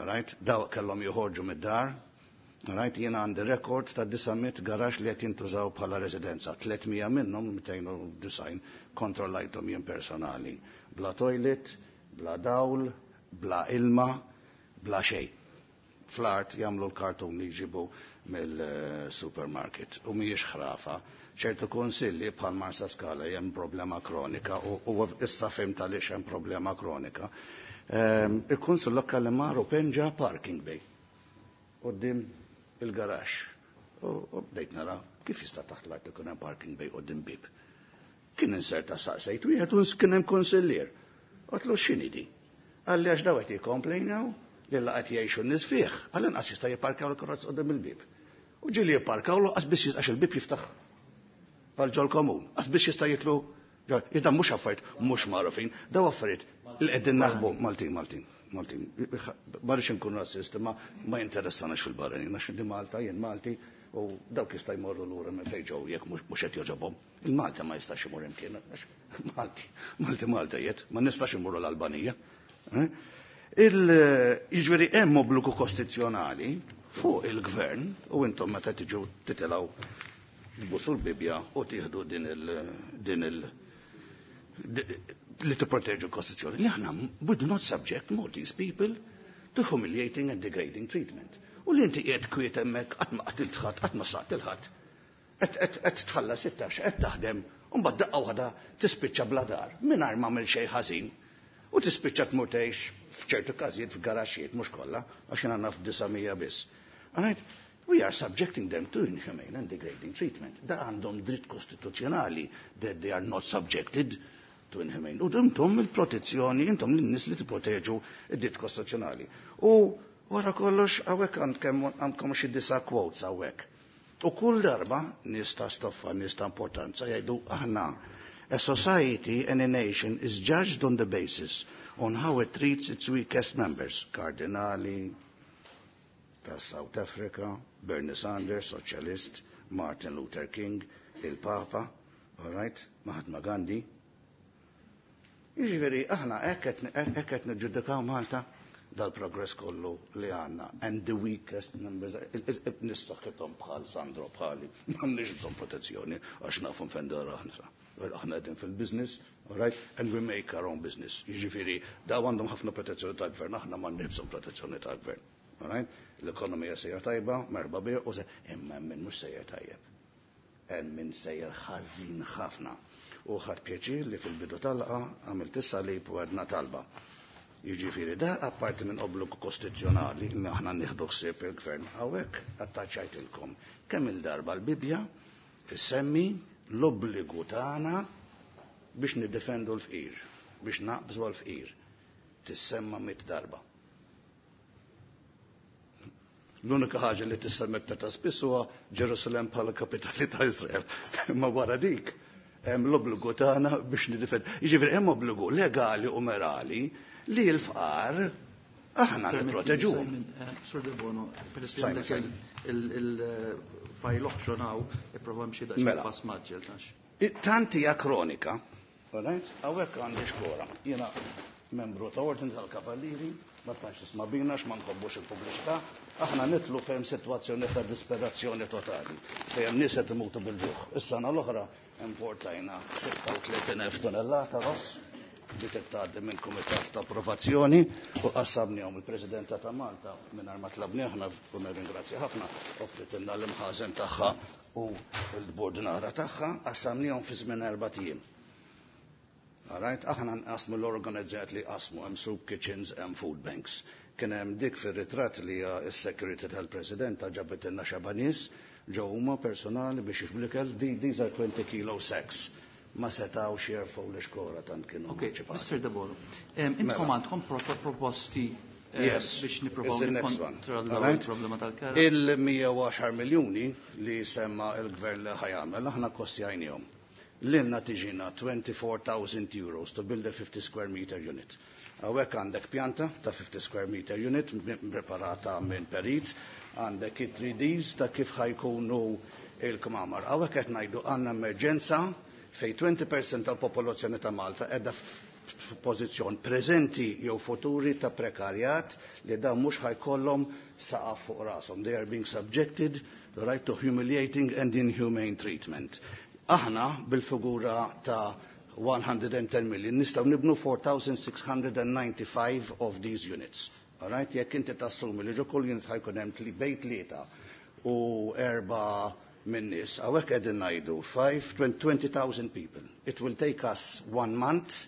Right? Daw kellhom joħorġu mid-dar, right? Jiena għandi rekord ta' 900 garax li qed jintużaw bħala residenza, 300 minnhom 290 kontrollajthom jien personali. Bla toilet, bla dawl, bla ilma, bla xejn. Fl-art jagħmlu l-kartun li jġibu mill-supermarket u mhijiex ħrafa. ċertu konsilli bħal Marsa Skala hemm problema kronika u issa fhimt għaliex hemm problema kronika. Il-kunsill lokali mar u penġa parking bay quddiem il-garax. U bdejt nara kif jista' taħt l-art ikun hemm parking bay quddiem bib. Kien inserta saqsejt wieħed u kien hemm konsillier. Għedtlu x'inhi di? Qalli għax daw qed jikkomplejnaw li laqat jgħixu n-nies fih, għal inqas jista' jipparkaw l-karozz quddiem il-bib. U ġieli jipparkaw l qas biss għax il-bib jiftaħ għal ġol komun, qas biss jista' jitlu. Iżda mhux affarijiet mhux magħrufin, daw affarijiet li qegħdin naħbu Maltin, Maltin, Maltin. Ma rridx inkun rassist, ma ma jinteressanax fil-barranin, għax di Malta, jien Malti, u dawk jista' jmorru lura minn fejn ġew jekk mhux qed jogħġobhom. Il-Malta ma jistax imur imkien, għax Malti, Malti Malta jiet, ma nistax imorru l-Albanija. Eh? Jiġifieri hemm obbligu kostituzzjonali fuq il-gvern u intom meta tiġu titilgħu tbusu l-Bibja u tieħdu din il li tipproteġu l-Kostituzzjoni. Li aħna we do not subject Maltese people to humiliating and degrading treatment. U li inti qiegħed kwiet hemmhekk qatt ma qatilt ħadd, qatt ma saqt il-ħadd. Qed tħallas it-taxxa, qed taħdem, u mbagħad daqqa waħda tispiċċa bla dar mingħajr ma għamil xejn ħażin. U tispiċċa tmur tgħix f'ċertu każijiet f'garaxxijiet mhux kollha, għax jien għandna f'900 biss. Alright? We are subjecting them to inhumane and degrading treatment. Da għandhom dritt kostituzzjonali that they are not subjected to inhumane. U intom il-protezzjoni, intom l-nies li tipproteġu id-dritt kostituzzjonali. U wara kollox hawnhekk għandkom xi disa' quotes hawnhekk. U kull darba nies ta' stoffa, nies ta' importanza jgħidu aħna A society and a nation is judged on the basis on how it treats its weakest members. Kardinali ta' South Africa, Bernie Sanders, Socialist, Martin Luther King, il-Papa, all right, Mahatma Gandhi. Jiġifieri aħna hekk qed niġġudikaw Malta dal-progress kollu li għandna and the weakest members nistaħħithom bħal Sandro bħali m'għandniex bżonn protezzjoni għax nafu nfendu aħna. Aħna qegħdin fil-business, all right, and we make our own business. Jiġifieri daw għandhom ħafna protezzjoni tal-gvern, aħna m'għandniex bżonn protezzjoni tal-gvern. All right? L-ekonomija sejjer tajba, merħba bi, u se imma min mhux sejjer tajjeb. Hemm min sejjer ħażin ħafna. U ħadt pjaċir li fil-bidu tal-laqgħa għamilt is-salib u għedna talba. Jiġifieri da apparti minn obbligu kostituzzjonali li aħna nieħdu ħsieb il-gvern hawnhekk attaċċajtilkom kemm il-darba l-Bibbja tissemmi l-obbligu tagħna biex niddefendu l-fqir, biex naqbżu għal-fqir. Tissemma 100 darba. L-unika ħaġa li tissemma iktar ta' spiss huwa Ġerusalem bħala kapitali ta' Israel. Imma wara dik hemm l-obbligu tagħna biex nidifendu. Jiġifieri hemm obbligu legali u morali li l-fqar aħna nipproteġuhom. Sur Debono, peress li għandek il-fajl option hawn, ipprova mxi daqsxejn Mela. pass mgħaġġel tax. Tanti hija kronika, all right? Hawnhekk għandi xkora. Jiena membru ta' Ordni tal-Kavallieri, ma tantx tisma' bina x'ma nħobbux il-pubbliċità, aħna nitlu fejn sitwazzjoni ta' disperazzjoni totali, fejn hemm nies qed imutu bil-ġuħ. Is-sena l-oħra importajna 36,000 tonnellata ross li tgħaddi minn kumitat ta' approvazzjoni u qassamnihom il-Presidenta ta' Malta mingħajr ma tlabni aħna u nirringrazzja ħafna offritilna l-imħażen tagħha u l-bordnara tagħha qassamnihom fi żmien 4 ijiem. Alright, aħna nqasmu l-organizzat li qasmu hemm soup kitchens, hemm food banks. Kien hemm dik fir-ritratt li hija s-security tal-President ġabet ilna xeba nies ġew huma personali biex jixblikel these are 20 kilo sacks. Ma setgħux jerfgħu l-ixkora tant kienu Ok, ċipati. Mr. Debono, intkom Mela. għandkom proposti Yes, biex nippruvaw it's the next one. nikkontrollaw Alright? il-problema tal-kera? Il-110 miljuni li semma il-gvern li ħa jagħmel, aħna kostjajnihom. Lilna tiġina 24,000 euros to build a 50 square meter unit. Hawnhekk għandek pjanta ta' 50 square meter unit preparata minn perit, għandek it-3Ds ta' kif ħa jkunu il-kmamar. Hawnhekk qed ngħidu għandna emerġenza fej 20% tal-popolazzjoni ta' Malta qiegħda f'pożizzjon preżenti jew futuri ta' prekarjat li dan mhux ħa jkollhom saqaf fuq rashom. They are being subjected the right to humiliating and inhumane treatment. Aħna bil-figura ta' 110 million nistgħu nibnu 4,695 of these units. All right? Jekk inti tassumi li ġo kull unit ħa jkun hemm bejn tlieta u erba' minn nies, hawnhekk qegħdin ngħidu 20,000 people. It will take us 1 month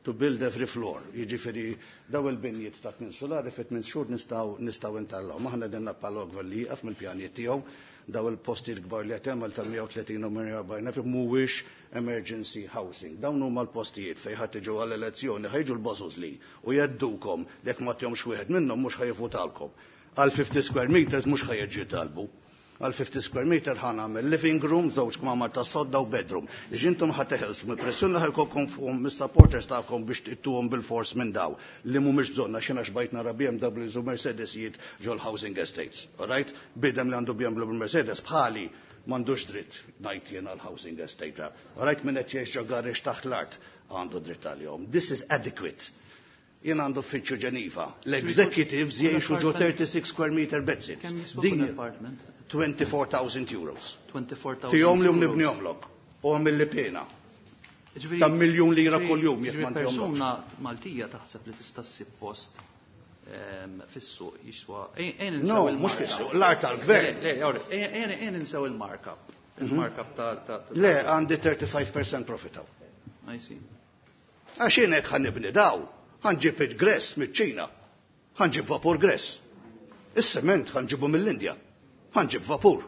to build every floor. Jiġifieri daw il-binjiet ta' tmien solari fit 8 xhur nistgħu ntellaw. Aħna qegħdin nappellaw gvern li jieqaf mill-pjanijiet tiegħu daw il-postijiet kbar li qed jagħmel tal-130 u 140 elf mhuwiex emergency housing. Dawn huma l-postijiet fejn ħadd tiġu għall-elezzjoni ħa jiġu l-bozoz li u jeddukom jekk ma tihomx wieħed minnhom mhux ħa jivvutalkom. Għal 50 square meters mhux ħa jiġu talbu. Għal 50 square meter ħa nagħmel living room, żewġ kmamar ta' sodda u bedroom. Ġintom ħa teħelsu mill-pressjoni li ħa jkollkom fuqhom mis-supporters tagħkom biex tittuhom bil-fors minn daw li mhumiex bżonna xi xbajt nara BMWs u Mercedesijiet ġol housing estates. All right? Bniedem li għandu BMW u Mercedes bħali m'għandux dritt ngħid jien għal housing estate. All right, min qed jgħix ġo garage taħt l-art għandu dritt għalihom. This is adequate. Jien għandu uffiċċju Ġeniva. L-executives jgħixu ġo 36 square meter bedsits. Kemm jiswa Din kull apartment? 24,000 euros. 24,000 Tihom li euros. nibnihomlok. U għamilli pena. Ġifieri- Ta' miljun lira ġifieri- kull jum jekk ġifieri ma ntihomlokx. Persuna Maltija taħseb li tista' ssib post fis-suq jiswa. Ejn No, insew il-markup. mhux fis-suq, l-art tal-gvern. Le, le, ejn insew il-markup. Il-markup ta' Le, għandi 35% profit hawn. I see. Għax jien hekk ħa nibni daw, ħa nġib il-gress miċ-Ċina, ħa nġib vapur gress. Is-sement ħa nġibu mill-Indja, ħa nġib vapur.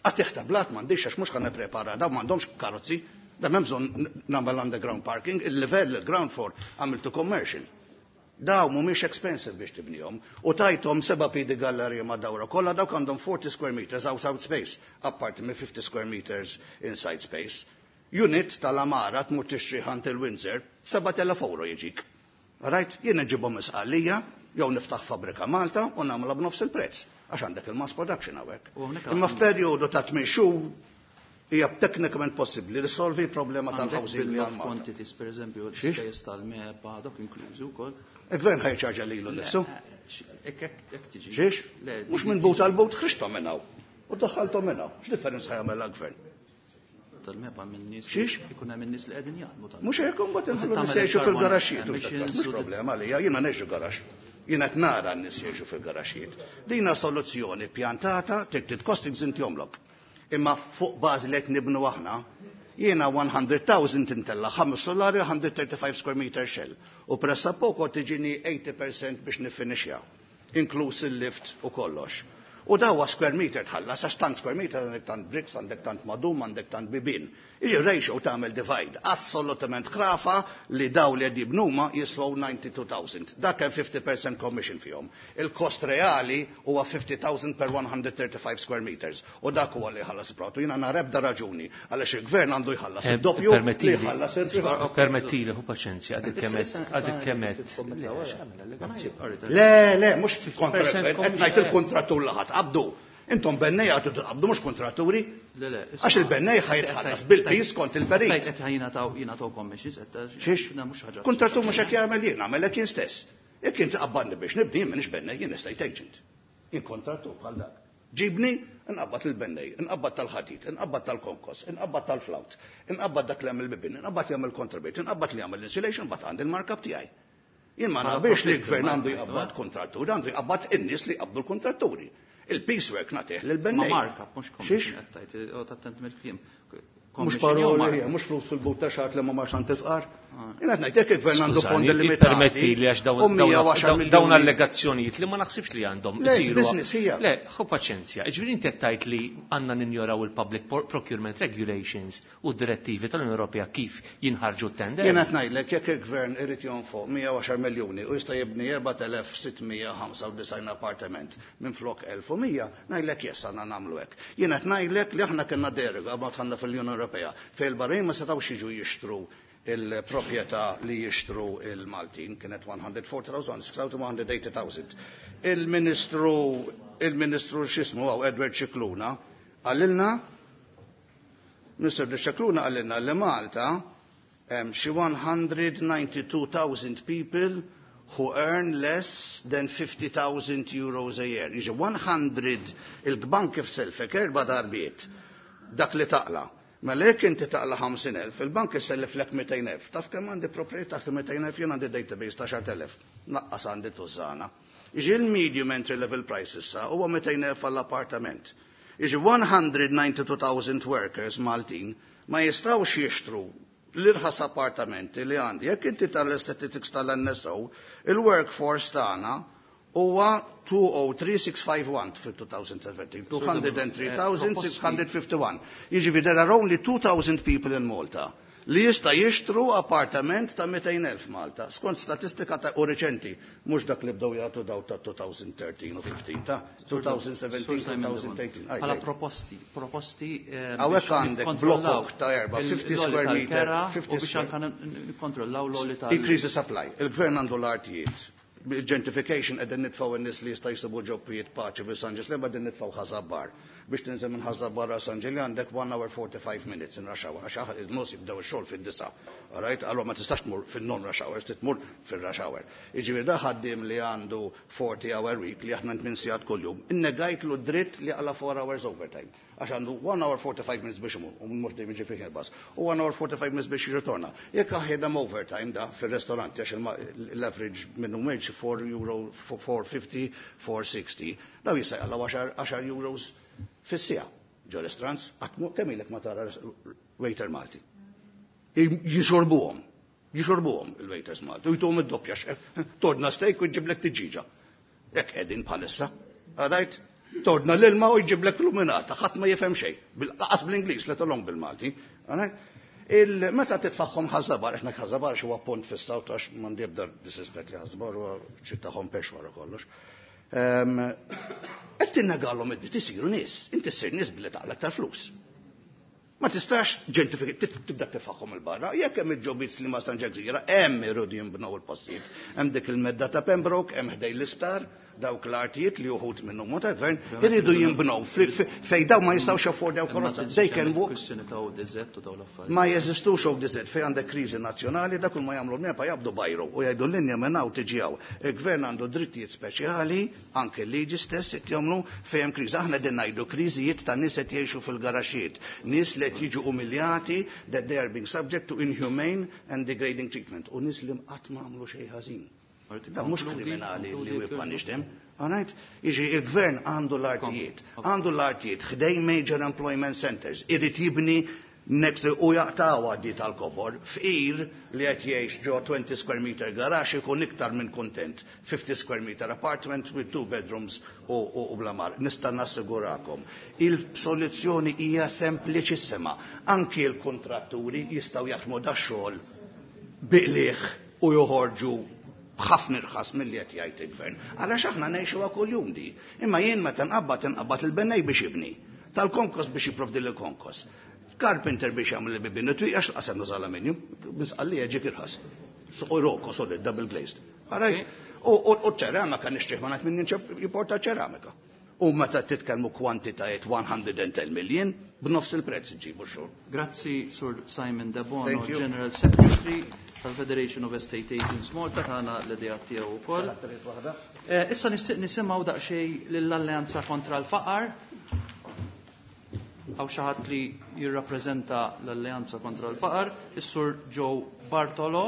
Qatigħ ta' blat m'għandix għax mhux ħa nipprepara daw m'għandhomx karozzi, da m'hemm bżonn nagħmel underground parking, il-livell il-ground floor għamiltu commercial. Daw mhumiex expensive biex tibnihom. U tajthom 7 pidi gallerija ma' dawra kollha dawk għandhom 40 square meters outside space, apparti minn 50 square meters inside space. Unit tal-amara tmur tixtri ħant il-Windsor, 7,000 euro jiġik. Right? Jien nġibhom isqalija, jew niftaħ fabrika Malta u nagħmilha b'nofs il-prezz għax għandek il-mass production hawnhekk. Imma f'perjodu ta' 8 xhur hija teknikament possibbli li solvi problema tal-housing li għal quantities, per eżempju, l-ispejjeż tal-MEPA, dok inklużi wkoll. Il-gvern ħa jiċċarġja lilu nnifsu. Xiex? Mhux minn but għal but ħriġthom minn hawn. U daħħalthom minn hawn. X'differenza ħa jagħmel gvern? Tal-MEPA minn nies. Xiex? Ikun hemm in-nies li qegħdin jaħdmu tal. Mhux hekk imbagħad inħallu nies jgħixu fil-garaxxijiet. Mhux problema għalija, jiena ngħixu garax. Jiena qed nara n-nies jgħixu fil-garaxxijiet. Dina soluzzjoni pjantata trid costings inti jomlok. Imma fuq bażi li qed nibnu aħna, jiena 100,000 intella' ħames solari 135 square meter shell. U pressa poco tiġini 80% biex nifinixja, inkluż il-lift u kollox. U dawa square meter tħallas, għax tant square meter għandek tant bricks, għandek tant madum, għandek tant bibin. Iġi ratio tagħmel divide. Assolutament ħrafa li daw li qed jibnuma jiswaw 92,000. Dak hemm 50% commission fihom. Il-kost reali huwa 50,000 per 135 square meters. U dak huwa li jħallas pratu. Jiena nara ebda raġuni għaliex il-gvern għandu jħallas id-doppju li jħallas il-privat. Permettili, hu paċenzja, għadik kemet, għadik kemet. Le, le, mhux kontra il-gvern, qed ngħid il-kontrattur li ħadd qabdu. Intom bennej għadu tqabdu mhux kontratturi. Le, le, Għax il-bennej ħa jitħallas bil-piż kont il-perit. Qed jingħataw commissions, qed Xiex? Na, mhux ħaġa. Kontrattur mhux hekk jagħmel jien, nagħmel hekk jien stess. Jekk inti qabadni biex nibni, jien m'iniex bennej, jien estate agent. Jien kontrattur bħal dak. Ġibni, nqabbad il-bennej, nqabbad tal-ħadid, nqabbad tal-konkos, nqabbad tal-flawt, nqabbad dak li jagħmel bibin, nqabbad li jagħmel kontrabit, nqabbad li jagħmel insulation, mbagħad għandi l-markup tiegħi. Jien ma naqbilx li l-gvern għandu jqabbad kontratturi, għandu jqabbad in-nies li jqabdu l-kontratturi. Il-piecework nagħtih lil bennej. Ma markup, mhux Xiex? commission qed tgħid, u tattent mill-kliem. Mhux Commission jew paroli, markup? mhux flus fil-but ta' xagħat li ma marx għand tifqar. Jien qed ngħid jekk il-gvern għandu Skużani, fondi limitati. Permetti li għax u mija u għaxar miljuni. dawn allegazzjonijiet li ma naħsibx li għandhom Le, isiru. business hija. Le, ħu paċenzja. Ġifieri inti qed tgħid li għandna ninjoraw il-Public Procurement Regulations u d-direttivi tal-Unjoni Ewropea kif jinħarġu t-tender. Jien qed ngħidlek jekk il-gvern irid jonfoq 110 miljuni u jista' jibni 4695 appartament minn flok 1100, ngħidlek yes għandna nagħmlu hekk. Jien qed ngħidlek li aħna kellna deroga ma dħalna fil-Unjoni Ewropea fejn il-barrin ma setgħux jiġu jixtru il-proprjetà li jixtru il-Maltin kienet 140,000, 6,180,000. Il-Ministru x'ismu għaw Edward Scicluna qalilna Mr. Scicluna qalilna li Malta hemm xi 192,000 people who earn less than 50,000 euros a year. Jiġi 100 il-bank kif selfek erba' darbiet dak li taqla. Mela jekk inti taqla 50,000, il-bank isellef lek 200,000. Taf kemm għandi proprjetà taħt 200,000 jien għandi database ta' 10,000. Naqqas għandi tużana. Jiġi il-medium entry level price issa huwa 200,000 għall-appartament. Jiġi 192,000 workers Maltin ma jistgħux jixtru l-irħas appartamenti li għandi. Jekk inti tal-statistics tal-NSO, il-workforce tagħna huwa 203,651 fil-2017, 203,651. Jiġifieri there are only 2,000 people in Malta li jista' jixtru appartament ta' 200,000 Malta, skont statistika ta' u reċenti, mhux dak li bdew jagħtu daw ta' 2013 u 15 ta' 2017, 2018. Aj, Bħala aj. proposti Hawnhekk biex għandek nikkontrollaw blokok ta' erba', 50 l-għoli square meter, tal-kera 50 u biex square. anka nikkontrollaw l-għoli tal- Increase the supply. Il-gvern għandu l-artijiet. Il-gentrification qegħdin nitfgħu n-nies li jista' jsibu ġobbijiet paċi fil San Ġiżlem qegħdin nitfgħu Ħaż-Żabbar. Biex tinżel minn Ħaż-Żabbar għal San Ġiljan għandek 1 hour 45 minutes in rush hour. Għax aħ il-nus jibdew ix-xogħol fid-disa. All right? Allora ma tistax tmur fin-non rush hours, tmur fil-rush hour. Jiġifieri da ħaddiem li għandu 40 hour week li aħna 8 sigħat kuljum, innegajtlu dritt li għala 4 hours overtime. Għax għandu 1 hour 45 minutes biex imur, u mhux dejjem jiġi fih il-bus, u 1 hour 45 minutes biex jirritorna. Jekk aħjedem overtime da fil-ristoranti, għax l-average minimum wage 4 euro, 450, 460, daw jista' jaqla' 10 euros fis-siegħa. Ġo restaurants, qatt kemm ilek ma tara waiter Malti. Jixorbuhom, jixorbuhom il-waiters Malti, u jtuhom id-doppja tordna steak u jġiblek tiġiġa. Hekk qegħdin bħalissa. All right? Tordna l-ilma u jġiblek luminata, ħadd ma jifhem xejn. Bil-qas bl-Ingliż, let alone bil-Malti. All right? Meta titfaħħom Ħaż-Żabbar, aħna Ħaż-Żabbar huwa punt fis-South għax m'għandi ebda disrespect li Ħaż-Żabbar huwa ċittà pex wara kollox. Qed tinnegalhom id-dritt isiru nies, inti ssir nies billi taqla aktar flus. Ma tistax tibda tifaħħom il-barra. Jekk hemm il-ġobits li ma stanġa gżira, hemm irridu jinbnew il-postijiet. Hemm dik il-medda ta' Pembroke, hemm ħdej l-isptar, dawk l-artijiet li uħut minnhom ta' gvern iridu jinbnew fej daw ma jistgħux jaffordjaw karozza. They can walk. Ma jeżistux ODZ fej għandek kriżi nazzjonali dak ma jagħmlu l-MEPA jabdu bajru u jgħidu l-linja minn hawn tiġi hawn. Il-gvern għandu drittijiet speċjali, anke l-liġi stess qed jagħmlu fejn hemm kriżi. Aħna qegħdin ngħidu kriżijiet ta' nies qed jgħixu fil-garaxijiet, nies li qed jiġu umiljati that they are being subject to inhumane and degrading treatment u nies li qatt ma għamlu xejn ħażin. Da mhux kriminali li we punish them. Alright? Iġi il-gvern għandu l-artijiet. Għandu l-artijiet ħdej major employment centers. Irid jibni next u jaqtaw għaddi tal-kobor. Fqir li qed jgħix ġo 20 square meter garage ikun iktar minn kontent. 50 square meter apartment with two bedrooms u blamar. Nista' nassigurakom. Il-soluzzjoni hija sempliċissima. Anki l-kontratturi jistgħu jaħdmu da xogħol biqliħ u joħorġu b'ħafna irħas milli qed jgħid il-gvern. Għalax aħna ngħixuha kuljum di. Imma jien meta nqabbad inqabbad il-bennej biex jibni. Tal-konkos biex jipprovdi l-konkos. Carpenter biex jagħmel il-bibien it-twieq għax l-qasem nuża l-aluminium, misqalli ġik irħas. Roko solid, double glazed. Alright? U ċeramika nixtrih ma ngħid min jimporta ċeramika. U meta titkellmu kwantitajiet 110 million, b'nofs il-prezz ġibu xogħol. Grazzi Sur Simon Debono, General Secretary tal-Federation of Estate Agents Malta, tagħna l-idea tiegħu wkoll. Issa nixtieq nisimgħu daqsxejn lill-Alleanza kontra l-Faqar. Hawn xi ħadd li jirrappreżenta l-Alleanza kontra l-Faqar, is-Sur Joe Bartolo.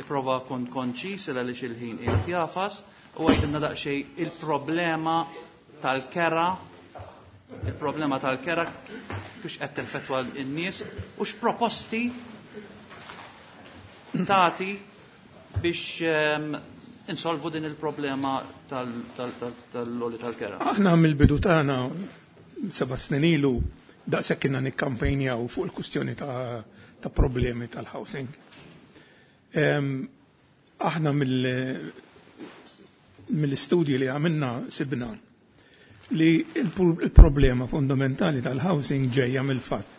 Ipprova kun konċis għaliex il-ħin qiegħed jafas u għajdilna daqsxejn il-problema tal-kera, il-problema tal-kera kux qed teffettwa n-nies u x'proposti tagħti biex insolvu din il-problema tal-għoli tal-kera. Aħna mill-bidu tagħna 7 snin ilu daqshekk kienna nikkampanjaw fuq il-kustjoni ta' problemi tal-housing. Aħna mill-istudji li għamilna sibna li il-problema fundamentali tal-housing ġejja mill-fatt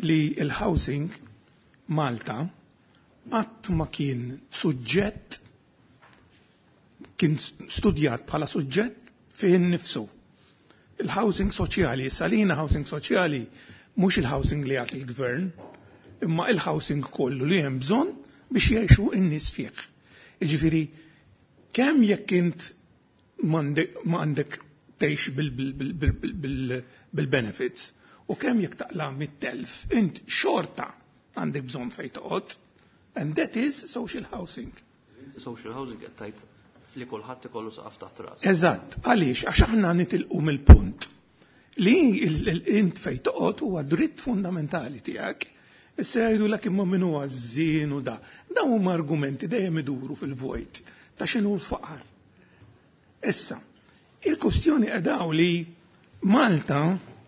li il-housing Malta qatt ma kien suġġett, kien studjat bħala suġġett fih innifsu. Il-housing soċjali, salina housing soċjali, mhux il-housing li jagħti il-gvern, imma il-housing kollu li hemm bżonn biex jgħixu n-nies fih. Jiġifieri, kemm jekk int ma għandek tgħix bil-benefits u kemm jekk taqla' mit-telf, int xorta għandek bżonn fejn toqgħod, and that is social housing. Social housing qed tgħid li kulħadd ikollu saqaf taħt ras. Eżatt, għaliex għax aħna nitilqu mill-punt li int fejn toqgħod huwa dritt fundamentali tiegħek. Issa jgħidu imma min huwa żżien u da. Dawn huma argumenti dejjem iduru fil-vojt ta' x'inhu l-faqar. Issa, il-kustjoni qedaw li Malta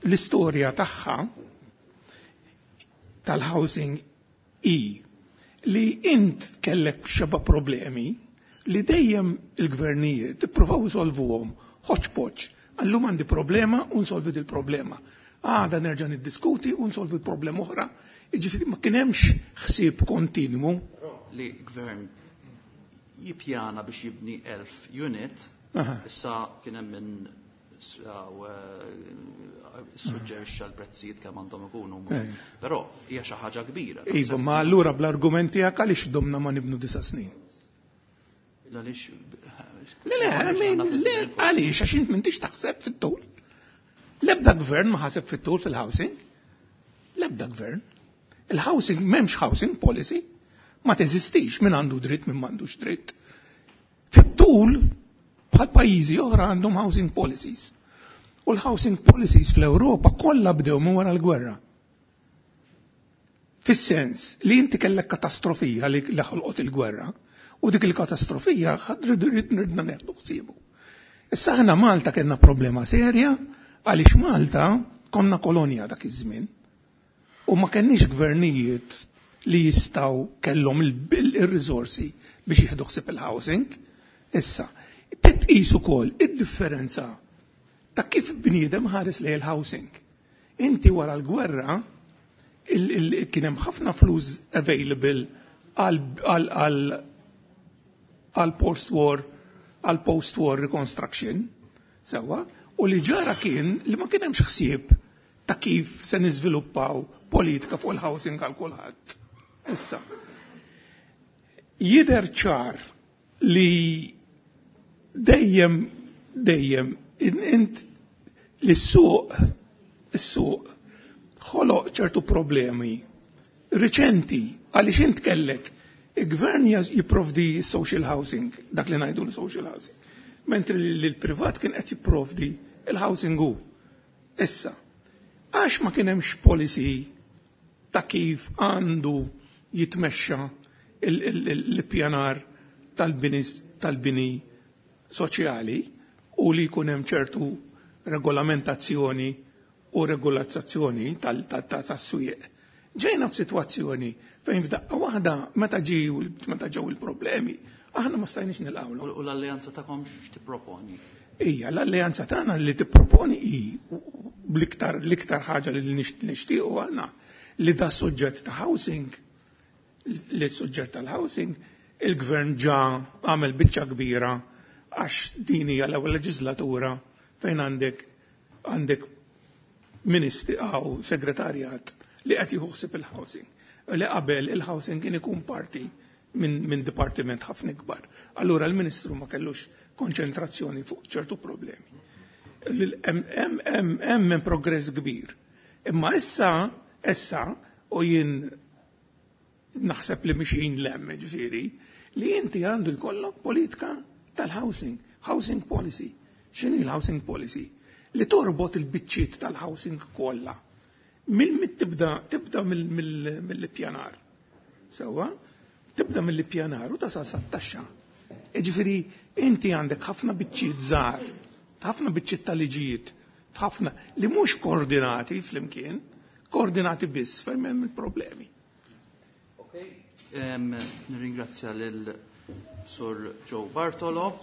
l-istorja tagħha tal-housing i li int kellek xeba problemi li dejjem il-gvernijiet ippruvaw isolvuhom ħoċ. Allum għandi problema u nsolvi dil-problema. Għada nerġa' niddiskuti u nsolvi problema oħra. Jiġifieri ma kien hemmx ħsieb kontinwu. Li gvern jippjana biex jibni 1000 unit, issa kien hemm min suġġerixxa l-prezzijiet kemm għandhom ikunu. Però hija xi ħaġa kbira. Iva, ma allura bl-argument tiegħek għaliex domna ma nibnu 9 snin? Għaliex? Le, le, għaliex għax int m'intix taħseb fit-tul. L-ebda gvern ma ħaseb fit-tul fil-housing. L-ebda gvern. Il-housing, m'hemmx housing policy. Ma teżistix min għandu dritt, min m'għandux dritt. Fit-tul, bħal pajjiżi oħra għandhom housing policies. U l-housing policies fl-Ewropa kollha bdew minn wara l-gwerra. Fis-sens li inti kellek katastrofija li ħolqot il-gwerra, u dik il-katastrofija ridna neħdu ħsiebu. Issa aħna Malta kellna problema serja għaliex Malta konna kolonja dak iż-żmien. U ma kenniex gvernijiet li jistgħu kellhom il-riżorsi biex jieħdu ħsieb il-housing. Issa, titqis ukoll id-differenza ta' kif bniedem ħares lejn il-housing. Inti wara l-gwerra kien hemm ħafna flus available għal post-war għal post-war reconstruction, sewwa, u li ġara kien li ma kien hemmx ħsieb ta' kif se niżviluppaw politika fuq il-housing għal kulħadd. Issa, jidher ċar li dejjem dejjem int li s-suq is-suq ħoloq ċertu problemi riċenti għaliex int kellek il-gvern jipprovdi social housing, dak li ngħidu l-social housing, mentri li l-privat kien qed jipprovdi il-housing hu. Issa, għax ma kien hemmx policy ta' kif għandu jitmexxa l-pjanar tal-bini soċjali u li jkun hemm ċertu regolamentazzjoni u regolazzazzjoni tas-swieq. Ġejna f'sitwazzjoni fejn f'daqqa waħda meta ġew meta ġew il-problemi, aħna ma stajniex nilqgħu. U l-alleanza tagħkom x'tipproponi? Ija, l-alleanza tagħna li tipproponi hi l-iktar l-iktar ħaġa li nixtiequ aħna li da suġġett ta' housing, li suġġett tal-housing, il-gvern ġa għamel biċċa kbira għax din hija l-ewwel leġislatura fejn għandek għandek ministri għaw segretarjat li qed jieħu ħsieb il-housing. Li qabel il-housing kien ikun parti minn dipartiment ħafna ikbar. Allura l-Ministru ma kellux konċentrazzjoni fuq ċertu problemi. Hemm progress kbir. Imma issa, issa, u jien naħseb li mixin lem, ġifieri, li inti għandu jkollok politika tal-housing, housing policy. X'inhi l-housing policy? Li torbot il-biċċiet tal-housing kollha. Mill tibda tibda mill-ippjanar. Sewwa? Tibda mill-ippjanar u tasal sat-taxxa. Ġifieri inti għandek ħafna biċċiet żgħar, ħafna biċċiet tal-liġijiet, ħafna li mhux koordinati flimkien, koordinati biss fejn hemm il-problemi. Okay, nirringrazzja lil Sur Joe Bartolo.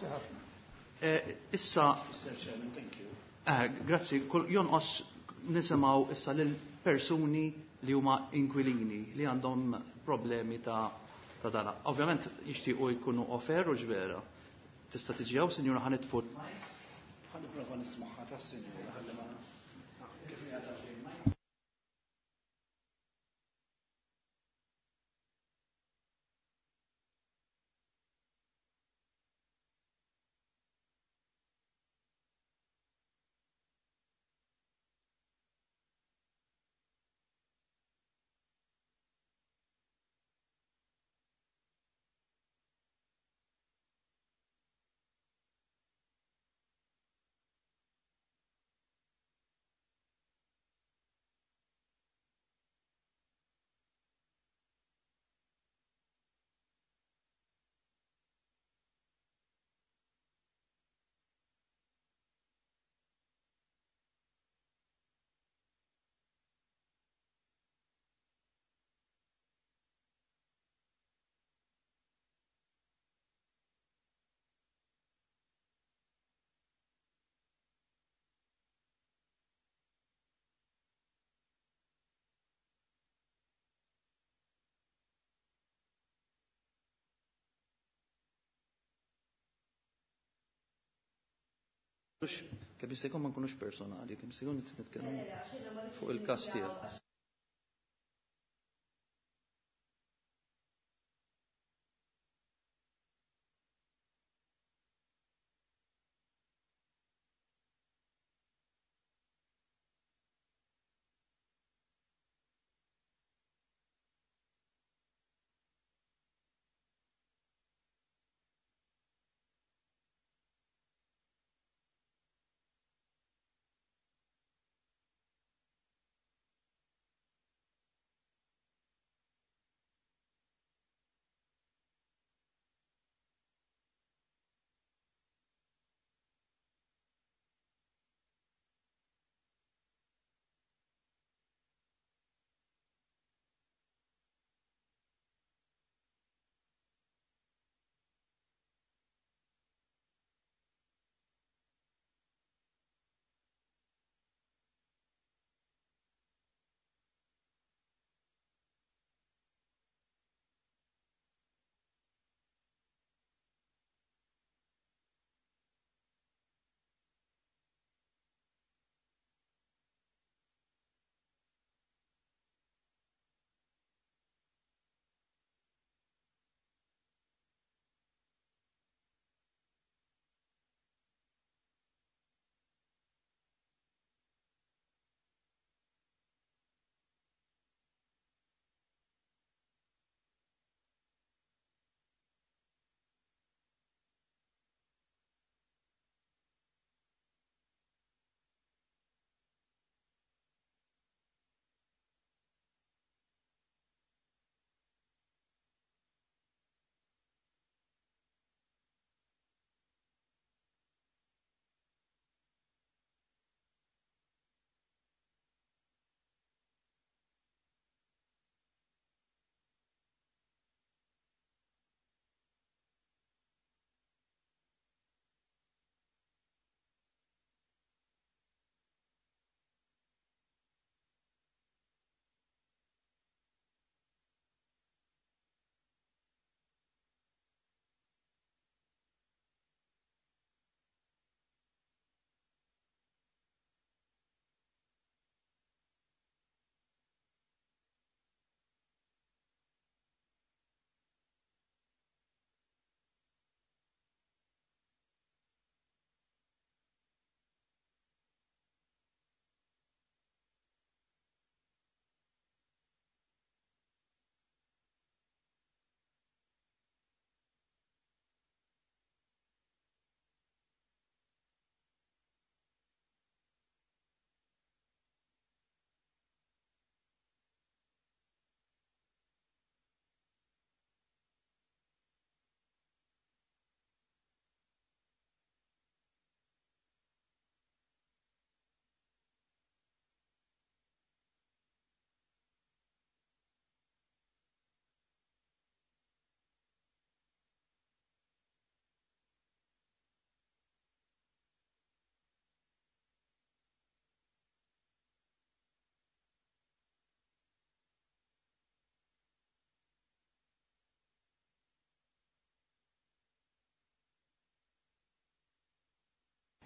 Issa, Mr. Chairman, thank you. Grazzi, jonqos nisimgħu issa lil persuni li huma inkwilini li għandhom problemi ta' ta' dana. Ovvjament jixtiequ jkunu off-air u ġvera. Tista' tiġi hawn, sinjura, ħa nitfu. Ħa nipprova nismagħha tas-sinjura ħalli ma kif qiegħda. Kemm jista' jkun ma nkunux personali, kemm jista' jkun nitkellmu fuq il-każ tiegħek.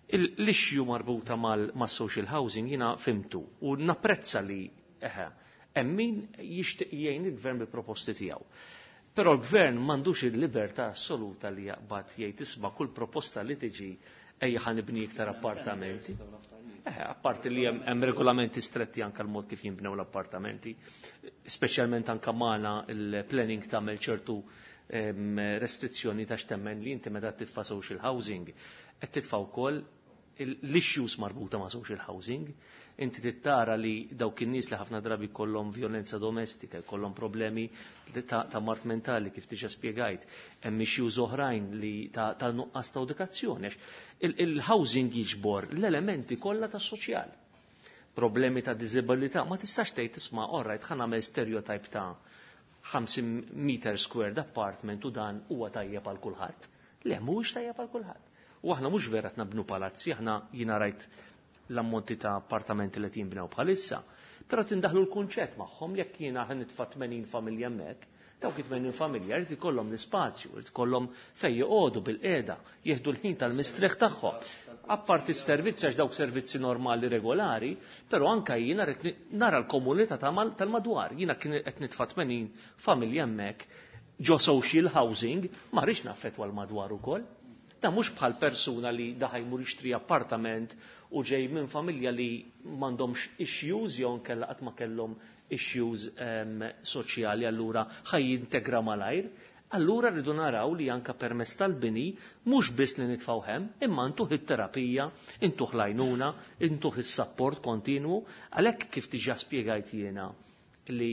L-issue marbuta mal-social housing jiena fimtu u napprezza li eħe, hemm min jixtieq jgħin il-gvern bil-proposti tiegħu. Però l-gvern m'għandux il-libertà assoluta li jaqbad jgħid isma' kull proposta li tiġi ejja ħa nibni iktar appartamenti. Apparti li hemm regolamenti stretti anke l-mod kif jinbnew l-appartamenti, speċjalment anke magħna il-planning tagħmel ċertu restrizzjoni ta' x'temmen li inti meta titfa' social housing qed titfa' wkoll l-issues marbuta ma' social housing. Inti tittara li dawk in-nies li ħafna drabi kollhom violenza domestika, jkollhom problemi ta' mard mentali kif diġà spjegajt, hemm issues oħrajn li ta' nuqqas ta' edukazzjoni. Il-housing jiġbor l-elementi kollha tas-soċjal. Problemi ta' diżabilità, ma tistax tgħid isma' orrajt ħa nagħmel stereotype ta' 50 meter squared apartment u dan huwa tajjeb għal kulħadd. Le, mhuwiex tajjeb għal kulħadd. U aħna mhux vera qed nabnu palazzi, aħna jiena rajt l-ammonti ta' appartamenti li jinbnew bħalissa. Però tindaħlu l-kunċett magħhom jekk jiena ħa nitfa' 80 familja hemmhekk, dawk 80 familja jrid ikollhom l-ispazju, jrid ikollhom fejn joqogħdu bil-qiegħda, jieħdu l-ħin tal-mistrieħ tagħhom. Apparti s-servizzi għax dawk servizzi normali regolari, però anka jiena rrid nara l-komunità tal-madwar. Jiena kien qed nitfa' 80 familja hemmhekk ġo social housing, ma rridx naffettwa l-madwar ukoll. Da mhux bħal persuna li daħaj jmur jixtri appartament u ġej minn familja li m'għandhomx issues jew nkella qatt ma kellhom issues soċjali, allura ħaj jintegra malajr. Allura rridu naraw li anka permezz tal-bini mhux biss li nitfgħu hemm, imma ntuh it-terapija, intuh l-għajnuna, intuh is-sapport kontinwu, għalhekk kif diġà spjegajt jiena li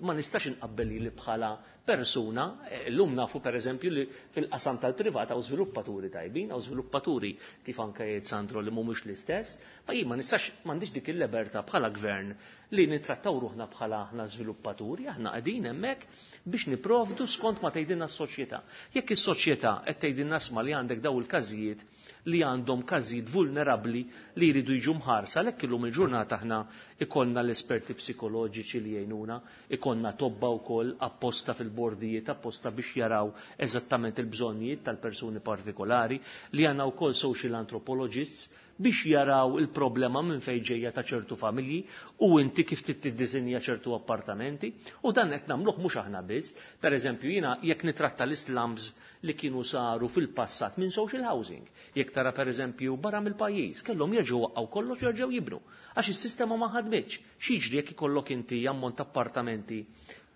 ma nistax inqabbel li bħala persuna, llum nafu per eżempju li fil-qasam tal-privat hawn żviluppaturi tajbin, hawn żviluppaturi kif anke jgħid Sandro li mhumiex l-istess, ma jien ma nistax m'għandix dik il-libertà bħala gvern li nittrattaw ruħna bħala aħna żviluppaturi, aħna qegħdin hemmhekk biex niprovdu skont ma tgħidilna s-soċjetà. Jekk is-soċjetà qed tgħidilna sma li għandek daw il-każijiet li għandhom każijiet vulnerabbli li jridu jiġu mħarsa, għalhekk illum il-ġurnata aħna ikollna l-esperti psikoloġiċi li jgħinuna, ikollna tobba wkoll apposta fil-bordijiet, apposta biex jaraw eżattament il-bżonnijiet tal-persuni partikolari, li għandna wkoll social anthropologists biex jaraw il-problema minn fejn ġejja ta' ċertu familji u inti kif tiddisinja ċertu appartamenti, u dan qed nagħmluh mhux aħna biss. Per eżempju, jiena jekk nitratta l-islums li kienu saru fil-passat minn social housing, jekk tara per eżempju barra mill-pajjiż, kellhom jerġgħu waqgħu kollox jerġgħu jibnu għax is-sistema ma ħadmitx. X'jiġri jekk ikollok inti ammont appartamenti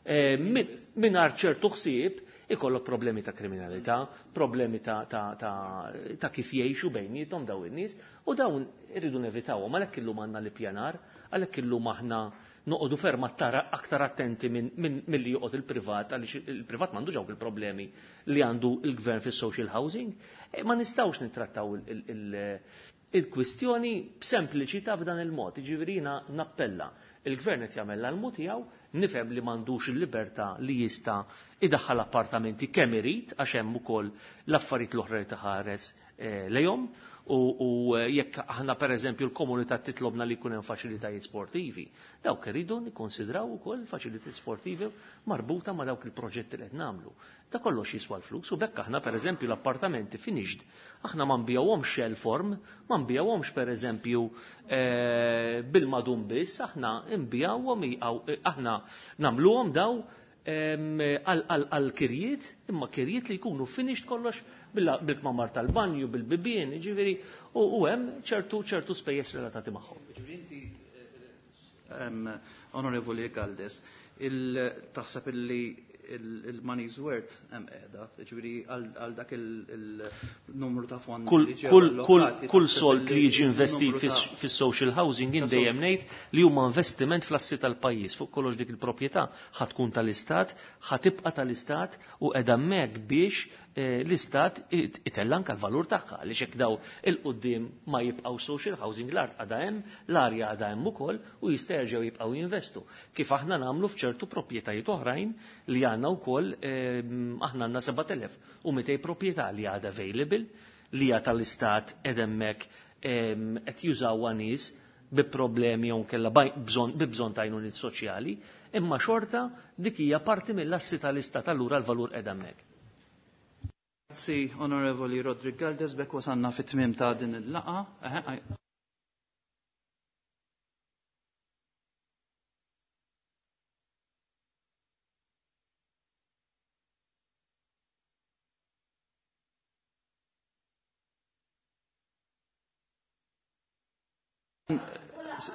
mingħajr ċertu ħsieb, ikollok problemi ta' kriminalità, problemi ta' kif jgħixu bejniethom daw in-nies, u dawn irridu nevitawhom. Għalhekk illum għandna l-ippjanar, għalhekk illum aħna noqogħdu ferm aktar attenti milli joqgħod il-privat, għaliex il-privat m'għandux dawk il-problemi li għandu il-gvern fis-social housing. Ma nistgħux nittrattaw il-kwistjoni b'sempliċità b'dan il-mod. Jiġifieri jiena nappella. Il-gvern qed jagħmel l-almu tiegħu, nifhem li m'għandux il-libertà li jista' idaħħal appartamenti kemm irid, għax hemm ukoll l-affarijiet l-oħra li taħares lejhom, u jekk aħna pereżempju l-komunità titlobna li jkun hemm faċilitajiet sportivi, dawk iridu nikkonsidraw ukoll faċilitajiet sportivi marbuta ma' dawk il-proġetti li qed nagħmlu. Da kollox jiswa l-flus, u bekk aħna pereżempju l-appartamenti finished, aħna ma nbijawhomx shell form, ma nbijawhomx pereżempju bil-madum biss, aħna nbijawhom, aħna nagħmluhom daw għal kirjiet, imma kirjiet li jkunu finished kollox bil-kmamar tal-banju, bil-bibien, ġifieri, u hemm ċertu spejjeż relatati magħhom. Ġifieri inti, Onorevoli Galdes, taħseb illi il-money's worth hemm qiegħda, ġifieri għal dak il-numru ta' fondi li ġew allokati, Kull taħseb sold li illi jiġi investit il-numru ta' fis-social housing ta' dejjem social ngħid li huma investiment fl-assi tal-pajjiż. Fuq kollox dik il-proprjetà ħa tkun tal-istat, ħa tibqa' tal-istat u qiegħda hemmhekk biex l-istat itella anke l-valur tagħha, għaliex hekk daw il-quddiem ma jibqgħu social housing, l-art għadha hemm, l-arja għadha hemm ukoll u jista' jerġgħu jibqgħu jinvestu. Kif aħna nagħmlu f'ċertu proprjetajiet oħrajn li għandna wkoll, aħna għandna 7200 proprjetà li għadha available, li hija tal-istat qed hemmhekk, qed jużawha nies bi problemi jew nkella bi bżonn ta' għajnuniet soċjali, imma xorta dik hija parti mill-assi tal-istat, allura l-valur qed hemmhekk. Grazzi, Onorevoli Rodrik Galdes, bekk wasanna fit-tmiem ta' din il-laqa.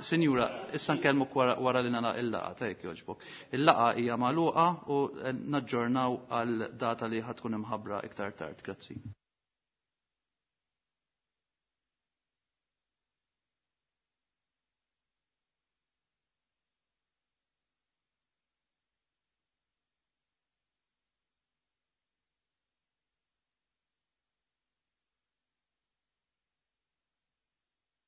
Sinjura, issa nkellmuk wara li nagħlaq il-laqgħa, tajjeb jogħġbok. Il-laqgħa hija magħluqa u naġġornaw għal data li ħatkun imħabbra iktar tard. Grazzi.